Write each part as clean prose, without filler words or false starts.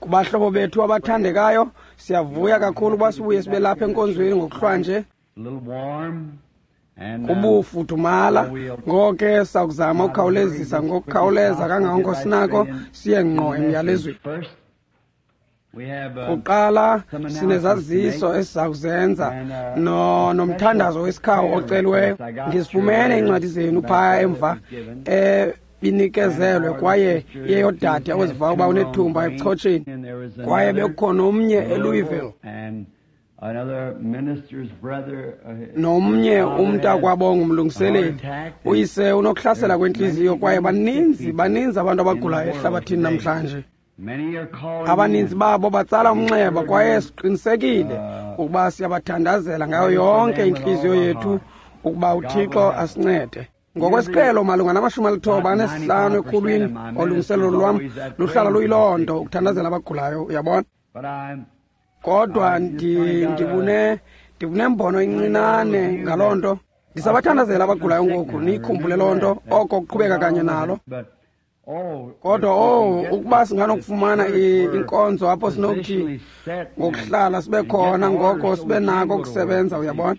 Kubahlobo bethu abathandekayo, siyavuya kakhulu ukuba sibuye sibe lapha enkonzweni ngokuhlwanje. Kubufudumala, ngoko ke sakuzama ukukhawulezisa ngokukhawuleza kangangoko sinako siye ngqo emyalezweni. Kuqala sinezaziso esiza kuzenza nomthandazo wesikhawu oceliweyo. Ndizifumene iincwadi zenu phaya emva ebinikezelwe kwaye iyeyodade oziva uba unethumba ebuchotsheni, kwaye bekukhona omnye eLouisville nomnye umntakwabo ngumlungiseleli. Uyise unokuhlasela kwentliziyo kwaye baninzi abantu abagulayo ehlabathini namhlanje. Abaninzi babo batsala umnxeba kwaye siqinisekile ukuba siyabathandazela ngayo yonke intliziyo yethu ukuba uThixo asincede. Ngokwesiqhelo malunga nama-95 ekhulwini olungiselelo lwam luhlala luyiloo nto, ukuthandazela abagulayo, uyabona. Kodwa ndibunembono incinane ngaloo nto. Ndisabathandazela abagulayo ngoku, niyikhumbule loo nto, oko kuqhubeka kanye nalo. Kodwa ukuba singanokufumana inkonzo apho sinokuthi ngokuhlala sibe khona, ngoko sibe nako ukusebenza, uyabona.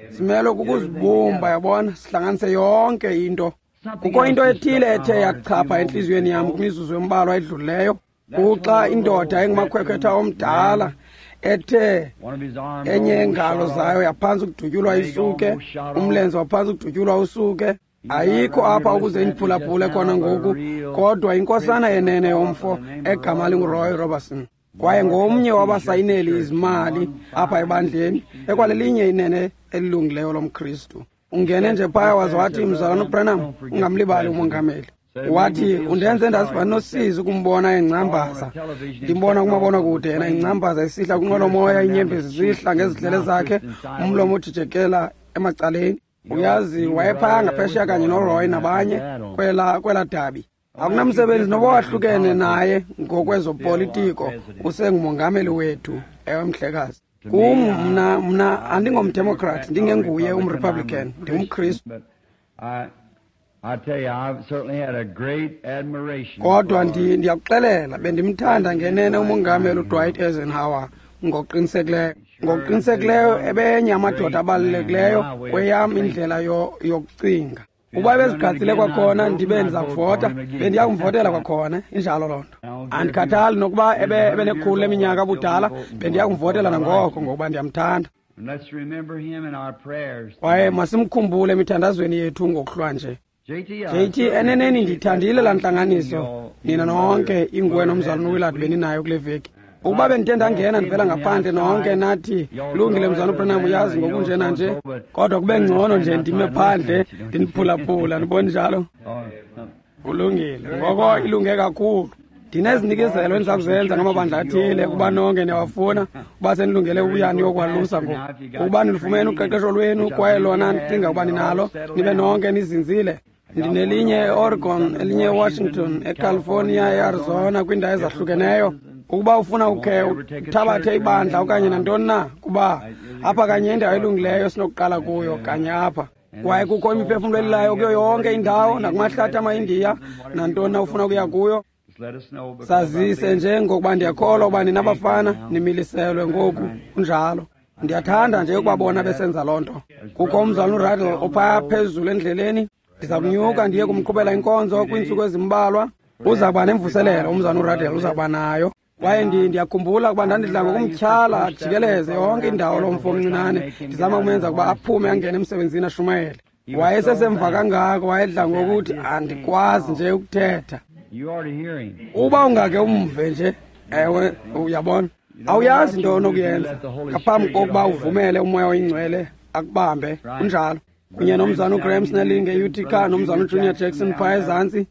Simele kukuzibumba, uyabona, sihlanganise yonke into. Kukho into ethile ethe yachapha entliziyweni yam kwimizuzu embalwa edlulileyo, kuxa indoda engumakhwekhwetha omdala ethe enye yeengalo zayo yaphantsi ukudutyulwa isuke, umlenze waphantsi ukudutyulwa usuke. Ayikho apha ukuze indiphulaphule khona ngoku, kodwa inkosana yenene yomfo egama linguRoy Robertson, kwaye ngomnye wabasayineli izimali apha ebandleni, ekwalelinye inene elilungileyo lomKristu. Ungene nje phaya waze wathi, Mzalwana uBranham, ungamlibali umongameli. Wathi, undenze ndaziva nosizi ukumbona engcambaza. Ndimbona kumabonakude yena engcambaza esihla kwinqwelomoya, iinyembezi zihla ngezidlele zakhe, umlomo ujijekela emacaleni. Uyazi, wayephaya ngaphesheya kanye noRoy nabanye kwela dabi. Akunamsebenzi noba wahlukene naye ngokwezopolitiko, usengumongameli wethu. Ewe, mhlekazi. Kum mna andingomdemokrat, ndingenguye umrepublican, ndingumKristu. Kodwa ndiyakuxelela, bendimthanda ngenene umongameli uDwight Eisenhower ngokuqinisekileyo. Ngokuqinisekileyo ebenye amadoda abalulekileyo kweyam indlela yokucinga. Ukuba bezigqatsile kwakhona ndibe ndiza kuvota, bendiya kumvotela kwakhona, injalo loo nto. Andikhathali nokuba ebenekhulu leminyaka abudala, bendiya kumvotela nangoko ngokuba ndiyamthanda. Kwaye masimkhumbule emithandazweni yethu ngokuhlwanje. JT, eneneni ndithandile laa ntlanganiso nina nonke inguwe nomzalwana uWillard beninayo kule veki. Ukuba bendithe ndangena ndivela ngaphandle nonke nathi, lungile mzalwana uBranham, uyazi ngokunjena nje, kodwa kube ngcono nje ndime phandle ndiniphulaphula, ndibona njalo. Kulungile, ngoko ilunge kakhulu. Ndinezinikezelo endiza kuzenza ngamabandla athile ukuba nonke niyawafuna, ukuba senilungele ukuya niyokwalusa ngoku. Ukuba nilufumene uqeqesho lwenu kwaye lona ndicinga ukuba ninalo, nibe nonke nizinzile. Ndinelinye eOregon, elinye eWashington, eCalifornia, eArizona, kwiindawo ezahlukeneyo. Ukuba ufuna ukhe uthabathe ibandla okanye nantoni na, kuba apha kanye indawo elungileyo sinokuqala kuyo kanye apha. Kwaye kukho imiphefumlo elilayo kuyo yonke indawo, nakumahlathi amaIndiya, nantoni na ufuna ukuya kuyo. Sazise nje ngokuba ndiyakholwa ukuba ninabafana nimiliselwe ngoku, kunjalo. Ndiyathanda nje ukubabona besenza loo nto. Kukho umzalwana uRaddle ophaya phezulu endleleni. Ndiza kunyuka ndiye kumqhubela inkonzo kwiintsuku ezimbalwa. Uza kuba nemvuselelo umzalwana uRaddle, uza kuba nayo. Kwaye ndiyakhumbula ukuba ndandidla ngokumtyhala jikeleze yonke indawo lo mfo omncinane, ndizama ukumenza ukuba aphume angene emsebenzini ashumayele. Wayesesemva kangako, wayedla ngokuthi andikwazi nje ukuthetha. Uba ungake umve nje, ewe, uyabona. Awuyazi into onokuyenza ngaphambi kokuba uvumele uMoya oyiNgcwele akubambe, kunjalo. Kunye nomzalwana uGraham Snelling e-Utica, nomzalwana uJunior Jackson phaya ezantsi.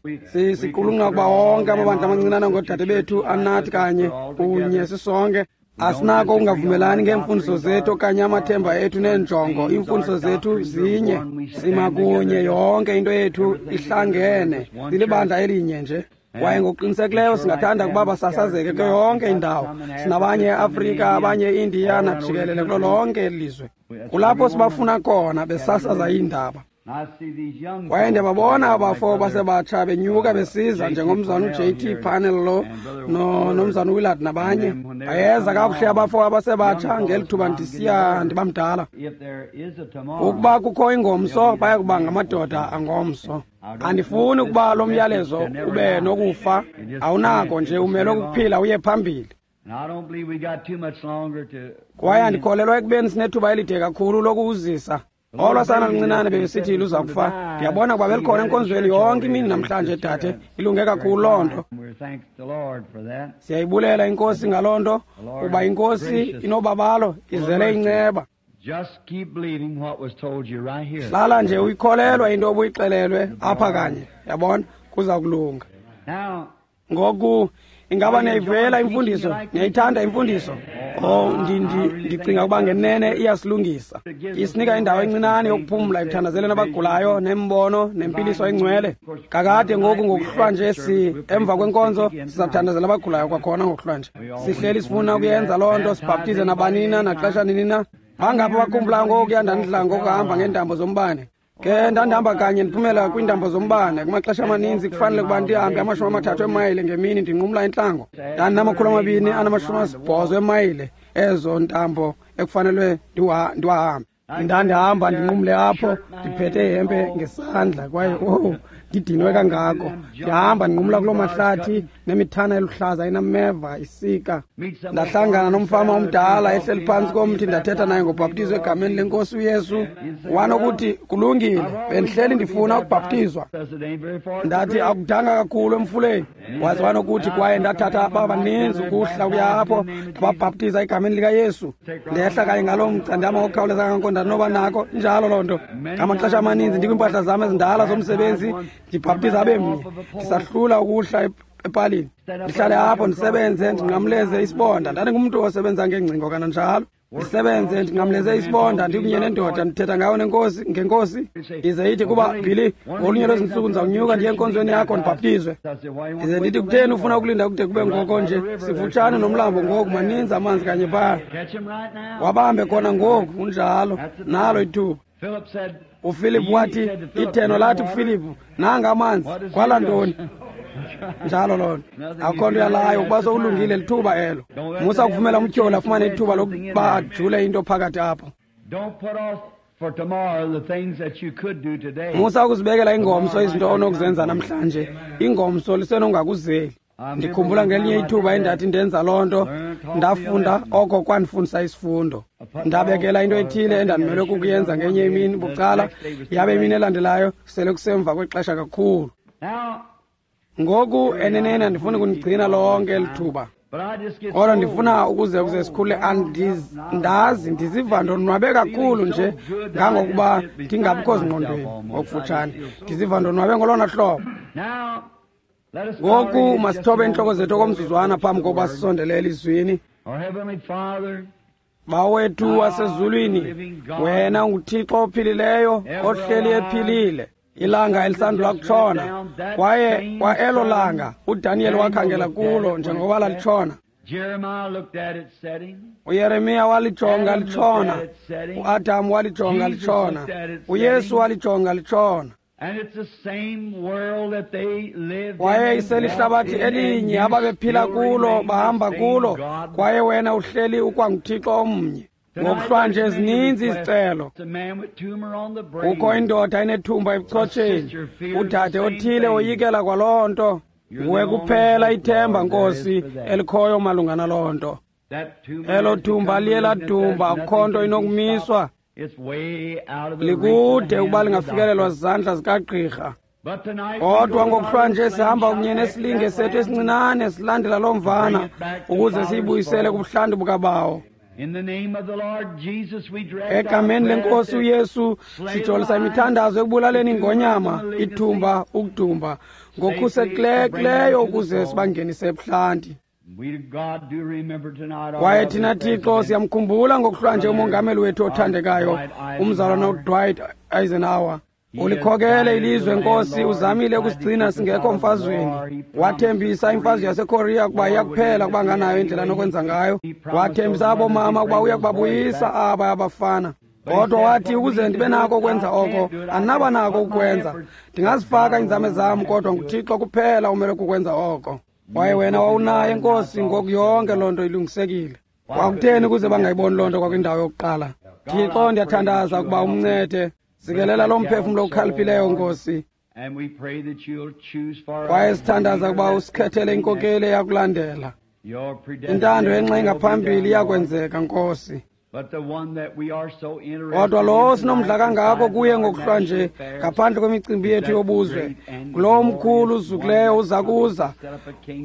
Siqulunqa ukuba wonke amabandla amancinane ngoodade bethu anathi kanye kunye sisonke. Asinako ukungavumelani ngeemfundiso zethu okanye amathemba ethu neenjongo. Iimfundiso zethu zinye, sima kunye, yonke into yethu ihlangene, silibandla elinye nje. Kwaye ngokuqinisekileyo singathanda ukuba basasazeke kuyo yonke indawo. Sinabanye eAfrika, abanye eIndiya, najikelele kulo lonke eli lizwe. Kulapho sibafuna khona besasaza iindaba. Kwaye ndiyababona abafo basebatsha benyuka besiza njengomzana uJT Panel lo nomzana uWillard nabanye. Bayeza kakuhle abafo abasebatsha ngeli thuba ndisiya ndibamdala. Ukuba kukho ingomso, baya kuba ngamadoda angomso. Andifuni ukuba lo myalezo ube nokufa. Awunako nje, umelwe ukuphila uye phambili. Kwaye andikholelwa ekubeni sinethuba elide kakhulu lokuwuzisa. Olwa sana luncinane bebesithi luza kufa. Ndiyabona ukuba belikhona enkonzweni yonke imini namhlanje, dade. Ilunge kakhulu loo nto. Siyayibulela iNkosi ngaloo nto, kuba iNkosi inobabalo, izele inceba. Hlala nje uyikholelwa into obuyixelelwe apha kanye, yabona, kuza kulunga. Ngoku ingaba niyayivuyela imfundiso? Niyayithanda imfundiso? Oh, ndicinga ukuba ngenene iyasilungisa. Isinika indawo encinane yokuphumla ekuthandazeleni abagulayo, nembono, nempiliso engcwele. Kakade ngoku ngokuhlwa nje emva kwenkonzo sizakuthandazela abagulayo kwakhona ngokuhlwa nje. Sihleli sifuna ukuyenza loo nto, sibhaptize nabanina naxesha nini na. Bangaphi abakhumbulayo ngokuya ndandidla ngokuhamba ngeentambo zombane? Ke ndandihamba kanye ndiphumela kwiintambo zombane. Kumaxesha amaninzi kufanele ukuba ndihambe 30 eemayile ngemini ndinqumla intlango. Ndandinama-280 eemayile ezo ntambo ekufanelwe ndiwahambe. Ndandihamba ndinqumle apho ndiphethe ihempe ngesandla kwaye owu ndidinwe kangako. Ndihamba ndinqumla kuloo mahlathi nemithana eluhlaza inameva isika. Ndahlangana nomfama omdala ehleli phantsi komthi, ndathetha naye ngobhaptizo egameni lenkosi uYesu. Wanokuthi kulungile, bendihleli ndifuna ukubhaptizwa. Ndathi akudanga kakhulu emfuleni. Waze wanokuthi kwaye ndathatha ababaninzi ukuhla ukuya apho ndababhaptiza egameni likaYesu. Ndehla kanye ngaloo mgca ndihamba ngokukhawuleza kangako ndanoba nako. Injalo loo nto. Ngamaxesha amaninzi ndikwiimpahla zam ezindala zomsebenzi ndibhaptiza abe mnye. Ndisahlula ukuhla epalini, ndihlale apho ndisebenze ndinqamleze isibonda. Ndandingumntu osebenza ngeengcingo kananjalo. Ndisebenze ndinqamleze isibonda ndikunye nendoda ndithetha ngayo nenkosi ngenkosi. Ize ithi kuba Billy, ngolunye lwezi ntsuku ndizawunyuka ndiye enkonzweni yakho ndibhaptizwe. Ize ndithi kutheni ufuna ukulinda kude kube ngoko nje? Sifutshane nomlambo ngoku, maninzi amanzi kanye phaa. Wabambe khona ngoku, kunjalo. Nalo ithuba. UFilip wathi, itheno lathi kuFilipu, nanga amanzi, kwala ntoni? Njalo loo nto. Akukho nto yalayo ukuba sowulungile, lithuba elo. Musa ukuvumela umtyholi afumane ithuba lokuba ajule into phakathi apho. Musa ukuzibekela ingomso izinto onokuzenza namhlanje. Ingomso lisenongakuzeli. Ndikhumbula ngelinye ithuba endathi ndenza loo nto, ndafunda oko kwandifundisa isifundo. Ndabekela into ethile endandimelwe kukuyenza ngenye imini bucala, yabe imini elandelayo sele kusemva kwexesha kakhulu. Ngoku eneneni andifuni kunigcina lonke eli thuba, kodwa ndifuna ukuze sikhule. Andazi, ndiziva ndonwabe kakhulu nje ngangokuba ndingabikho zingqondweni ngokufutshane. Ndiziva ndonwabe ngolona hlobo. Ngoku masithobe iintloko zethu okomzuzwana phambi kokuba sisondele elizwini. Bawethu wasezulwini, wena unguThixo ophilileyo ohleli ephilile. Ilanga elisandula kutshona, kwaye kwa elo langa uDaniel wakhangela kulo njengoba lalitshona. uYeremiya walijonga litshona, uAdam walijonga litshona, uYesu walijonga litshona. Kwaye iselihlabathi elinye ababephila kulo, bahamba kulo, kwaye wena uhleli ukwanguThixo omnye. Ngokuhlwanje zininzi izicelo. Kukho indoda enethumba ebuchotsheni, udade othile oyikela kwaloo nto. Nguwe kuphela ithemba, Nkosi, elikhoyo malunga naloo nto. Elo thumba liye ladumba, akukho nto inokumiswa. Likude ukuba lingafikelelwa zizandla zikagqirha. Kodwa ngokuhlwanje sihamba kunye nesilinge sethu esincinane silandela loo mvana ukuze siyibuyisele kubuhlanti bukabawo. Egameni lenkosi uYesu sijolisa imithandazo ekubulaleni ingonyama, ithumba, ukudumba ngokhusekileyo ukuze sibangenise ebuhlanti. Kwaye thina Thixo siyamkhumbula ngokuhlwanje umongameli wethu othandekayo, umzalwana uDwight Eisenhower. Ulikhokele ilizwe, Nkosi, uzamile ukusigcina singekho mfazweni. Wathembisa imfazwe yaseKorea ukuba iyakuphela kuba nganayo indlela nokwenza ngayo. Wathembisa abomama ukuba uya kubabuyisa aba abafana. Kodwa wathi, ukuze ndibe nako ukwenza oko, andinaba nako ukukwenza. Ndingazifaka iinzame zam, kodwa nguThixo kuphela umele kukwenza oko. Kwaye wena wawunaye, Nkosi, ngoku yonke loo nto ilungisekile. Kwakutheni ukuze bangayiboni loo nto kwakwindawo yokuqala? Thixo, ndiyathandaza ukuba umncede. Sikelela loo mphefumlo ukhaliphileyo, Nkosi. Kwaye sithandaza ukuba usikhethele inkokeli eyakulandela. Intando yenxa engaphambili iyakwenzeka, Nkosi. Kodwa lowo sinomdla kangako kuye ngokuhlwa nje, ngaphandle kwemicimbi yethu yobuzwe, ngulowo mkhulu uzukileyo uza kuza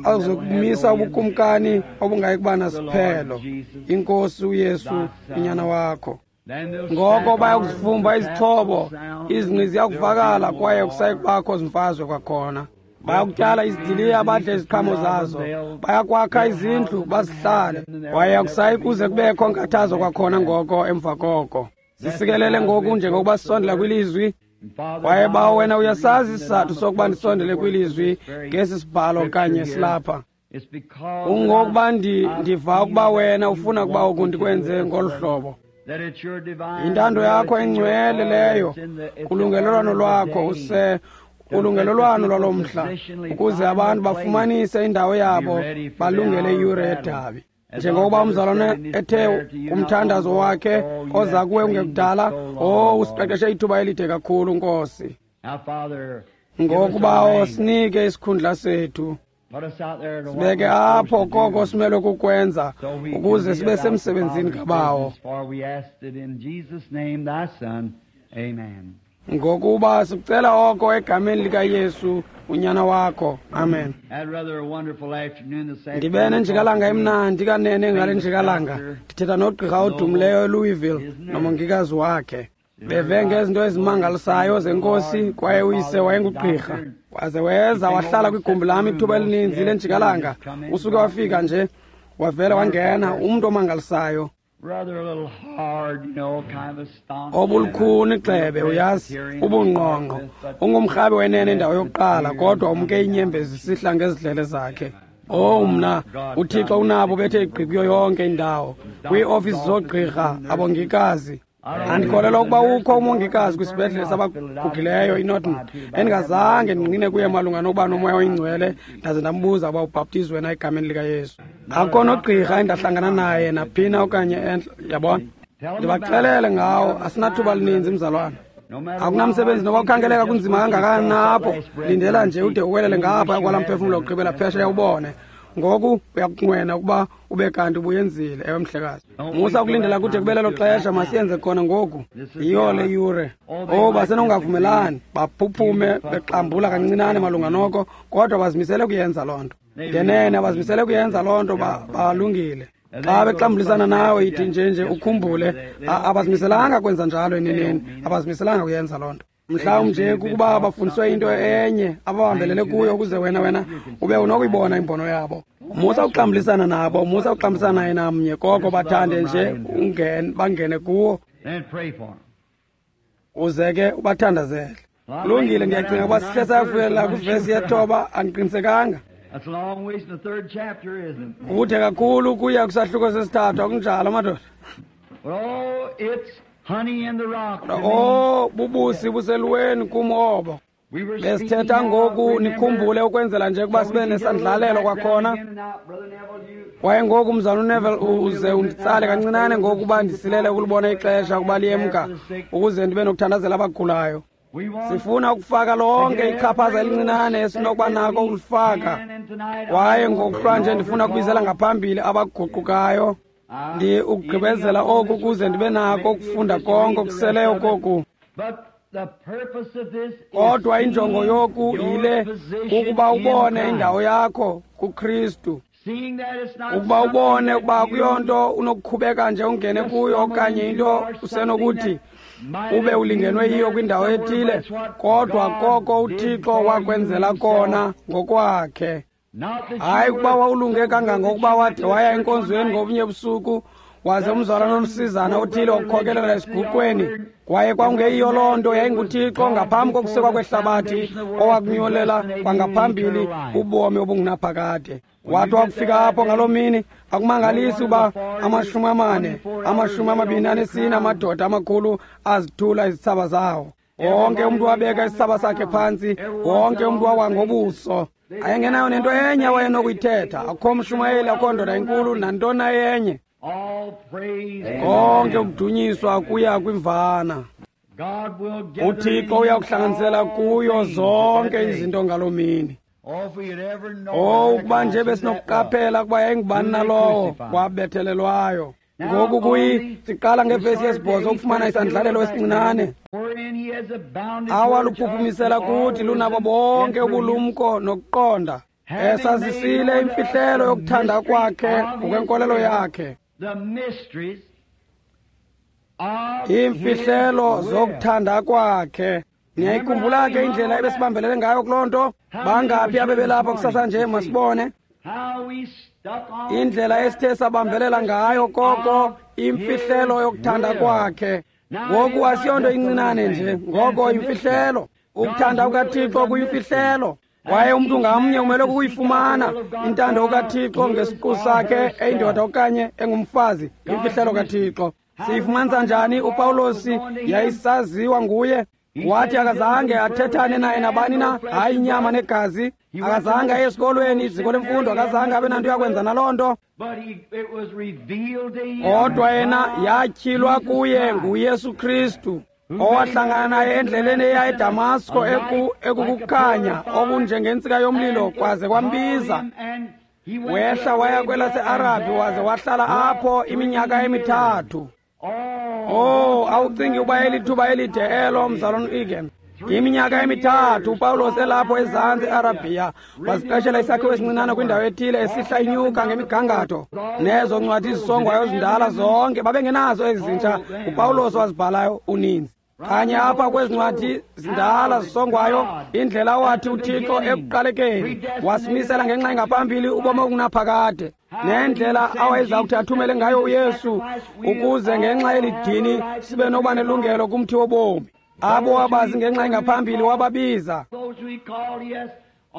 azokumisa ubukumkani obungayi kuba nasiphelo, iNkosi uYesu, uNyana wakho. Ngoko bayakuzifumba izixhobo, izingqi ziyakuvakala, kwaye kusayi kubakho zimfazwe kwakhona. Bayakutyala izidiliya, badle iziqhamo zazo. Bayakwakha izindlu, bazihlale. Kwaye akusayi kuze kubekho nkathazo kwakhona ngoko emva koko. Sisikelele ngoku njengokuba sisondela kwilizwi. Kwaye Bawo, wena uyasazi isizathu sokuba ndisondele kwilizwi ngesi sibhalo kanye silapha. Kungokuba ndiva ukuba wena ufuna ukuba oku ndikwenze ngolu hlobo. Yintando yakho engcwele leyo, kulungelelwano lwakho use ulungelelwano lwalo mhla, ukuze abantu bafumanise indawo yabo, balungele iyure yedabi. Njengokuba umzalwane ethe kumthandazo wakhe oza kuwe kungekudala, usiqeqeshe ithuba elide kakhulu, Nkosi. Ngoku, Bawo, sinike isikhundla sethu. Sibeke apho koko simelwe kukwenza, ukuze sibe semsebenzini kaBawo. Ngokuba sikucela oko egameni likaYesu, unyana wakho. Amen. Ndibe nenjikalanga emnandi kanene ngale njikalanga, ndithetha nogqirha odumileyo eLouisville nomongikazi wakhe. Beve ngezinto ezimangalisayo zeNkosi, kwaye uyise wayengugqirha. Waze weza wahlala kwigumbi lam ithuba elininzi lenjikalanga. Usuke wafika nje, wavele wangena, umntu omangalisayo. Obulukhuni gxebe, uyazi, ubungqongqo. Ungumrhabi wenene indawo yokuqala, kodwa umke inyembezi sihla ngezidlele zakhe. Mna, uThixo unabo bethe igqi kuyo yonke indawo. Kwiiofisi zoogqirha, abongikazi. Andikholelwa ukuba ukho umongikazi kwisibhedlele sabagugileyo iNorton endingazange ndingqine kuye malunga nokuba noMoya oyiNgcwele, ndaze ndambuza uba ubhaptizwe na egameni likaYesu. Akukho nogqirha endahlangana naye naphina okanye entla, yabona. Ndibaxelele ngawo, asinathuba lininzi, mzalwana. Akunamsebenzi noba kukhangeleka kunzima kangakanani na apho, lindela nje ude uwelele ngapha kwalaa mphefumlo wokugqibela phesheya ubone. Ngoku uyakunqwena ukuba ube kanti ubuyenzile. Ewe, mhlekazi. Musa ukulindela kude kube lelo xesha, masiyenze khona ngoku. Yiyo le yure. Basenongavumelani, baphuphume bexambula kancinane malunga noko, kodwa bazimisele kuyenza loo nto. Ngenene abazimisele kuyenza loo nto, balungile. Xa bexambulisana nawe yithi nje ukhumbule, abazimiselanga kwenza njalo eneneni, abazimiselanga kuyenza loo nto. Mhlawumbi nje kukuba bafundiswe into enye ababambelele kuyo, ukuze wena ube unokuyibona imbono yabo. Musa ukuxambulisana nabo, musa ukuxambulisana naye namnye, koko bathande nje bangene kuwo, uze ke ubathandazele. Kulungile, ndiyacinga ukuba sihle sayafikelela kwivesi yethoba, andiqinisekanga. Kude kakhulu kuya kwisahluko sesithathu, akunjalo madoda? Bubusi buseluweni kum obo. Besithetha ngoku, nikhumbule, ukwenzela nje ukuba sibe nesandlalelo kwakhona. Kwaye ngoku, mzalwana uNeville, uze unditsale kancinane ngoku uba ndisilele ukulibona ixesha ukuba liyemka, ukuze ndibe nokuthandazela abagulayo. Sifuna ukufaka lonke ichaphaza elincinane esinokuba nako ukulifaka. Kwaye ngokuhlwa nje ndifuna ukubizela ngaphambili abaguqukayo. Ndi ukugqibezela oku ukuze ndibe nako ukufunda konke okuseleyo koku. Kodwa injongo yoku yile, kukuba ubone indawo yakho kuKristu. Ukuba ubone ukuba akuyonto unokukhubeka nje ungene kuyo, okanye into usenokuthi ube ulingenwe yiyo kwindawo ethile, kodwa koko uThixo wakwenzela kona ngokwakhe. Hayi ukuba wawulunge kangangokuba wade waya enkonzweni ngobunye busuku, Waze umzalwana olusizana othile wakukhokelela esiguqweni. Kwaye kwakungeyiyo loo nto, yayinguThixo ngaphambi kokusekwa kwehlabathi owakunyolela kwangaphambili ubomi obungunaphakade. Wathi wakufika apho ngaloo mini, akumangalisi uba 40, 24 amadoda amakhulu azithula izithsaba zawo. Wonke umntu wabeka isithsaba sakhe phantsi, wonke umntu wawa ngobuso. Ayengenayo nento enye awayenokuyithetha, akukho mshumayeli, akukho ndoda enkulu, nantoni enye. Konke ukudunyiswa kuya kwimvana. UThixo uyakuhlanganisela kuyo zonke izinto ngaloo mini. Oh, ukuba nje besinokuqaphela ukuba yayingubani nalowo wabethelelwayo. Ngoku siqala ngevesi yesibhozo ukufumana isandlalelo esincinane awaluphuphumisela kuthi lunabo bonke ubulumko nokuqonda, esazisile imfihlelo yokuthanda kwakhe ngokwenkolelo yakhe. Iimfihlelo zokuthanda kwakhe. Niyayikhumbula ke indlela ebesibambelele ngayo kuloo nto? Bangaphi abebelapha kusasa nje? Masibone indlela esithe sabambelela ngayo koko imfihlelo yokuthanda kwakhe. Ngoku asiyonto incinane nje, ngoko imfihlelo. Ukuthanda kukaThixo kuyimfihlelo, kwaye umntu ngamnye umele ukuyifumana intando kaThixo ngesiqu sakhe, eyindoda okanye engumfazi. Imfihlelo kaThixo siyifumanisa njani? UPawulosi yayisaziwa nguye. Wathi akazange athethane naye nabani na, hayi inyama negazi. Akazange aye esikolweni, iziko lemfundo, akazange abe nanto yakwenza naloo nto. Kodwa yena yatyhilwa kuye nguYesu Kristu, owahlangana naye endleleni eya eDamasko, ekukukhanya okunjengentsika yomlilo, kwaze kwambiza. Wehla waya kwelaseArabhi waze wahlala apho iminyaka emithathu. Oh, awucingi uba elithuba elide elo, mzalwana uEgan? Iminyaka emithathu uPawulos elapho ezantsi eArabhiya, waziqeshela isakhiwo esincinane kwindawo ethile, esihla inyuka ngemigangatho. Nezo ncwadi zisongwayo zindala zonke babengenazo ezintsha, uPawulos wazibhalayo uninzi. Kanye apha kwezi ncwadi zindala zisongwayo, indlela wathi uThixo ekuqalekeni wasimisela ngenxa engaphambili ubomi obungunaphakade, nendlela awayeza kuthi athumele ngayo uYesu ukuze ngenxa yeli dini sibe nokuba nelungelo kumthi wobomi. Abo wabazi ngenxa engaphambili wababiza,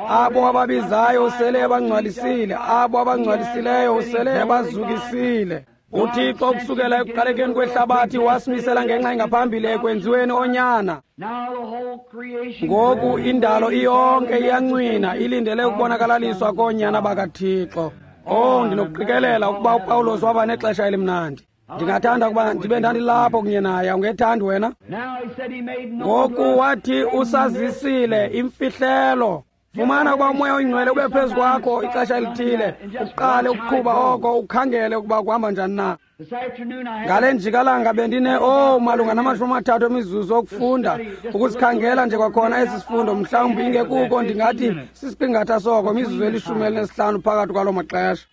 abo wababizayo usele ebangcwalisile, abo abangcwalisileyo usele ebazukisile. UThixo ukusukela ekuqalekeni kwehlabathi wasimisela ngenxa engaphambili ekwenziweni onyana. Ngoku indalo iyonke iyancwina ilindele ukubonakalaliswa koonyana bakaThixo. Oh, ndinokuqikelela ukuba uPawulos waba nexesha elimnandi. Ndingathanda ukuba ndibe ndandilapho kunye naye, awungethandi wena? Ngoku wathi usazisile imfihlelo. Fumana ukuba uMoya oyiNgcwele ube phezu kwakho ixesha elithile, uqale ukuqhuba oko, ukhangele ukuba kuhamba njani na. Ngale njikalanga bendine malunga na-30 emizuzu okufunda, ukusikhangela nje kwakhona esi sifundo, mhlawumbi ingekuko ndingathi sisiqingatha soko, imizuzu eli-15 phakathi kwaloo maxesha.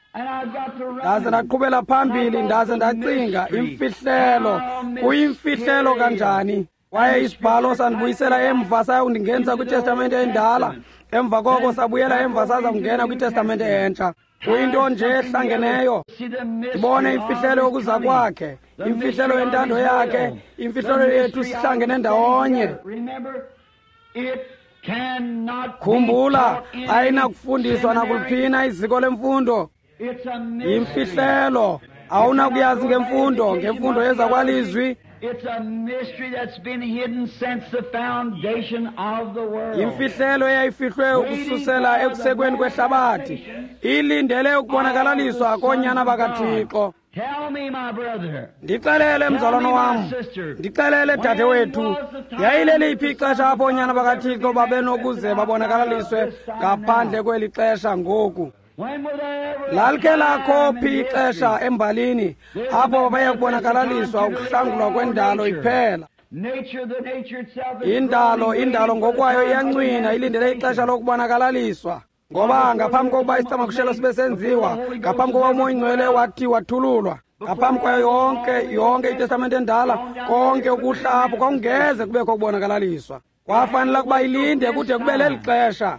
Ndaze ndaqhubela phambili, ndaze ndacinga, imfihlelo, kuyimfihlelo kanjani? Kwaye isibhalo sandibuyisela emva sayakundingenisa kwiTestamente endala, emva koko sabuyela emva saza kungena kwiTestamente entsha. Kuyinto nje ehlangeneyo. Ndibone imfihlelo yokuza kwakhe, imfihlelo yentando yakhe, imfihlelo yethu sihlangene ndawonye. Khumbula, ayinakufundiswa nakuluphina iziko lemfundo. Yimfihlelo, awunakuyazi ngemfundo, ngemfundo yezakwalizwi. Yimfihlelo eyayifihlwe ukususela ekusekweni kwehlabathi, ilindele ukubonakalaliswa koonyana bakaThixo. Ndixelele, mzalwana wam, ndixelele, dade wethu, yayileliphi ixesha apho oonyana bakaThixo babenokuze babonakalaliswe ngaphandle kweli xesha ngoku? Lalikhe lakho phi ixesha embalini apho baya kubonakalaliswa ukuhlangulwa kwendalo iphela? Indalo, indalo ngokwayo iyancwina, ilindele ixesha lokubonakalaliswa. Ngoba ngaphambi kokuba isicamakushelo sibe senziwa, ngaphambi kokuba uMoya oyiNgcwele wathi wathululwa, ngaphambi kwayo yonke iTestamente endala, konke ukuhla apho kwakungeze kubekho ukubonakalaliswa. Kwafanele ukuba ilinde kude kube leli xesha.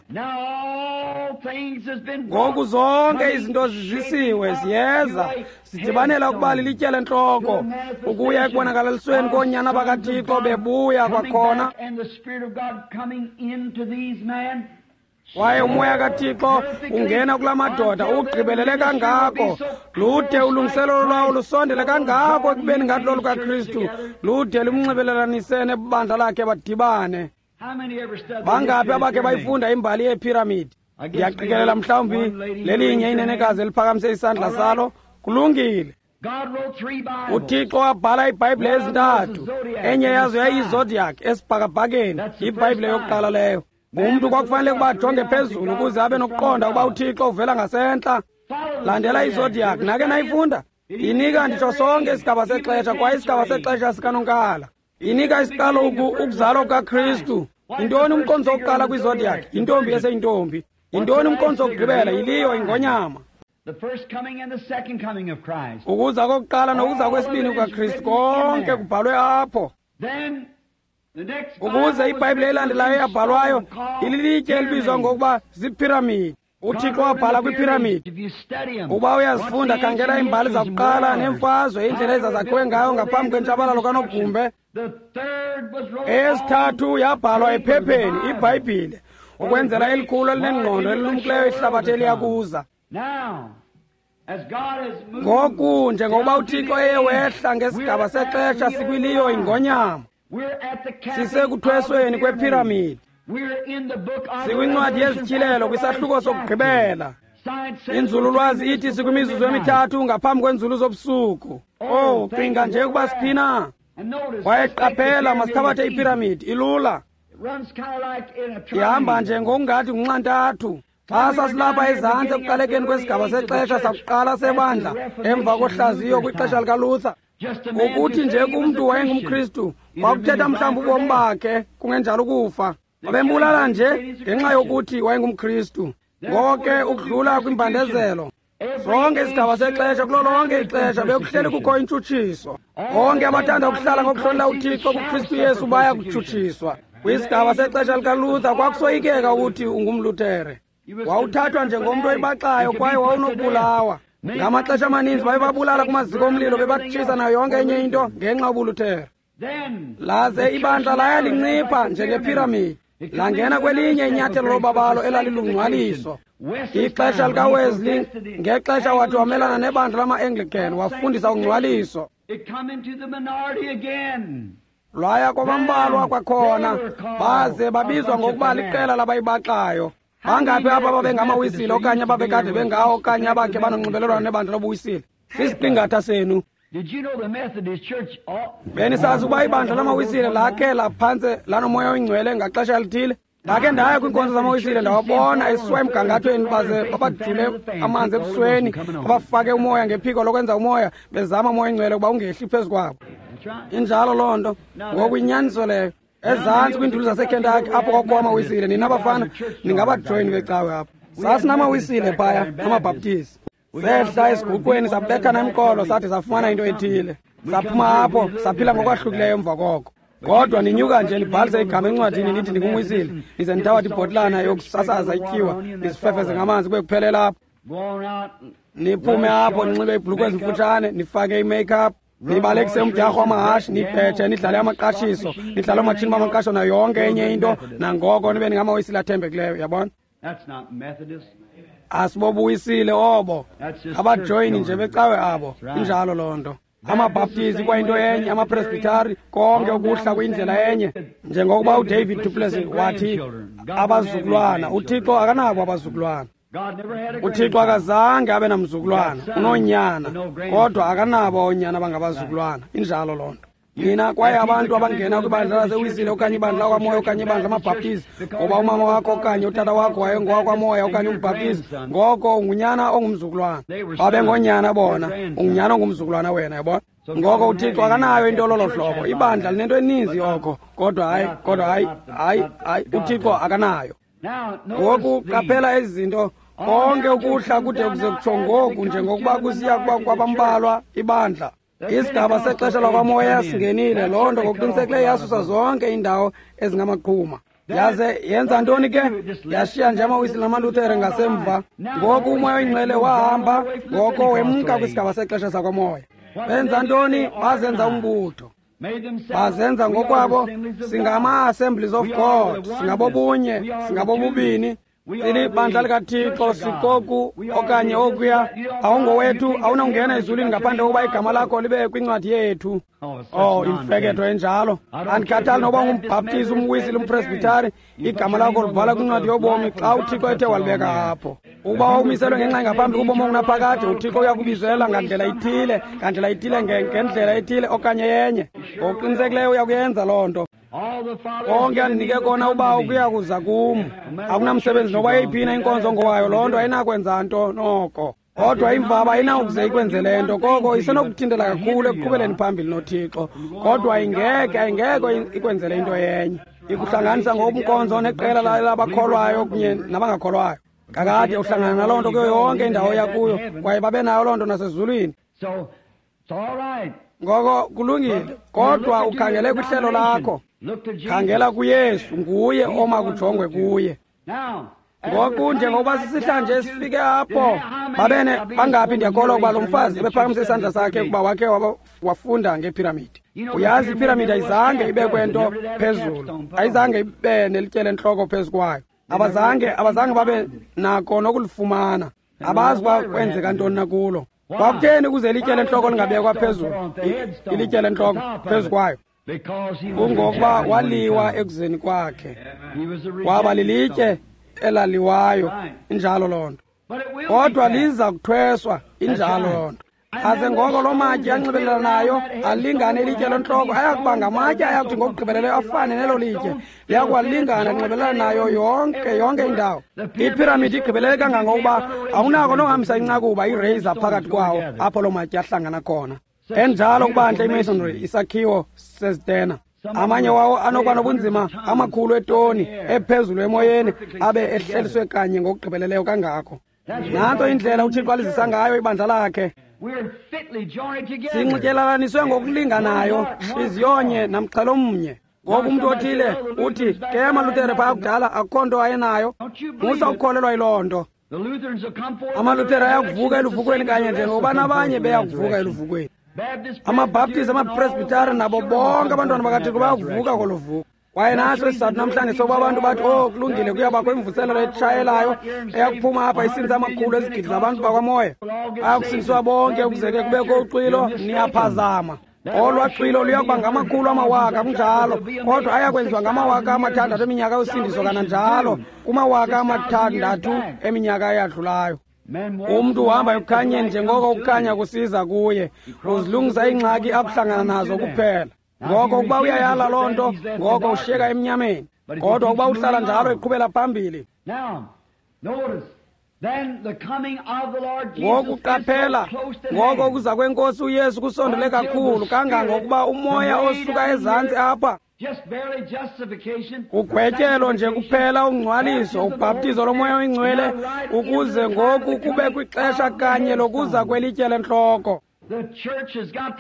Ngoku zonke izinto zizisiwe, ziyeza, zidibanela ukuba lilitye lentloko, ukuya ekubonakalalisweni koonyana bakaThixo bebuya kwakhona. Kwaye umoya kaThixo ungena kula madoda ugqibelele kangako, lude ulungiselelo lwawo lusondele kangako ekubeni ngathi lolukaKristu, lude lumnxibelelanise nebandla lakhe badibane. Bangaphi abakhe bayifunda imbali yeephiramidi? Ndiyaqikelela mhlawumbi lelinye inenekazi eliphakamise isandla salo. Kulungile. UThixo wabhala iBhayibhile ezintathu. Enye yazo yayiyizodiac esibhakabhakeni, iBhayibhile yokuqala leyo. Umntu kwakufanele ukuba ajonge phezulu ukuze abe nokuqonda ukuba uThixo uvela ngasentla. Landela izodiac, nake nayifunda? Inika nditsho sonke isigaba sexesha, kwaye isigaba sexesha sikanonkala. Inika isiqalo ukuzalwa kukaKristu. Yintoni umqondiso wokuqala kwizodiac? Yintombi eseyintombi. Yintoni umqondiso wokugqibela? Yiliyo ingonyama. Ukuza kokuqala nokuza kwesibini kukaKristu, konke kubhalwe apho. Ukuze iBhayibhile elandelayo eyabhalwayo ililitye elibizwa ngokuba ziiphiramidi. UThixo wabhala kwiphiramidi. Uba uyazifunda, khangela iimbali zakuqala neemfazwe, indlela ezazakhiwe ngayo ngaphambi kwentshabalalo kanogumbe. Eyesithathu yabhalwa ephepheni, iBhayibhile, ukwenzela elikhulu elinengqondo elilumkileyo ihlabathi eliyakuza. Ngoku njengokuba uThixo eye wehla ngesigaba sexesha sikwiliyo ingonyama, sisekuthwesweni kwephiramidi. Sikwincwadi yezityhilelo kwisahluko sokugqibela. Inzululwazi ithi sikwimizuzu emithathu ngaphambi kwenzulu zobusuku. Oh, cinga nje ukuba siphina. Kwaye qaphela, masithabathe iphiramidi, ilula. Ihamba nje ngokungathi ngunxantathu. Xa sasilapha ezantsi ekuqalekeni kwesigaba sexesha sakuqala sebandla, emva kohlaziyo kwixesha likaLuther, ukuthi nje kumntu wayengumKristu kwakuthetha mhlawumbi ubomi bakhe, kungenjalo ukufa. Babembulala nje ngenxa yokuthi wayengumKristu. Ngoko ke ukudlula kwimbandezelo, sonke isigaba sexesha, kulo lonke ixesha bekuhleli kukho intshutshiso. Bonke abathanda ukuhlala ngokuhlonela uThixo kuKristu Yesu baya kutshutshiswa. Kwisigaba sexesha likaLuther kwakusoyikeka ukuthi ungumLuthere. Wawuthathwa njengomntu oyibaxayo kwaye wawunokubulawa. Ngamaxesha amaninzi babebabulala kumaziko omlilo, bebatshisa nayo yonke enye into ngenxa yobuLuthere. Laze ibandla laya lincipha njengephiramidi, langena kwelinye inyathelo lobabalo elalilungcwaliso. Ixesha likaWesley, ngexesha wathi wamelana nebandla lama-Anglican, wafundisa ungcwaliso. Lwaya kwabambalwa kwakhona, baze babizwa ngokuba liqela labayibaxayo. Bangaphi apha ababengamawisile okanye ababekade bengawo okanye abakhe banonxibelelwano nebandla lobuwisile? Sisiqingatha senu. Benisazi ukuba ibandla lamawisile lakhe laphantse lanomoya oyingcwele ngaxesha elithile? Ndakhe ndaya kwiinkonzo zamawisile, ndawabona esiwa emgangathweni, baze babajule amanzi ebusweni, babafake umoya ngephiko lokwenza umoya, bezama umoya oyingcwele ukuba ungehli phezu kwabo. Injalo loo nto. Ngoku inyaniso leyo. Ezantsi kwiinduli zaseKentucky apho kwakukho amawisile, nina bafana ningabajoyini becawe apho. Sasinamawisile phaya, amaBhaptizi. Sehla esiguqweni sabethana emqolo, sathi safumana into ethile. Saphuma apho saphila ngokwahlukileyo emva koko. Kodwa ninyuka nje nibhalise igama encwadini nithi ndingumwisile, nize nithabathe ibhotilana yokusasaza ityiwa nizifefeze ngamanzi kube kuphelela apho. Niphume apho ninxibe iibhulukhwe ezimfutshane, nifake i-makeup, nibalekise umdyarho wamahashe, nibhethe, nidlale amaqashiso, nidlale oomatshini bamaqasho nayo yonke enye into, nangoko nibe ningamawisile athembekileyo, yabona? Asibobuwisile obo, abajoyini nje becawe abo. Injalo loo nto. AmaBhaptizi kwayinto enye, amaPresbitari, konke ukuhla kwindlela enye. Njengokuba uDavid Duplessis wathi abazukulwana, uThixo akanabo abazukulwana. uThixo akazange abe namzukulwana, unoonyana, kodwa akanabo oonyana abangabazukulwana. Injalo loo nto. Nina kwaye abantu abangena kwibandla lasewisile okanye ibandla lakwamoya okanye ibandla lamabhaptizi, ngoba umama wakho okanye utata wakho wayengowakwamoya okanye umbhaptizi, ngoko ungunyana ongumzukulwana. Babengoonyana bona, ungunyana ongumzukulwana wena, yabona? Ngoko uThixo akanayo into lolo hlobo. Ibandla linento eninzi yoko, kodwa hayi, kodwa hayi, hayi, hayi, uThixo akanayo. Ngoku qaphela ezi zinto, konke ukuhla kude kuze kutsho ngoku njengokuba kusiya kuba kwabambalwa ibandla. Isigaba sexesha lakwamoya singenile. Loo nto ngokuqinisekileyo yasusa zonke iindawo ezingamaqhuma. Yaze yenza ntoni ke? Yashiya nje amaWisile namaLuthere ngasemva. Ngoku uMoya oyiNgcwele wahamba, ngoko wemka kwisigaba sexesha sakwamoya. Benza ntoni? Bazenza umbutho. Bazenza ngokwabo, singama-Assemblies of God, singabobunye, singabobubini, silibandla likaThixo, sikoku okanye okuya. Awungowethu, awunawungena ezulwini ngaphandle kokuba igama lakho libe kwincwadi yethu. Oh, imfeketho enjalo. Andikhathali noba ungumbhaptizi, umwisile, umpresbitari, igama lakho libhala kwincwadi yobomi xa uThixo ethe walibeka apho. Ukuba wawumiselwe ngenxa engaphambi kubomi obungunaphakade, uThixo uyakubizela ngandlela ithile, ngendlela ethile okanye yenye. Ngokuqinisekileyo uyakuyenza loo nto. Konke andinike kona uBawo kuya kuza kum. Akunamsebenzi noba yeyiphina inkonzo ngowayo, loo nto ayinakwenza nto noko. Kodwa imvaba ayinawukuze ikwenzele nto, koko isenokuthintela kakhulu ekuqhubeleni phambili noThixo. Kodwa ingeke, ayingeke ikwenzele into yenye. Ikuhlanganisa ngobunkonzo neqela labakholwayo kunye nabangakholwayo. Kakade uhlangana naloo nto kuyo yonke indawo yakuyo, kwaye babe nayo loo nto nasezulwini. Ngoko kulungile, kodwa ukhangele kwihlelo lakho. Khangela kuYesu, nguye oma kujongwe kuye. Ngoku njengokuba sisihlanje sifike apho, babene bangaphi ndiyakholwa ukuba lo mfazi ebephakamise isandla sakhe ukuba wakhe wafunda ngephiramidi. Uyazi iphiramidi ayizange ibekwe nto phezulu, ayizange ibe nelitye lentloko phezu kwayo. Abazange babe nako nokulifumana. Abazi uba kwenzeka ntoni na kulo. Kwakutheni ukuze ilitye lentloko lingabekwa phezulu, ilitye lentloko phezu kwayo? Kungokuba waliwa ekuzeni kwakhe, waba lilitye elaliwayo. Injalo loo nto. Kodwa liza kuthweswa, injalo loo nto. Aze ngoko loo matye anxibelelanayo alingane ilitye lentloko, ayakuba ngamatye ayakuthi ngokugqibeleleyo afane nelo litye, liyakuwalingana linxibelelana nayo yonke indawo. Iphiramidi igqibelele kangangokuba awunako nohambisa incakuba ireyiza phakathi kwawo apho loo matye ahlangana khona. Enjalo kubantle imasonry, isakhiwo sezitena. Amanye wawo anokuba nobunzima amakhulu etoni ephezulu emoyeni, abe ehleliswe kanye ngokugqibeleleyo kangako. Nantso indlela uThixo alizisa ngayo ibandla lakhe. Sinxityelalaniswe ngokulinganayo, ntliziyonye namxhelo mnye. Ngoku umntu othile uthi, ke amaLuthere phaya kudala akukho nto ayenayo. Musa ukukholelwa yiloo nto. AmaLuthere ayakuvuka eluvukweni kanye njengokuba nabanye beyakuvuka eluvukweni. AmaBhaptizi, amaPresbitari nabo bonke abantwana bakaThixo bayakuvuka kolo vuko. Kwaye naso isizathu namhlanje sokuba abantu bathi, oh, kulungile, kuyabakho imvuselelo etshayelayo eyakuphuma apha isindisa amakhulu ezigidi zabantu bakwamoya. Bayakusindiswa bonke ukuze ke kubekho uxwilo. Niyaphazama. Olwa xwilo luyakuba ngamakhulu amawaka, kunjalo, kodwa ayakwenziwa ngamawaka 6 eminyaka yosindiso kananjalo kumawaka 6 eminyaka eyadlulayo. Umntu uhamba ekukhanyeni njengoko ukukhanya kusiza kuye, uzilungisa iingxaki akuhlangana nazo kuphela. Ngoko ukuba uyayala loo nto, ngoko ushiyeka emnyameni. Kodwa ukuba uhlala njalo eqhubela phambili. Ngoku qaphela, ngoko ukuza kwenkosi uYesu kusondele kakhulu kangangokuba umoya osuka ezantsi apha, ugwetyelo nje kuphela, ungcwaliso, ubhaptizo lomoya oyingcwele, ukuze ngoku kube kwixesha kanye lokuza kwelitye lentloko.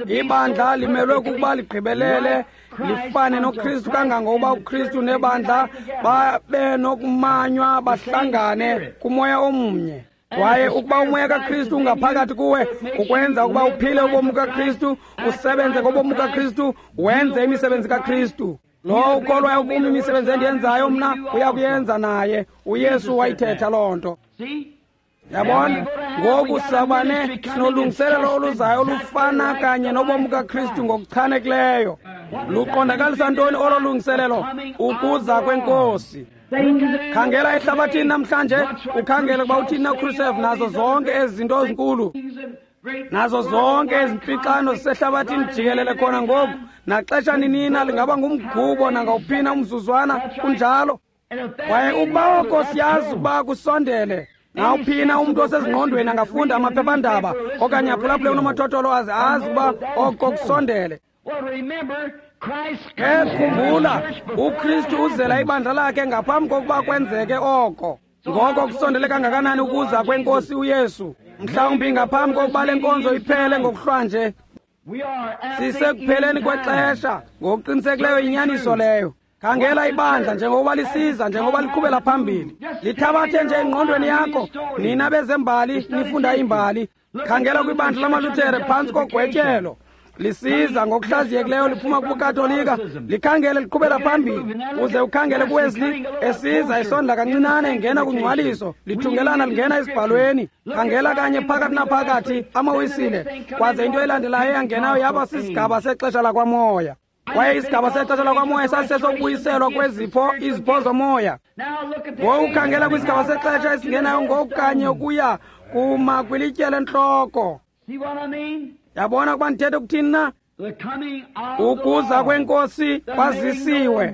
Ibandla limelwe kukuba ligqibelele, lifane noKristu kangangokuba uKristu nebandla babe nokumanywa bahlangane kumoya omnye. Kwaye ukuba umoya kaKristu ungaphakathi kuwe, ukwenza ukuba uphile ubomi kaKristu, usebenze ngobomi kaKristu, wenze imisebenzi kaKristu. Lowo ukholwayo kum, imisebenzi endiyenzayo mna uyakuyenza naye. uYesu wayithetha loo nto. Yabona, ngoku sabane sinolungiselelo oluzayo olufana kanye nobomi kaKristu ngokuchanekileyo. Luqondakalisa ntoni olo lungiselelo? Ukuza kwenkosi. Khangela ehlabathini namhlanje, ukhangele ukuba uthini na Khrushchev nazo zonke ezi zinto ezinkulu, nazo zonke ezi mpixano zisehlabathini jikelele khona ngoku. Naxesha ninina lingaba ngumgubo nangawuphina umzuzwana, kunjalo. Kwaye ukuba oko siyazi ukuba kusondele. Nawuphina umntu osezingqondweni angafunda amaphephandaba okanye aphulaphule unomathotholo aze azi ukuba oko kusondele. Ke khumbula, uKristu uzela ibandla lakhe ngaphambi kokuba kwenzeke oko. Ngoko kusondele kangakanani ukuza kwenkosi uYesu? Mhlawumbi ngaphambi kokuba le nkonzo iphele ngokuhlwanje. Sisekupheleni kwexesha, ngokuqinisekileyo inyaniso leyo. Khangela ibandla njengokuba lisiza, njengoba liqhubela phambili. Lithabathe nje engqondweni yakho, nina bezembali nifunda imbali. Khangela kwibandla lamaLuthere phantsi kogwetyelo, lisiza ngokuhlaziyekileyo liphuma kubuKatolika, likhangele liqhubela phambili. Uze ukhangele kuWesley esiza esondla kancinane engena kungcwaliso, lithungelana lingena esibhalweni. Khangela kanye phakathi naphakathi amaWisile, kwaze into elandelayo eyangenayo yaba sisigaba sexesha lakwamoya. Kwaye isigaba sexesha lakwamoya sasisesokubuyiselwa kwezipho, izipho zomoya. Ngoku khangela kwisigaba sexesha esingenayo ngoku kanye ukuya kuma kwilitye lentloko. Yabona ukuba ndithetha ukuthini na? Ukuza kweNkosi kwazisiwe.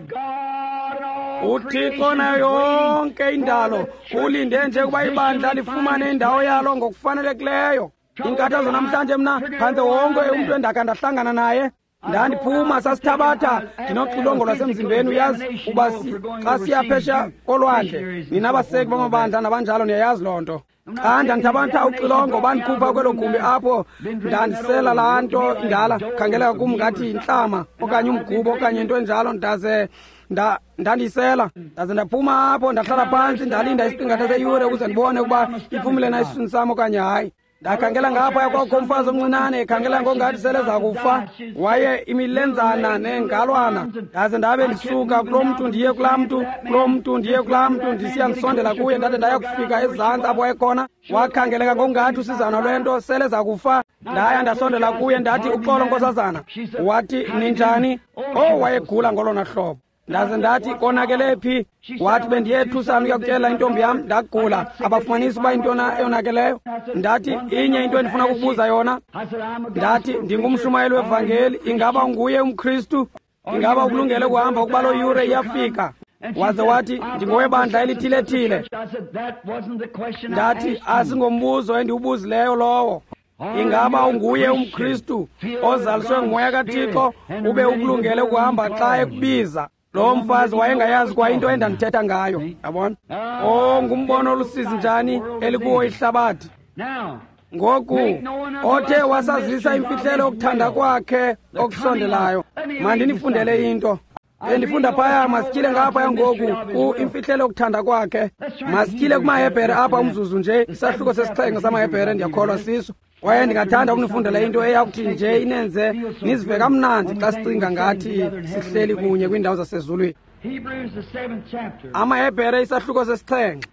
UThixo nayo yonke indalo ulinde nje ukuba ibandla lifumane indawo yalo ngokufanelekileyo. Inkathazo namhlanje mna phantse wonke umntu endakha ndahlangana naye, ndandiphuma sasithabatha ndinoxilongo lwasemzimbeni, uyazi uba xa siya phesha kolwandle, nina baseki bamabandla nabanjalo niyayazi loo nto. Xa ndandithabatha uxilongo bandikhupha kwelo gumbi apho ndandisela laa nto indala, khangeleka kum ngathi yintlama okanye umgubo okanye into enjalo, ndaze ndandiyisela. Ndaze ndaphuma apho ndahlala phantsi ndalinda isiqingatha seyure ukuze ndibone ukuba iphumile na esiswini sam okanye hayi. Ndakhangela ngapha kwakho umfazi omncinane ekhangela ngongathi sele za kufa, waye imilenzana nengalwana. Ndaze ndabe ndisuka kulo mntu ndiye kulaa mntu, kulo mntu ndiye kulaa mntu, ndisiya ndisondela kuye, ndade ndaya kufika ezantsi apho wayekhona. Wakhangeleka ngokungathi usizana lwento sele za kufa. Ndaya ndasondela kuye ndathi, uxolo nkosazana. Wathi, ninjani? Oh, wayegula ngolona hlobo. Ndaze ndathi, konakele phi? Wathi, bendiye ethusana ukuyakutyela intombi yam, ndagula, abafumanisi uba intona eyonakeleyo. Ndathi, inye into endifuna ukubuza yona. Ndathi, ndingumshumayeli wevangeli, ingaba unguye umKristu? Ingaba ukulungele ukuhamba ukuba loo yure iyafika? Waze wathi, ndingowebandla elithile-thile. Ndathi, asingombuzo endiwubuzileyo lowo. Ingaba unguye umKristu ozaliswe nguMoya kaThixo, ube ukulungele ukuhamba xa ekubiza? Lo mfazi wayengayazi kwa into endandithetha ngayo, yabona? Oh, ngumbono olusizi njani elikuwo ihlabathi. Ngoku othe wasazisa imfihlelo yokuthanda kwakhe okusondelayo. Mandinifundele into. Bendifunda phaya, masityile ngaphaya ngoku ku imfihlelo yokuthanda kwakhe. Masityile kumaHebhere apha umzuzu nje, isahluko sesixhenxe samaHebhere ndiyakholwa siso. Kwaye ndingathanda ukunifundela into eyakuthi nje inenze nizive kamnandi xa sicinga ngathi sihleli kunye kwiindawo zasezulwini. AmaHebhere isahluko sesixhenxe.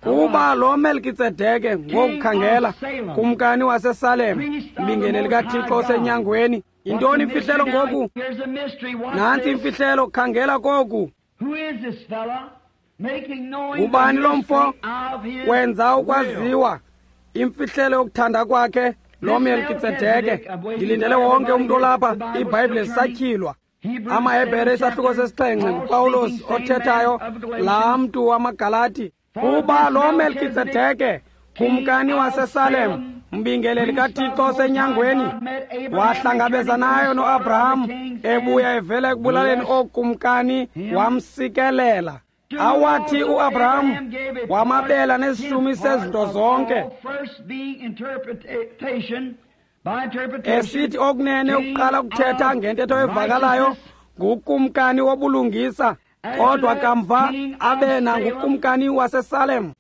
Kuba lo Melkitsedeke ngokukhangela kumkani waseSalem, mbingeleli kaThixo osenyangweni. Yintoni imfihlelo ngoku? Nantsi imfihlelo, khangela koku. Ngubani lo mfo? Wenza ukwaziwa imfihlelo yokuthanda kwakhe lo Melkitsedeke. Ndilindele wonke umntu olapha, iBhayibhile zisatyhilwa. AmaHebhere isahluko sesixhenxe, nguPawulos othethayo, laa mntu wamaGalati. Kuba lo Melkitsedeke kumkani waseSalem, mbingeleli kaThixo osenyangweni, wahlangabezanayo noAbraham ebuya evela ekubulaleni ookumkani, wamsikelela. Awathi uAbraham wamabela nesishumi sezinto zonke, esithi okunene ukuqala ukuthetha ngentetho evakalayo ngukumkani wobulungisa, kodwa kamva abe nangukumkani waseSalem.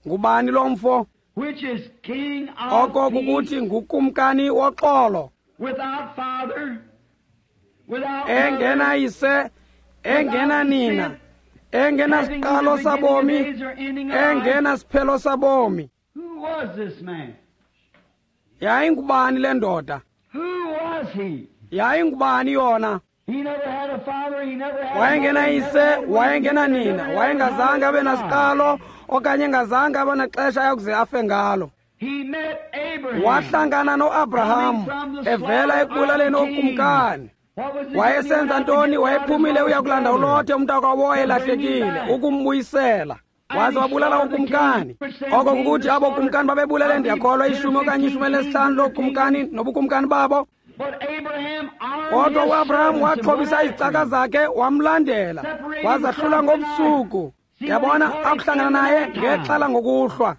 Ngubani lo mfo? Oko kukuthi ngukumkani woxolo, engenayise, engenanina, engenasiqalo sabomi, engenasiphelo sabomi. Yayingubani le ndoda? Yayingubani yona? Wayengenayise, wayengenanina, wayengazange abe nasiqalo okanye engazange abe naxesha ayakuze afe ngalo. Wahlangana noAbraham evela ekubulaleni ookumkani. Wayesenza ntoni? Wayephumile uya kulanda uLothe umntakwabo owayelahlekile, ukumbuyisela. Waze wabulala ukumkani. Oko kukuthi abo kumkani babebulele, ndiyakholwa, 10 okanye 15 lookumkani nobukumkani babo. Kodwa uAbraham waxhobisa izicaka zakhe wamlandela, wazahlula ngobusuku. Yabona, akuhlangana naye ngexhala ngokuhlwa.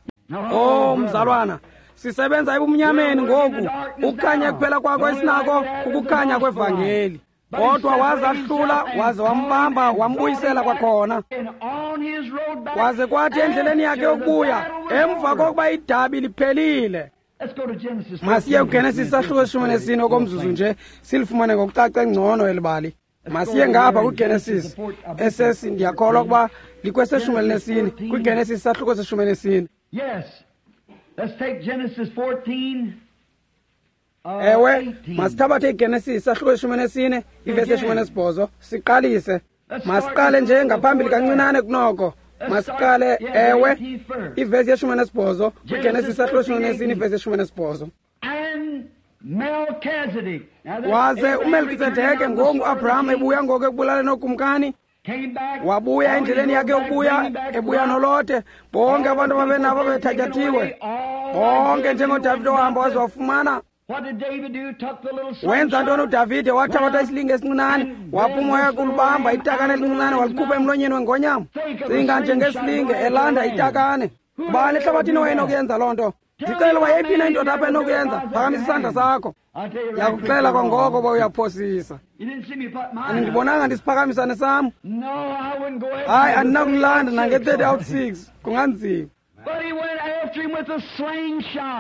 Oh, mzalwana, Sisebenza ebumnyameni ngoku. Ukukhanya kuphela kwakho esinako kukukhanya kwevangeli. Kodwa wazahlula waze wambamba wambuyisela kwakhona. Waze kwathi endleleni yakhe yokubuya emva kokuba idabi liphelile. Masiye kuGenesis sahluko 14 okomzuzu nje silifumane ngokucace ngcono elibali. Masiye ngapha kwiGenesis esesi ndiyakholwa ukuba likweseshumi elinesine kwiGenesis sahluko seshumi. Yes. Let's take Genesis 14. Ewe, masithabathe iGenesis sahluko 14 ivesi 18 siqalise. Masiqale nje ngaphambili kancinane kunoko. Masiqale ewe ivesi 18 kwiGenesis sahluko 14 ivesi 18. Waze uMelkisedeke ngoku Abraham ebuya ngoku ekubulaleni ookumkani, wabuya endleleni yakhe yokubuya ebuya noLote. Bonke abantu ababenabo bethatyathile bonke njengoDavide ohamba waze wafumana. Wenza ntoni uDavide? Wathabatha isilinge esincinane, waphuma waya kulibamba itakane elincinane, walikhupha emlonyeni wengonyama. Cinga njengesilinge elanda itakane. Ubani ehlabathini wayenokuyenza loo nto? Ndicela uba yeyiphi na indoda apha enokuyenza, phakamisa isandla sakho. Ndiyakuxela kwangoko uba uyaphosisa. Andibonanga ndisiphakamisa nesam. Hayi, andinakulanda nange-30 out 6, kunganzima.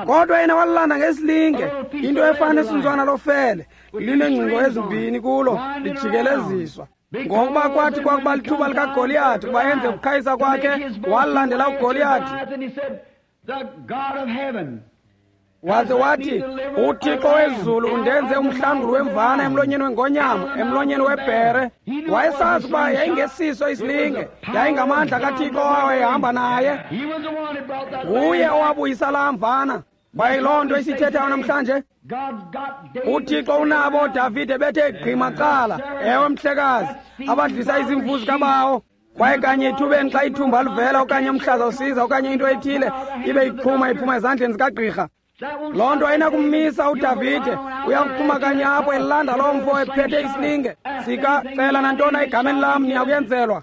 Kodwa yena walilanda ngesilinge, into efana nesuntswana lofele, lineengcingo ezimbini kulo, lijikeleziswa. Ngokuba kwathi kwakuba lithuba likaGoliyathi ukuba enze ukuqhayisa kwakhe, walandela uGoliyathi. Waze wathi, uThixo wezulu undenze umhlanguli wemvana emlonyeni wengonyama, emlonyeni webhere. Wayesazi ukuba yayingesiso isilinge, yayingamandla kaThixo owayehamba naye. Nguye owabuyisa laa mvana. Kwaye loo nto isithethayo namhlanje, uThixo unabo oDavide bethe gqi macala, ewe mhlekazi, abadlisa izimvu zikabawo. Kwaye kanye ethubeni xa ithumba livela okanye umhlaza usiza okanye into ethile ibe iqhuma iphuma ezandleni zikagqirha, loo nto ayinakummisa uDavide. Uyakuphuma kanye apho elanda loo mfo ephethe isilinge sikacela nantona egameni lam niyakuyenzelwa.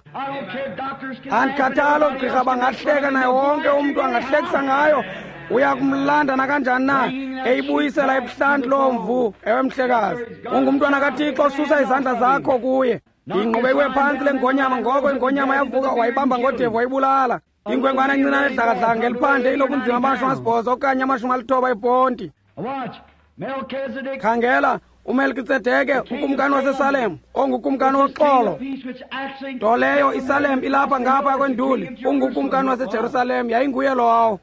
Andikhathali oogqirha bangahleka naye, wonke umntu angahlekisa ngayo. Uyakumlanda nakanjani na, eyibuyisela ebuhlanti loo mvu. Ewe mhlekazi, ungumntwana kaThixo, susa izandla zakho kuye. Ingqubekwe phantsi le ngonyama, ngoko ingonyama yavuka wayibamba ngodevu wayibulala. Inkwenkwana encinane edlakadlaka ngeliphandle inobunzima bama-80 okanye 90 eponti. Khangela, uMelkisedeke ukumkani waseSalem, ongukumkani woxolo. Nto leyo iSalem ilapha ngapha kwenduli, ungukumkani waseJerusalem, yayinguye lowo.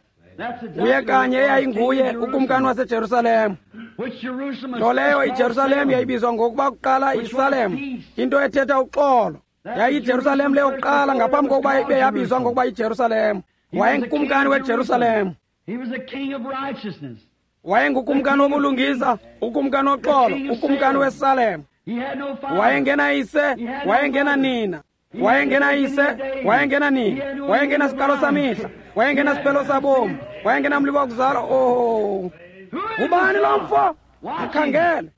Nguye kanye eyayinguye ukumkani waseJerusalem. Nto leyo iJerusalem yayibizwa ngokuba kuqala iSalem, into ethetha uxolo. YayiJerusalem leyo kuqala ngaphambi kokuba ibe yabizwa ngokuba yiJerusalem. Wayengukumkani weJerusalem. Wayengukumkani wobulungisa, ukumkani woxolo, ukumkani weSalem. Wayengenayise, wayengenanina. Wayengenayise, wayengenanina. Wayengenasiqalo samihla, wayengenasiphelo sabomi, wayengenamlibo wakuzalwa. Oh, ubani lo mfo? Akhangele.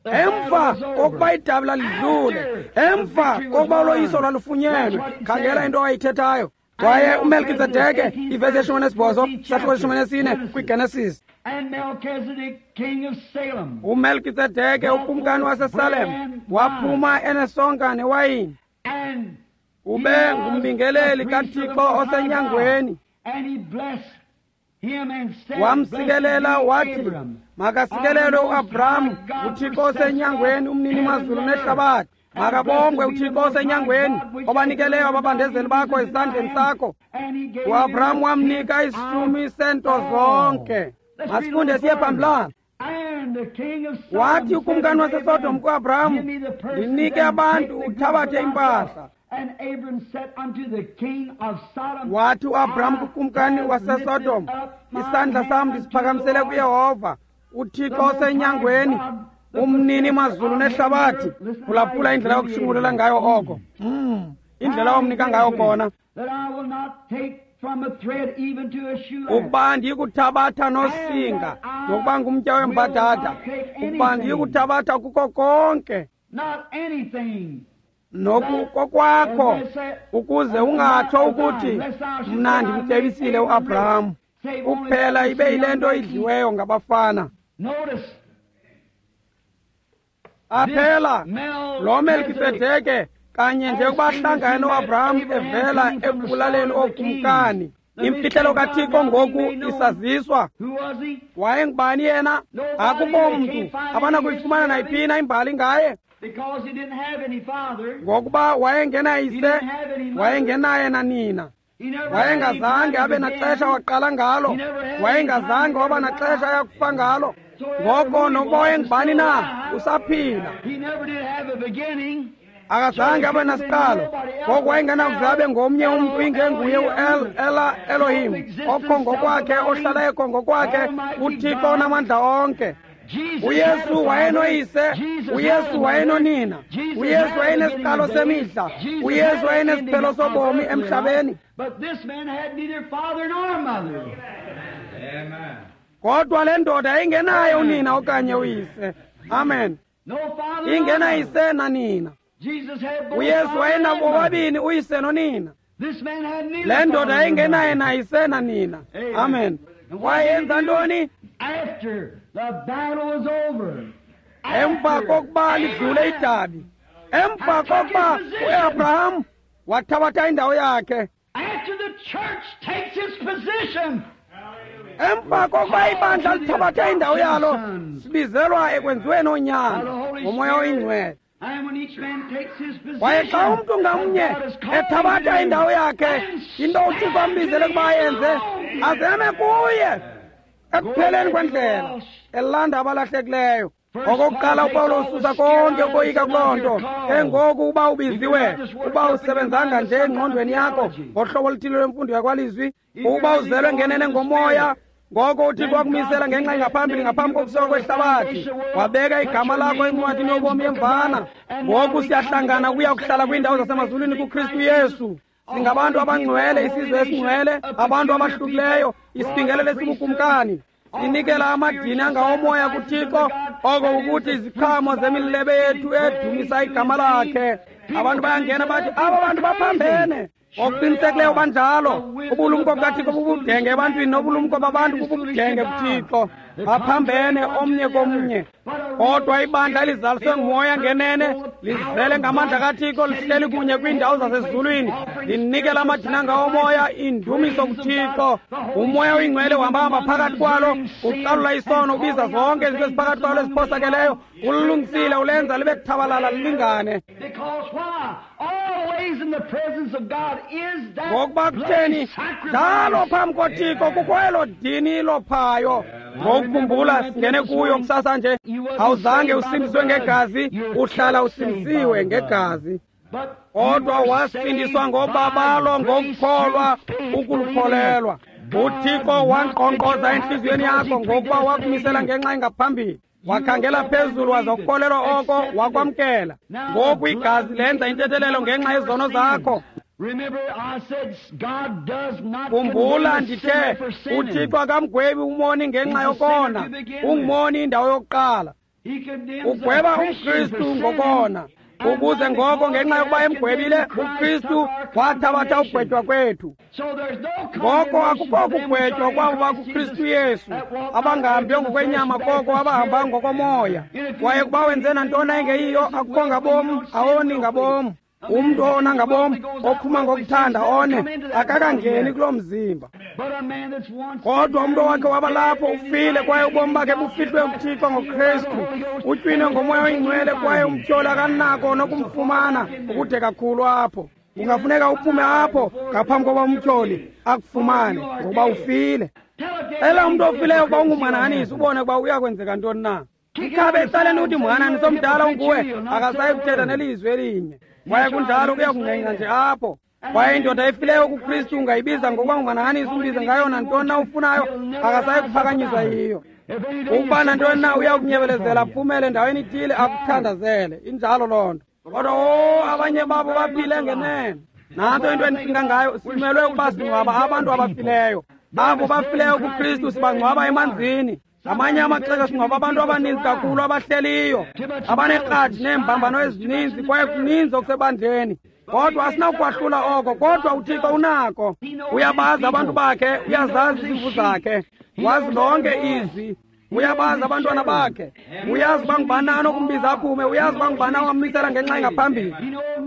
Emva kokuba idabi lalidlule, emva kokuba uloyiso lwalufunyenwe, khangela into awayithethayo. Kwaye uMelkisedeke, ivesi 18 sahluko 14 kwiGenesis. UMelkisedeke ukumkani waseSalem waphuma enesonka newayini. Ube ngumbingeleli kaThixo osenyangweni. Wamsikelela wathi, makasikelelwe uAbraham uThixo osenyangweni, umnini mazulu nehlabathi. Makabongwe uThixo osenyangweni obanikeleyo ababandezeli bakho esandleni sakho. UAbraham wamnika isishumi sento zonke. Masifunde siye phambilana. Wathi ukumkani waseSodom kuAbraham, ndinike abantu uthabathe impahla. Wathi uAbraham kukumkani waseSodom, isandla sam ndisiphakamisele kuYehova, uThixo osenyangweni, umnini mazulu nehlabathi. Phulaphula indlela yokushungulela ngayo oko, indlela omnika ngayo kona. Ukuba ndiyikuthabatha nosinga, nokuba ngumtya wembadada, ukuba ndiyikuthabatha kuko konke nokukokwakho, ukuze ungatsho ukuthi mna ndimcebisile uAbraham. Kuphela ibe yile nto idliweyo ngabafana. Aphela lo Melkisedeke kanye nje ukuba hlangane noAbraham evela ekubulaleni ookumkani. Imfihlelo kaThixo ngoku isaziswa. Wayengubani yena? Akukho mntu abanakuyifumana nayiphina imbali ngaye, ngokuba wayengenayise, wayengenaye nanina, wayengazange abe naxesha waqala ngalo, wayengazange waba naxesha ayakufa ngalo. Ngoko nokuba wayengubani na, usaphila. Akazange abe nasiqalo. Ngoko wayengenakuze abe ngomnye umntu ingenguye u-El Ela Elohim, okho ngokwakhe, ohlala ekho ngokwakhe, uThixo onamandla onke. uYesu wayenoyise, uYesu wayenonina, uYesu wayenesiqalo semihla, uYesu wayenesiphelo sobomi emhlabeni. Kodwa le ndoda yayingenaye unina okanye uyise. Amen. Ingenayise nanina. uYesu wayenabo bobabini uyise nonina. Le ndoda yayingenaye nayise nanina. Amen. Wayenza ntoni? Emva kokuba lidlule idabi, emva kokuba uAbraham wathabatha indawo yakhe, emva kokuba ibandla lithabathe indawo yalo, sibizelwa ekwenziweni oonyana ngoMoya oyiNgcwele. Kwaye xa umntu ngamnye ethabatha indawo yakhe, into uThixo ambizele ukuba ayenze, azeme kuye ekupheleni kwendlela, elanda abalahlekileyo. Okokuqala uPawulos ususa konke ukoyika kuloo nto. Ke ngoku uba ubiziwe, uba usebenzanga nje engqondweni yakho ngohlobo oluthile lwemfundo yakwalizwi, uba uzelwe ngenene ngomoya, ngoko uThixo wakumisela ngenxa engaphambili ngaphambi kokusekwa kwehlabathi, wabeka igama lakho encwadini yobomi yemvana. Ngoku siyahlangana ukuya kuhlala kwiindawo zasemazulwini kuKristu Yesu. Singabantu abangcwele, isizwe esingcwele, abantu abahlukileyo, isibingelelo esibukumkani. Sinikela amadini angawomoya kuThixo, oko ukuthi iziqhamo zemilebe yethu edumisa igama lakhe. Abantu bayangena bathi aba bantu baphambene. Ngokuqinisekileyo banjalo. Ubulumko bukaThixo bubudenge ebantwini, nobulumko babantu bubudenge kuThixo. Baphambene omnye komnye. Kodwa ibandla elizaliswe nguMoya ngenene, lizele ngamandla kaThixo, lihleli kunye kwiindawo zasezulwini, linikela amadini angawomoya, indumiso kuThixo. UMoya oyiNgcwele uhambahamba phakathi kwalo, ucalula isono, ubiza zonke izinto eziphakathi kwalo eziphosakeleyo, ulilungisile, ulenza libe kuthabalala lilingane. Ngokuba kutheni njalo phambi koThixo kukho elo dini lophayo. Ngokukhumbula singene kuyo kusasa nje, awuzange usindiswe ngegazi, uhlala usindisiwe ngegazi. Kodwa wasindiswa ngobabalo, ngokukholwa, ukulukholelwa. uThixo wankqonkqoza entliziyweni yakho ngokuba wakumisela ngenxa engaphambili. Wakhangela phezulu waza ukukholelwa oko, wakwamkela. Ngoku igazi lenza intethelelo ngenxa yezono zakho. Khumbula ndithe uThixo akamgwebi umoni ngenxa yokona, ungumoni indawo yokuqala. Ugweba umKristu ngokona, ukuze ngoko ngenxa yokuba emgwebile uKristu wathabatha ugwetywa kwethu. Ngoko akukho kugwetywa kwabo bakuKristu Yesu, abangahambi ngokwenyama koko abahamba ngokomoya. Kwaye kuba wenze nantoni engeyiyo, akukho ngabom, awoni ngabom. Umntu owona ngabom, ophuma ngokuthanda one, akakangeni kuloo mzimba. Kodwa umntu owakhe waba lapho ufile, kwaye ubomi bakhe bufihlwe kuThixo ngoKristu. Utywinwe ngoMoya oyiNgcwele, kwaye umtyholi akanako nokumfumana ukude kakhulu apho. Kungafuneka uphume apho ngaphambi kokuba umtyholi akufumane, ngokuba ufile. Xela umntu ofileyo ukuba ungumhanahanisi, ubone ukuba uyakwenzeka ntoni na. Mkhabe ecaleni uthi mhananisi omdala unguwe, akasayi kuthetha nelizwi elinye. Kwaye kunjalo kuya kungqengqa nje apho. Kwaye indoda efileyo kuKristu ungayibiza ngokuba ngumhanahanisi, umbize ngayo nantoni na ufunayo, akasayi kuphakanyiswa yiyo. Ukuba nantoni na uya kunyebelezela aphumele endaweni ithile akuthandazele. Injalo loo nto. Kodwa abanye babo baphile ngenene. Nantso into endicinga ngayo, simelwe ukuba singcwaba abantu abafileyo. Abo bafileyo kuKristu sibangcwaba emanzini. Ngamanye amaxesha singcwaba abantu abaninzi kakhulu abahleliyo, abanekratshi neembambano ezininzi, kwaye kuninzi okusebandleni. Kodwa asinawukwahlula oko, kodwa uThixo unako. Uyabazi abantu bakhe, uyazazi izimvu zakhe, wazi lonke izwi. Uyabazi abantwana bakhe, uyazi uba ngubani anokumbiza aphume, uyazi uba ngubani awammisela ngenxa engaphambili,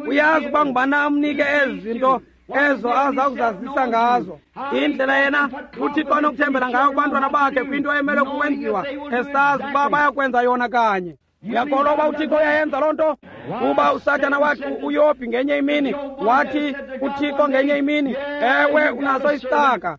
uyazi uba ngubani amnike ezi zinto ezo aza kuzazisa ngazo. Indlela yena uThixo anokuthembela ngayo kubantwana bakhe kwinto emele kukwenziwa, esazi uba bayakwenza yona kanye. Uyakholwa uba uThixo uyayenza loo nto? Kuba uSathana wathi uYobhi ngenye imini, wathi uThixo ngenye imini, ewe, unaso isicaka.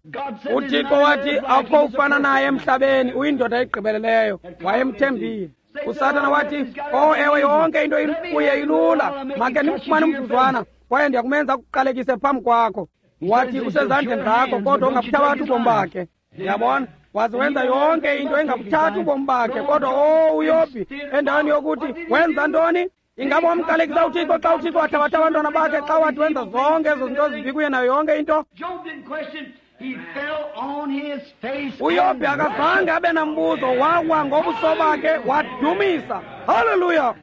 UThixo wathi akukho ufana naye emhlabeni, uyindoda egqibeleleyo. Wayemthembile. USathana wathi, oh ewe, yonke into kuye ilula, make ndimfumane umzuzwana kwaye ndiyakumenza akuqalekise phambi kwakho. Wathi usezandleni zakho, kodwa ungabuthabathi ubomi bakhe. Uyabona? Waze wenza yonke into engabuthathi ubomi bakhe, kodwa oh uYobhi endaweni yokuthi wenza ntoni? Ingaba wamqalekisa uThixo xa uThixo wathabatha abantwana bakhe, xa wathi wenza zonke ezo zinto zibi kuye nayo yonke into? UYobhi akazange abe nambuzo, wawa ngobuso bakhe wadumisa. Haleluya!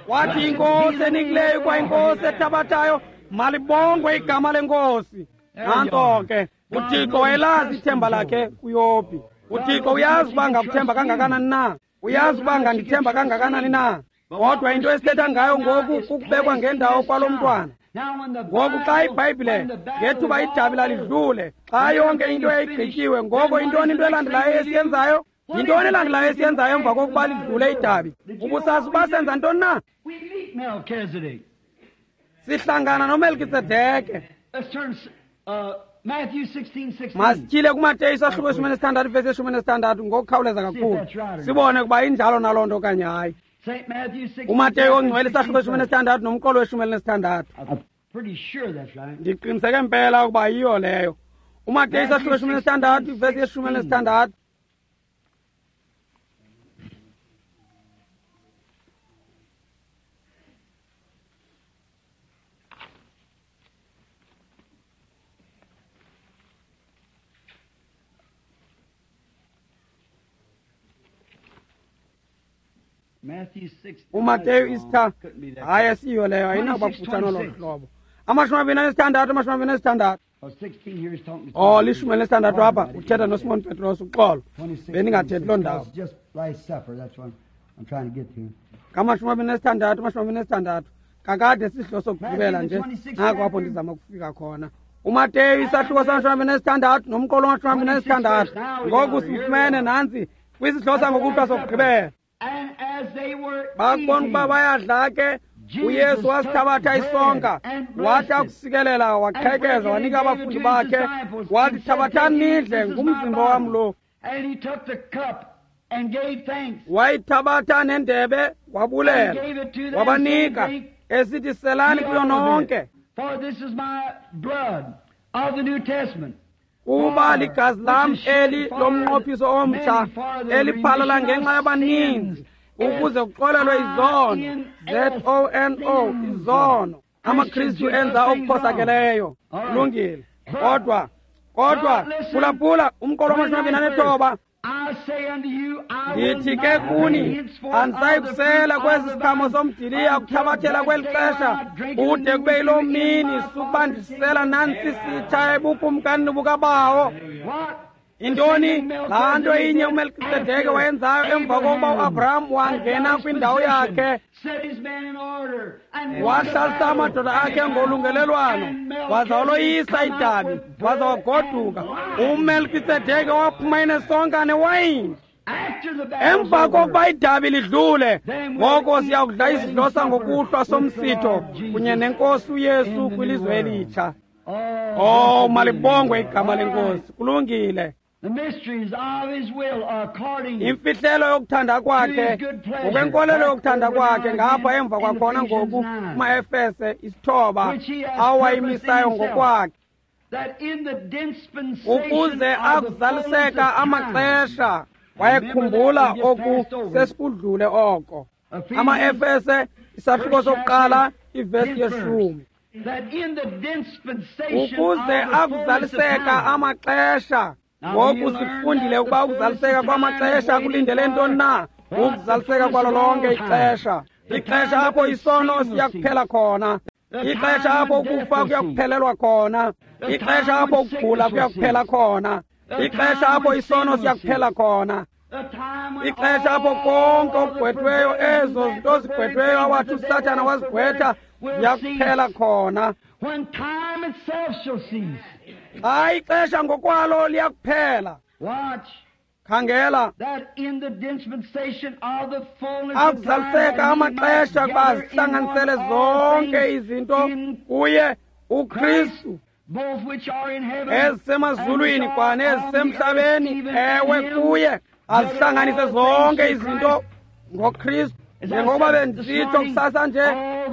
Wathi inkosi enikileyo kwa inkosi ethabathayo, malibongwe igama lenkosi. Nanto ke, uThixo wayelazi ithemba lakhe kuYobhi. uThixo uyazi uba ngakuthemba kangakanani na, uyazi uba ngandithemba kangakanani na. Kodwa into esithetha ngayo ngoku kukubekwa ngendawo kwalo mntwana. Ngoku xa iBhayibhile ngethuba idabi lalidlule, xa yonke into yayigqityiwe, ngoko yintoni into elandelayo esiyenzayo? Yintoni elandelayo esiyenzayo emva kokuba lidlule idabi? Ubusazi uba senza ntoni na? Sihlangana noMelkisedeke. Masityhile kuMateyu isahluko 16 vesi 16 ngokukhawuleza kakhulu, sibone ukuba injalo naloo nto okanye hayi. UMateyu ongcwele isahluko 16 nomqolo we-16. Ndiqiniseke mpela ukuba yiyo leyo. UMateyu isahluko 16 vesi 16. uMateyu isitha, hayi asiyo leyo, ayinakuba kufutshane olo hlobo. 26, 26. Oh, 16 apha uthetha noSimon Petros, uxolo bendingathethi loo ndawo. Ngama-26, 26 kakade sisihlo sokugqibela nje, nako apho ndizama ukufika khona. uMateyu isahluko sama-26 nomqolo wama-26. Ngoku sifumene nantsi kwisihlo sangokuhlwa sokugqibela. Bakubona ukuba bayadla ke, uYesu wasithabatha isonka, wathi akusikelela, waqhekeza, wanika abafundi bakhe, wathi thabathani nidle, ngumzimba wam lo. Wayithabatha nendebe, wabulela, wabanika, esithi selani kuyo nonke, kuba ligazi lam eli lomnqophiso omtsha, eliphalala ngenxa yabaninzi, ukuze kuxolelwe izono. ZONO, izono. AmaKristu enza okuphosakeleyo. Kulungile. Kodwa phulaphula umqolo wama-29. Ndithi ke kuni, andisayi kusela kwesi siqhamo somdiliya kuthabathela kweli xesha kude kube yiloo mini sukuba ndisela nantsi sitsha ebukumkanini bukaBawo. Intoni laa nto inye uMelkisedeke wayenzayo emva kokuba uAbraham wangena kwindawo yakhe, wahlalisa amadoda akhe ngolungelelwano, waza waloyisa idabi, waza wagoduka. uMelkisedeke waphuma enesonka newayini. Emva kokuba idabi lidlule, ngoko siya kudla isidlo sangokuhlwa somsitho kunye nenkosi uYesu kwilizwe elitsha. Oh, malibongwe igama lenkosi. Kulungile. Imfihlelo yokuthanda kwakhe, ngokwenkolelo yokuthanda kwakhe, ngapha emva kwakhona ngoku kumaEfese 9 awayimisayo ngokwakhe, ukuze akuzaliseka amaxesha. Wayekhumbula oku sesikudlule oko. AmaEfese isahluko sokuqala ivesi 10. Ukuze akuzaliseka amaxesha. Ngoku sifundile ukuba ukuzaliseka kwamaxesha kulindele ntoni na? Ukuzaliseka kwalo lonke ixesha. Ixesha apho isono siyakuphela khona. Ixesha apho ukufa kuyakuphelelwa khona. Ixesha apho ukugula kuyakuphela khona. Ixesha apho isono siyakuphela khona. Ixesha apho konke okugqwethweyo, ezo zinto zigqwethweyo awathi uSathana wazigqwetha, ziyakuphela khona. Xa ixesha ngokwalo liyakuphela. Khangela, akuzaliseka amaxesha kuba zihlanganisele zonke izinto kuye uKristu, ezisemazulwini kwanezisemhlabeni. Ewe, kuye azihlanganise zonke izinto ngoKristu. Njengokuba bendisitsho kusasa nje,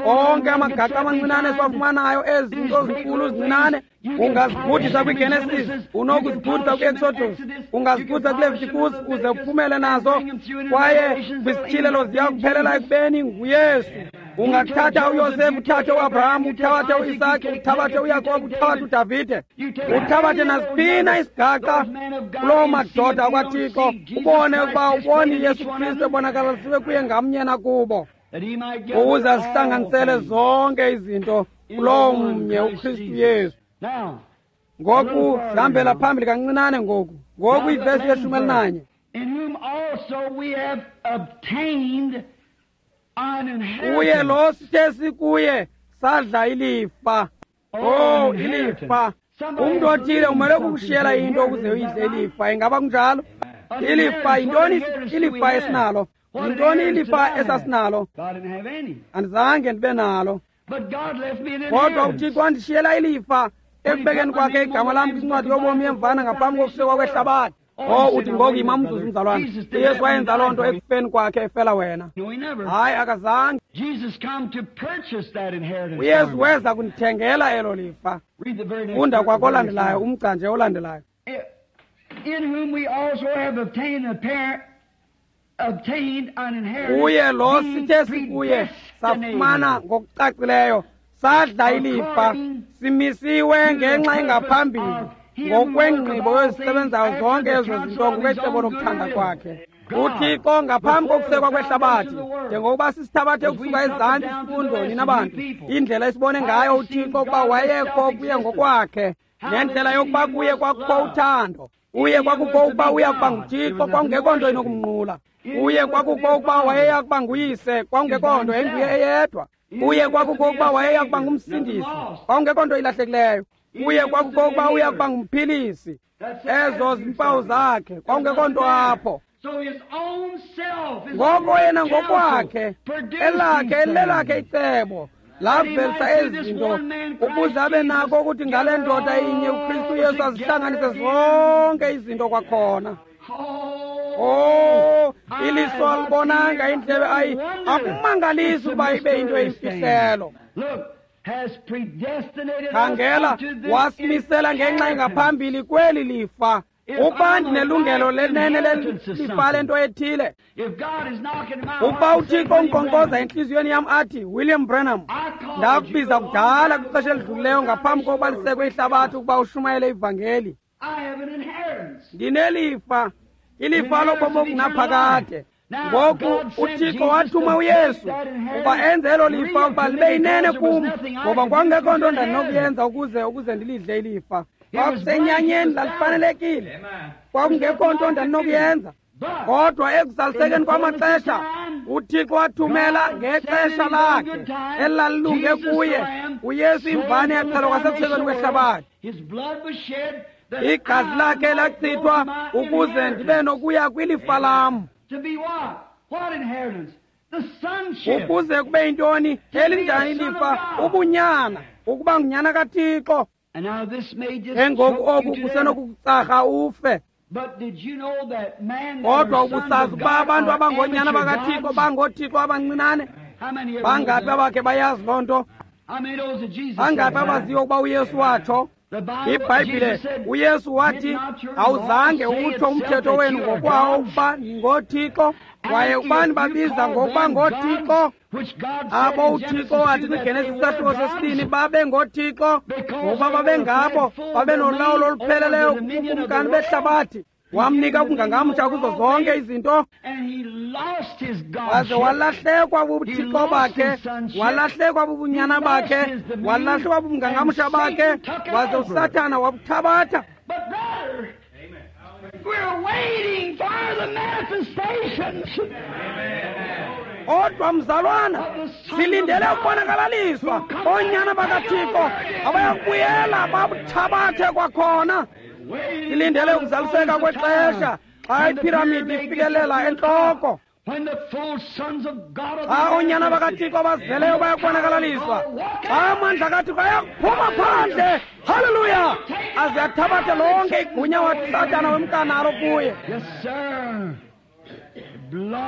onke amagaqa amancinane esiwafumanayo, ezi zinto zinkulu zincinane, ungazibhudisa kwiGenesis, unokuzibhudisa kwi-Exodus, ungazibhudisa kwiLevitikus uze uphumele nazo, kwaye kwisityhilelo ziya kuphelela ekubeni nguYesu. Ungathatha uYosefu, uthathe uAbraham, uthabathe uIsaki, uthabathe uYakobi, uthabathe uDavide, uthabathe nasiphina isigaqa kuloo madoda akwaThixo, ubone ukuba ubone Yesu Kristu ebonakalisiwe kuye ngamnye nakubo, ukuze azihlanganisele zonke izinto kuloo mnye uKristu Yesu. Ngoku sihambela phambili kancinane ngoku. Ngoku ivesi ye-11. Kuye lo sithe sikuye sadla ilifa. Oh, ilifa. Umntu othile umele ukukushiyela into ukuze uyidle ilifa. Ingaba kunjalo? Ilifa yintoni? Ilifa esinalo yintoni? Ilifa esasinalo andizange ndibe nalo, kodwa uThixo wandishiyela ilifa ekubekeni kwakhe igama lam kwincwadi yobomi yemvana ngaphambi kokusekwa kwehlabathi. Oh, uthi ngoku yima umzuzu mzalwana. uYesu wayenza loo nto ekufeni kwakhe efela wena. Hayi, akazange. uYesu weza kundithengela elo lifa. Funda kwakolandelayo, umgca nje olandelayo. Kuye lo sithe sikuye safumana ngokucacileyo, sadla ilifa, simisiwe ngenxa engaphambili ngokwengqibo ezisebenzayo zonke ezo zinto ngokwecebo lokuthanda kwakhe uThixo ngaphambi kokusekwa kwehlabathi. Njengokuba sisithabathe ukusuka ezantsi isifundo, nina bantu, indlela esibone ngayo uThixo ukuba wayekho kuye ngokwakhe, nendlela yokuba kuye kwakukho uthando, kuye kwakukho ukuba uya kuba nguThixo, kwakungekho nto inokumnqula. Kuye kwakukho ukuba wayeya kuba nguyise, kwakungekho nto, enguye eyedwa. Kuye kwakukho ukuba wayeya kuba ngumsindisi, kwakungekho nto ilahlekileyo. Kuye kwakukho ukuba uya kuba ngumphilisi, ezo zimpawu zakhe, kwakungekho nto apho. Ngoko yena ngokwakhe, elakhe elilelakhe icebo lavelisa ezi zinto ukuze abe nako ukuthi ngale ndoda inye uKristu Yesu azihlanganise zonke izinto kwakhona. Oh, iliso alibonanga, indlebe ayi, akumangalisi ukuba ibe into eyimfihlelo. Khangela, wasimisela ngenxa engaphambili kweli lifa. Ukuba ndinelungelo lenene lelifa lento ethile, ukuba uThixo unkqonkqoza entliziyweni yam athi, William Branham, ndakubiza kudala kwixesha elidlulileyo ngaphambi kokuba lisekwe ihlabathi ukuba ushumayele ivangeli. Ndinelifa, ilifa lobomi obungunaphakade. Ngoku uThixo wathuma uYesu ukuba enze elo lifa ukuba libe yinene kum, ngoba kwakungekho nto ndandinokuyenza ukuze ndilidle ilifa. Kwakusenyanyeni, lalifanelekile, kwakungekho nto ndandinokuyenza. Kodwa ekuzalisekeni kwamaxesha uThixo wathumela ngexesha lakhe elalilunge kuye uYesu imvane yaxhelwa kwasekusekweni kwehlabathi. Igazi lakhe lachithwa ukuze ndibe nokuya kwilifa lam. Ukuze kube yintoni? Elinjani ilifa? Ubunyana, ukuba ngunyana kaThixo. Engoku oku kusenokukutsarha ufe. Kodwa ubusazi ukuba abantu abangonyana bakaThixo bangoothixo abancinane? Bangaphi abakhe bayazi loo nto? Bangaphi abaziyo ukuba uYesu watsho? IBhayibhile, uYesu wathi, awuzange utsho umthetho wenu ngokwawo ukuba ningoothixo, kwaye ubani babiza ngokuba ngoothixo abo uThixo wathi kwiGenesis isahluko sesibini babe ngoothixo, ngokuba babengabo babe nolawulo olupheleleyo kubukumkani behlabathi. Wamnika ubungangamsha kuzo zonke izinto. Waze walahlekwa bubuthixo bakhe, walahlekwa bubunyana bakhe, walahlekwa bubungangamsha bakhe, waze uSathana wabuthabatha. Kodwa mzalwana, silindele ukubonakalaliswa oonyana bakaThixo abayakubuyela babuthabathe kwakhona. Silindele ukuzaliseka kwexesha xa iphiramidi ifikelela entloko, xa oonyana bakaThixo abazeleyo bayakubonakalaliswa, xa amandla kaThixo ayakuphuma phandle. Haleluya! Aze athabathe lonke igunya wathi Sathana wemkanalo kuye.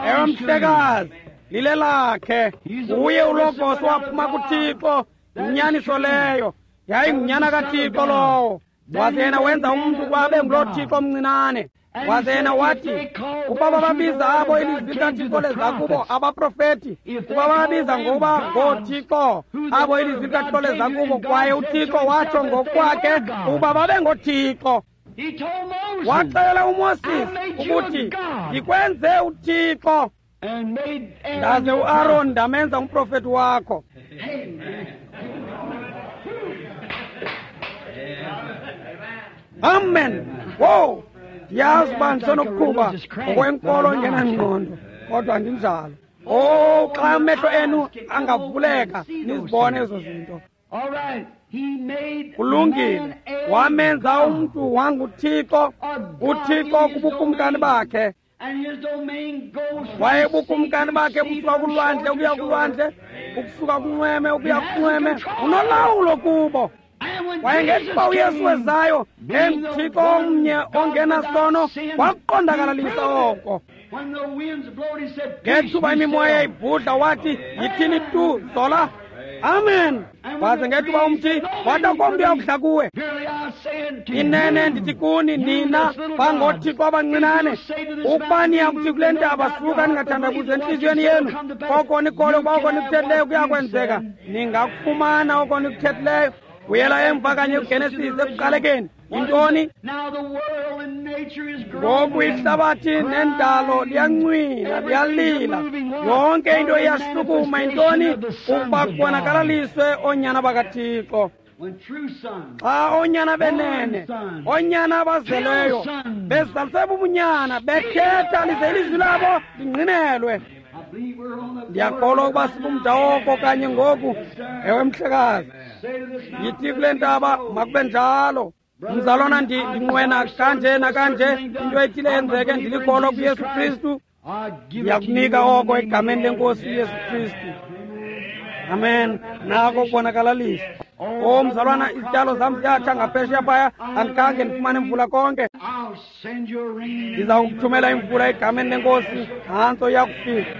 Ewe mhlekazi, lile lakhe. Uye uLogos waphuma kuThixo, yinyaniso leyo. Yayingunyana kaThixo lowo. Waze yena wenza umntu ukuba abe nguloo Thixo omncinane. Waze yena wathi, ukuba bababiza abo ilizwi likaThixo leza kubo abaprofeti, ukuba bababiza ngokuba ngooThixo abo ilizwi likaThixo leza kubo, kwaye uThixo watsho ngokwakhe ukuba babe ngooThixo. Waxelela uMoses ukuthi, ndikwenze uThixo, ndaze uAron ndamenza umprofeti wakho. Amen. Wow, ndiyazi uba ndisenokuqhuba ngokwenkolo engenangqondo, kodwa ndinjalo. Oh, xa amehlo enu angavuleka nizibone ezo zinto. Kulungile, wamenza umntu wanguThixo, uThixo kubukumkani bakhe. Kwaye ubukumkani bakhe busuka kulwandle ukuya kulwandle, ukusuka kunxweme ukuya kunxweme, unolawulo kubo. Kwaye ngethuba uYesu wezayo enguThixo omnye ongenasono, wakuqondakalalisa oko. Ngethuba imimoya ibhudla wathi, yithini tu, zola. Amen. Waze ngethuba umthi wathi akho mntu uyakudla kuwe. Inene ndithi kuni nina bangothixo abancinane, ukuba niyakuthi kule ntaba suka ningathandabuzi entliziyweni yenu, koko nikholwe ukuba oko nikuthethileyo kuyakwenzeka, ningakufumana oko nikuthethileyo. Buyela emva kanye kuGenesis ekuqalekeni. Yintoni? Ngoku ihlabathi nendalo liyancwina, liyalila, yonke into iyashukuma. Yintoni? Ukuba kubonakalaliswe oonyana bakaThixo. Xa oonyana benene, oonyana abazeleyo, bezaliswe bubunyana, bethetha lize ilizwi labo lingqinelwe. Ndiyakholwa ukuba sibumda oko kanye ngoku. Ewe mhlekazi, yithi kule ntaba makube njalo. Mzalwana, ndinqwena kanje nakanje, into ethile yenzeke, ndilikholwa kuYesu Kristu. Ndiyakunika oko egameni lenkosi uYesu Kristu. Amen. Nako kubonakalalisa. O mzalwana, izityalo zam ziyatsha ngaphesheya phaya, andikhange ndifumane imvula konke. Ndiza kukuthumela imvula egameni lenkosi, nantso iyakufika.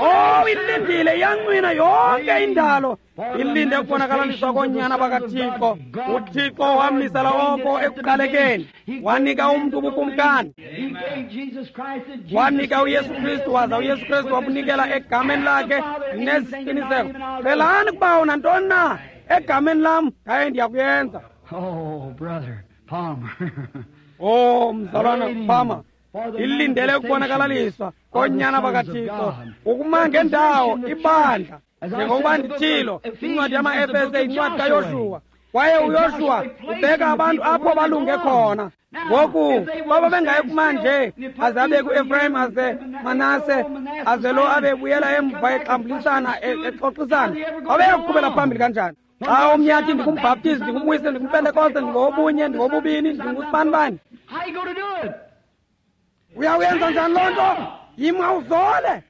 Oh, ilindile, iyancwina yonke indalo, ilinde ukubonakalaliswa koonyana bakaThixo. UThixo wamisela oko ekuqalekeni, wanika umntu ubukumkani, wanika uYesu Kristu, waza uYesu Kristu wabunikela egameni lakhe nesiqiniseko. Celani kubawo nantoni na egameni lam, ndaye ndiyakuyenza. Oh, mzalwana Palmer, ilindele ukubonakalaliswa koonyana bakaThixo, ukuma ngendawo ibandla. Njengokuba ndithilo, incwadi yama-Efese incwadi kaYoshuwa, kwaye uYoshuwa ubeka abantu apho balunge khona. Ngoku baba bengayi kuma nje, aze abe ku-Efrayim, aze Manase, aze lo abe buyela emva exambulisana, exoxisana, babeyakuqhubela phambili kanjani? Xa omnye athi ndingumbhaptizi, ndingumwise, ndingumpentekoste, ndingowobunye, ndingowobubini, ndingusibanibani, uyawuyenza njani loo nto? Yima uzole.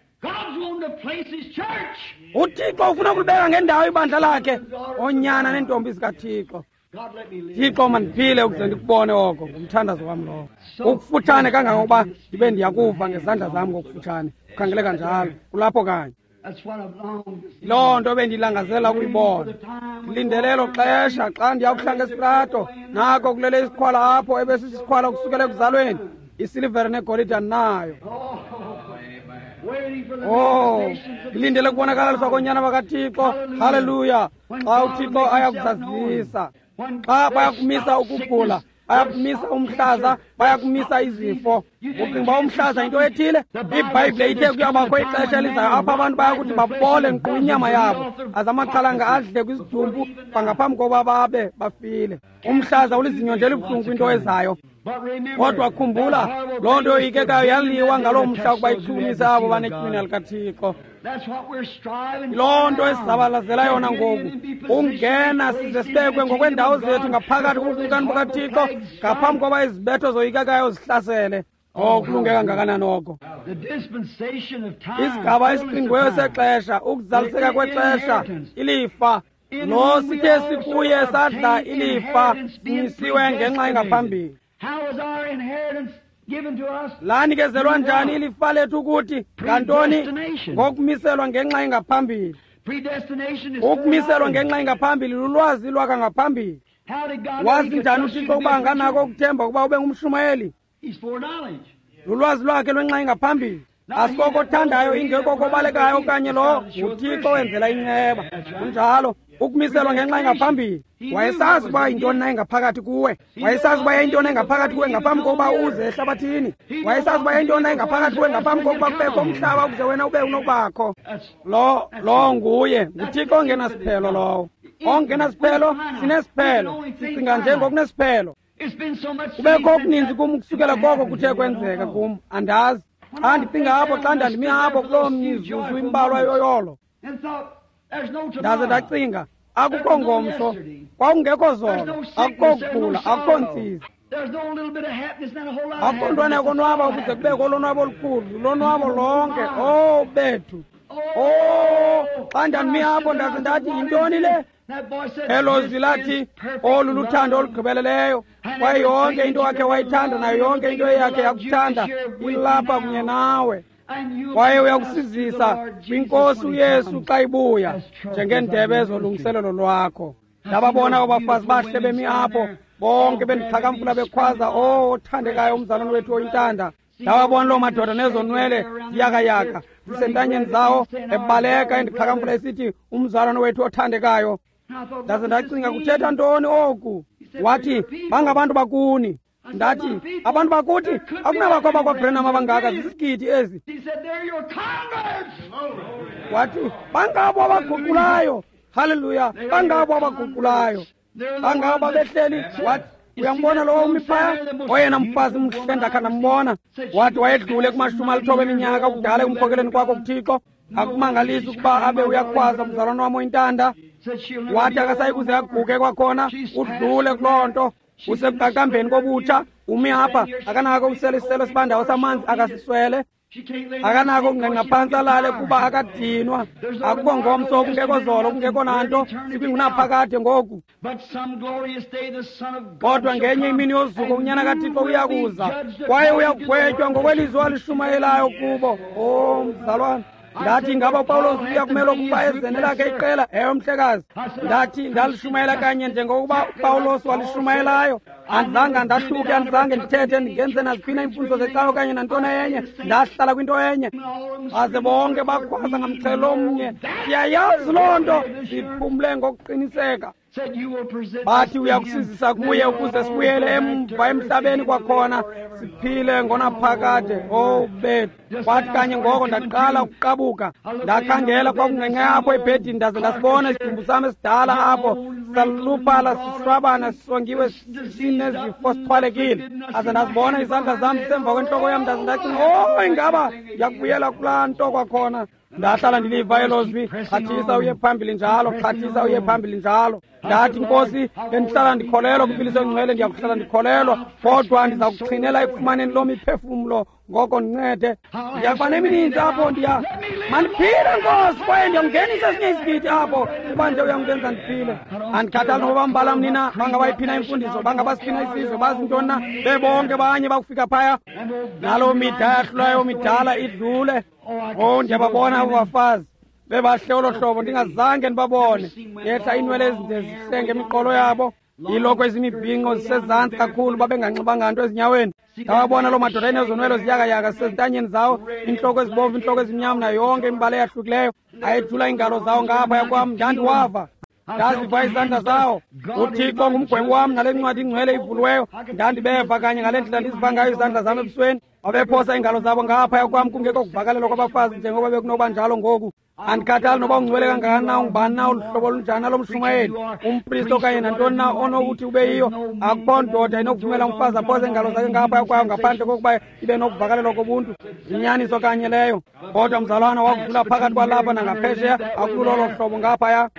UThixo ufuna ukulibeka ngendawo ibandla lakhe, oonyana neentombi zikaThixo. Thixo, mandiphile ukuze ndikubone oko. Ngumthandazo wam lowo. Ukufutshane kangangokuba ndibe ndiyakuva ngezandla zam ngokufutshane. Kukhangeleka njalo, kulapho kanye. Loo nto bendilangazela ukuyibona. Ndilindele elo xesha xa ndiyakuhlanga esitrato, nako kulele isikhwala apho ebesisikhwala ukusukela ekuzalweni, isilivere negolide andinayo. Oh, ndilindele ukubonakalaliswa koonyana bakaThixo. Haleluya! Xa uThixo ayakuzazisa, xa bayakumisa ukugula, Bayakumisa umhlaza, bayakumisa izifo. Ucinga uba umhlaza yinto ethile? IBhayibhile ithe kuyabakho ixesha elizayo apho abantu bayakuthi babole nkqu inyama yabo, aze amaxhalanga adle kwizidumbu bangaphambi kokuba babe bafile. Umhlaza ulizinyo nje elibuhlungu kwinto ezayo. Kodwa khumbula, loo nto yoyikekayo yaliwa ngaloo mhla ukuba ichukumise abo banetywina likaThixo. Loo nto esizabalazela yona ngoku, ungena size sibekwe ngokweendawo zethu ngaphakathi kubukumkani bukaThixo ngaphambi koba izibetho zoyikekayo zihlasele. Oh, kulunge kangakanani oko. Isigaba esiqingqiweyo sexesha, ukuzaliseka kwexesha, ilifa. Lo sithe sikuye sadla ilifa, simisiwe ngenxa engaphambili. Lanikezelwa njani ilifa lethu ukuthi ngantoni? Ngokumiselwa ngenxa engaphambili. Ukumiselwa ngenxa engaphambili lulwazi lwakangaphambili. Wazi njani uThixo ukuba anganako ukuthemba ukuba ube ngumshumayeli? Lulwazi lwakhe lwenxa engaphambili. Asikoko othandayo, ingekoko obalekayo okanye lo nguThixo wenzela inceba. Kunjalo, ukumiselwa ngenxa engaphambili. Wayesazi ukuba yintoni na engaphakathi kuwe. Wayesazi uba yintoni engaphakathi kuwe ngaphambi kokuba uze ehlabathini. Wayesazi uba yintoni na engaphakathi kuwe ngaphambi kokuba kubekho umhlaba ukuze wena ube unokubakho. Lo nguye, nguThixo ongenasiphelo lowo. Ongenasiphelo, sinesiphelo. Sicinga nje ngokunesiphelo. Kubekho okuninzi kum ukusukela koko kuthe kwenzeka kum, andazi. Xa ndicinga apho, xa ndandimi apho kuloo mizuzu imbalwa yoyolo, ndaze ndacinga, akukho ngomso, kwakungekho zolo, akukho kugula, akukho ntsizi, akukho ntwana yokonwaba ukuze kubekho ulonwabo olukhulu, lonwabo lonke. Oh bethu, oh, xa ndandimi apho ndaze ndathi, yintoni le? Elo zwi lathi, olu luthando olugqibeleleyo, kwaye yonke into wakhe wayithanda nayo yonke into eyakhe yakuthanda ilapha kunye nawe, kwaye uyakusizisa kwinkosi uYesu xa ibuya njengeendebe zolungiselelo lwakho. Ndababona abafazi bahle bemi apho, bonke bendixhakamfula bekhwaza, oh, othandekayo umzalwane wethu oyintanda. Ndawabona loo madoda nezonwele ziyakayaka zisentanyeni zawo, ebaleka endixhakamfula esithi, umzalwane wethu othandekayo. Ndaze ndacinga, kuthetha ntoni oku? Wathi, bangabantu bakuni. Ndathi, abantu bakuthi akunabakho abakwaBrenham abangaka, zizigidi ezi. Wathi, bangabo abaguqulayo. Haleluya, bangabo abaguqulayo, bangabo abehleli. Wathi, uyambona lowo umi phaya, oyena mfazi mhle ndakha ndambona. Wathi wayedlule kuma-90 eminyaka ukudala ekumkhokeleni kwakho kuThixo. Akumangalisi ukuba abe uyakhwaza, mzalwane wam oyintanda. Wathi akasayi kuze aguge kwakhona, udlule kuloo nto. Usekuqaqambeni kobutsha, umi apha, akanako ukusela isiselo sibandayo samanzi, akasiswele. Akanako ukungqengqa phantsi alale kuba akadinwa. Akukho ngomso, kungekho zolo, kungekho nanto, sikwingunaphakade ngoku. Kodwa ngenye imini yozuko uNyana kaThixo uyakuza, kwaye uyakugwetywa ngokwelizwi alishumayelayo kubo. Oh, mzalwane, ndathi, ngaba uPawulos uyakumele ukuba ezene lakhe iqela? Ewe, mhlekazi. Ndathi, ndalishumayela kanye njengokuba uPawulos walishumayelayo. Andizange ndahluke, andizange ndithethe ndingenze naziphina iimfundiso zecawa okanye nantoni enye. Ndahlala kwinto enye. Baze bonke bakhwaza ngamxhelo omnye, siyayazi loo nto, siphumle ngokuqiniseka. Bathi uyakusizisa kuye ukuze sibuyele emva emhlabeni kwakhona, siphile ngonaphakade. Oh bethu. Kwathi kanye ngoko ndaqala ukuqabuka. Ndakhangela kwakungqengqe apho ebhedini, ndaze ndasibona isidumbu sam esidala apho, saluphala, sishwabana, sisongiwe, sinezifo, sixhwalekile. Aze ndazibona izandla zam zisemva kwentloko yam, ndaze ndacinga, oh, ingaba ndiyakubuyela kulaa nto kwakhona. Ndahlala ndiliva elo zwi, xhathisa uye phambili njalo, xhathisa uye phambili njalo. Ndathi, Nkosi, bendihlala ndikholelwa kwimpiliso engcwele, ndiyakuhlala ndikholelwa, kodwa ndiza kuxhinela ekufumaneni loo miphefumlo, ngoko ndincede. Ndiyakuba nemininzi apho, ndiya mandiphile, Nkosi, kwaye ndiyakungenisa esinye isigidi apho, kuba nje uyangenza ndiphile. Andikhathali noba bambala mni na, bangabayiphina imfundiso, bangabasiphina isizwe, bazi ntoni na, bebonke banye bakufika phaya. Naloo mida yahlulayo midala idlule. Oh, ndiyababona abo bafazi bebahle olo hlobo, ndingazange ndibabone. Yehla iinwele ezinde zihlenge imiqolo yabo, iiloko ezimibhinqo zisezantsi kakhulu, babenganxibanga nto ezinyaweni. Ndawabona loo madoda enezonwelo ziyakayaka zisezintanyeni zawo, iintloko ezibomvu, iintloko ezimnyama, nayo yonke imibala eyahlukileyo. Ayethula iingalo zawo ngaphaya kwam, ndandiwava. Ndaziva izandla zawo. UThixo ngumgwebi wam nale ncwadi ingcwele ivuliweyo. Ndandibeva kanye ngale ndlela ndiziva ngayo izandla zam ebusweni. Babephosa iingalo zabo ngaphaya kwam kungekho kuvakalelwa kwabafazi njengoba bekunoba njalo ngoku. Andikhathali noba ungcwele kangakanani na, ungubani na, uluhlobo olunjani na lomshumayeli, umpristi okanye nantoni na onokuthi ube yiyo. Akukho ndoda inokuvumela umfazi aphose iingalo zakhe ngaphaya kwayo ngaphandle kokuba ibe nokuvakalelwa kobuntu. Yinyaniso kanye leyo. Kodwa mzalwana, wakudlula phakathi kwalapha nangaphesheya, akululo olo hlobo ngaphaya.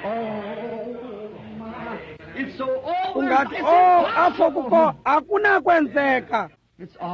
Ungathi, oh, apho kukho akunakwenzeka.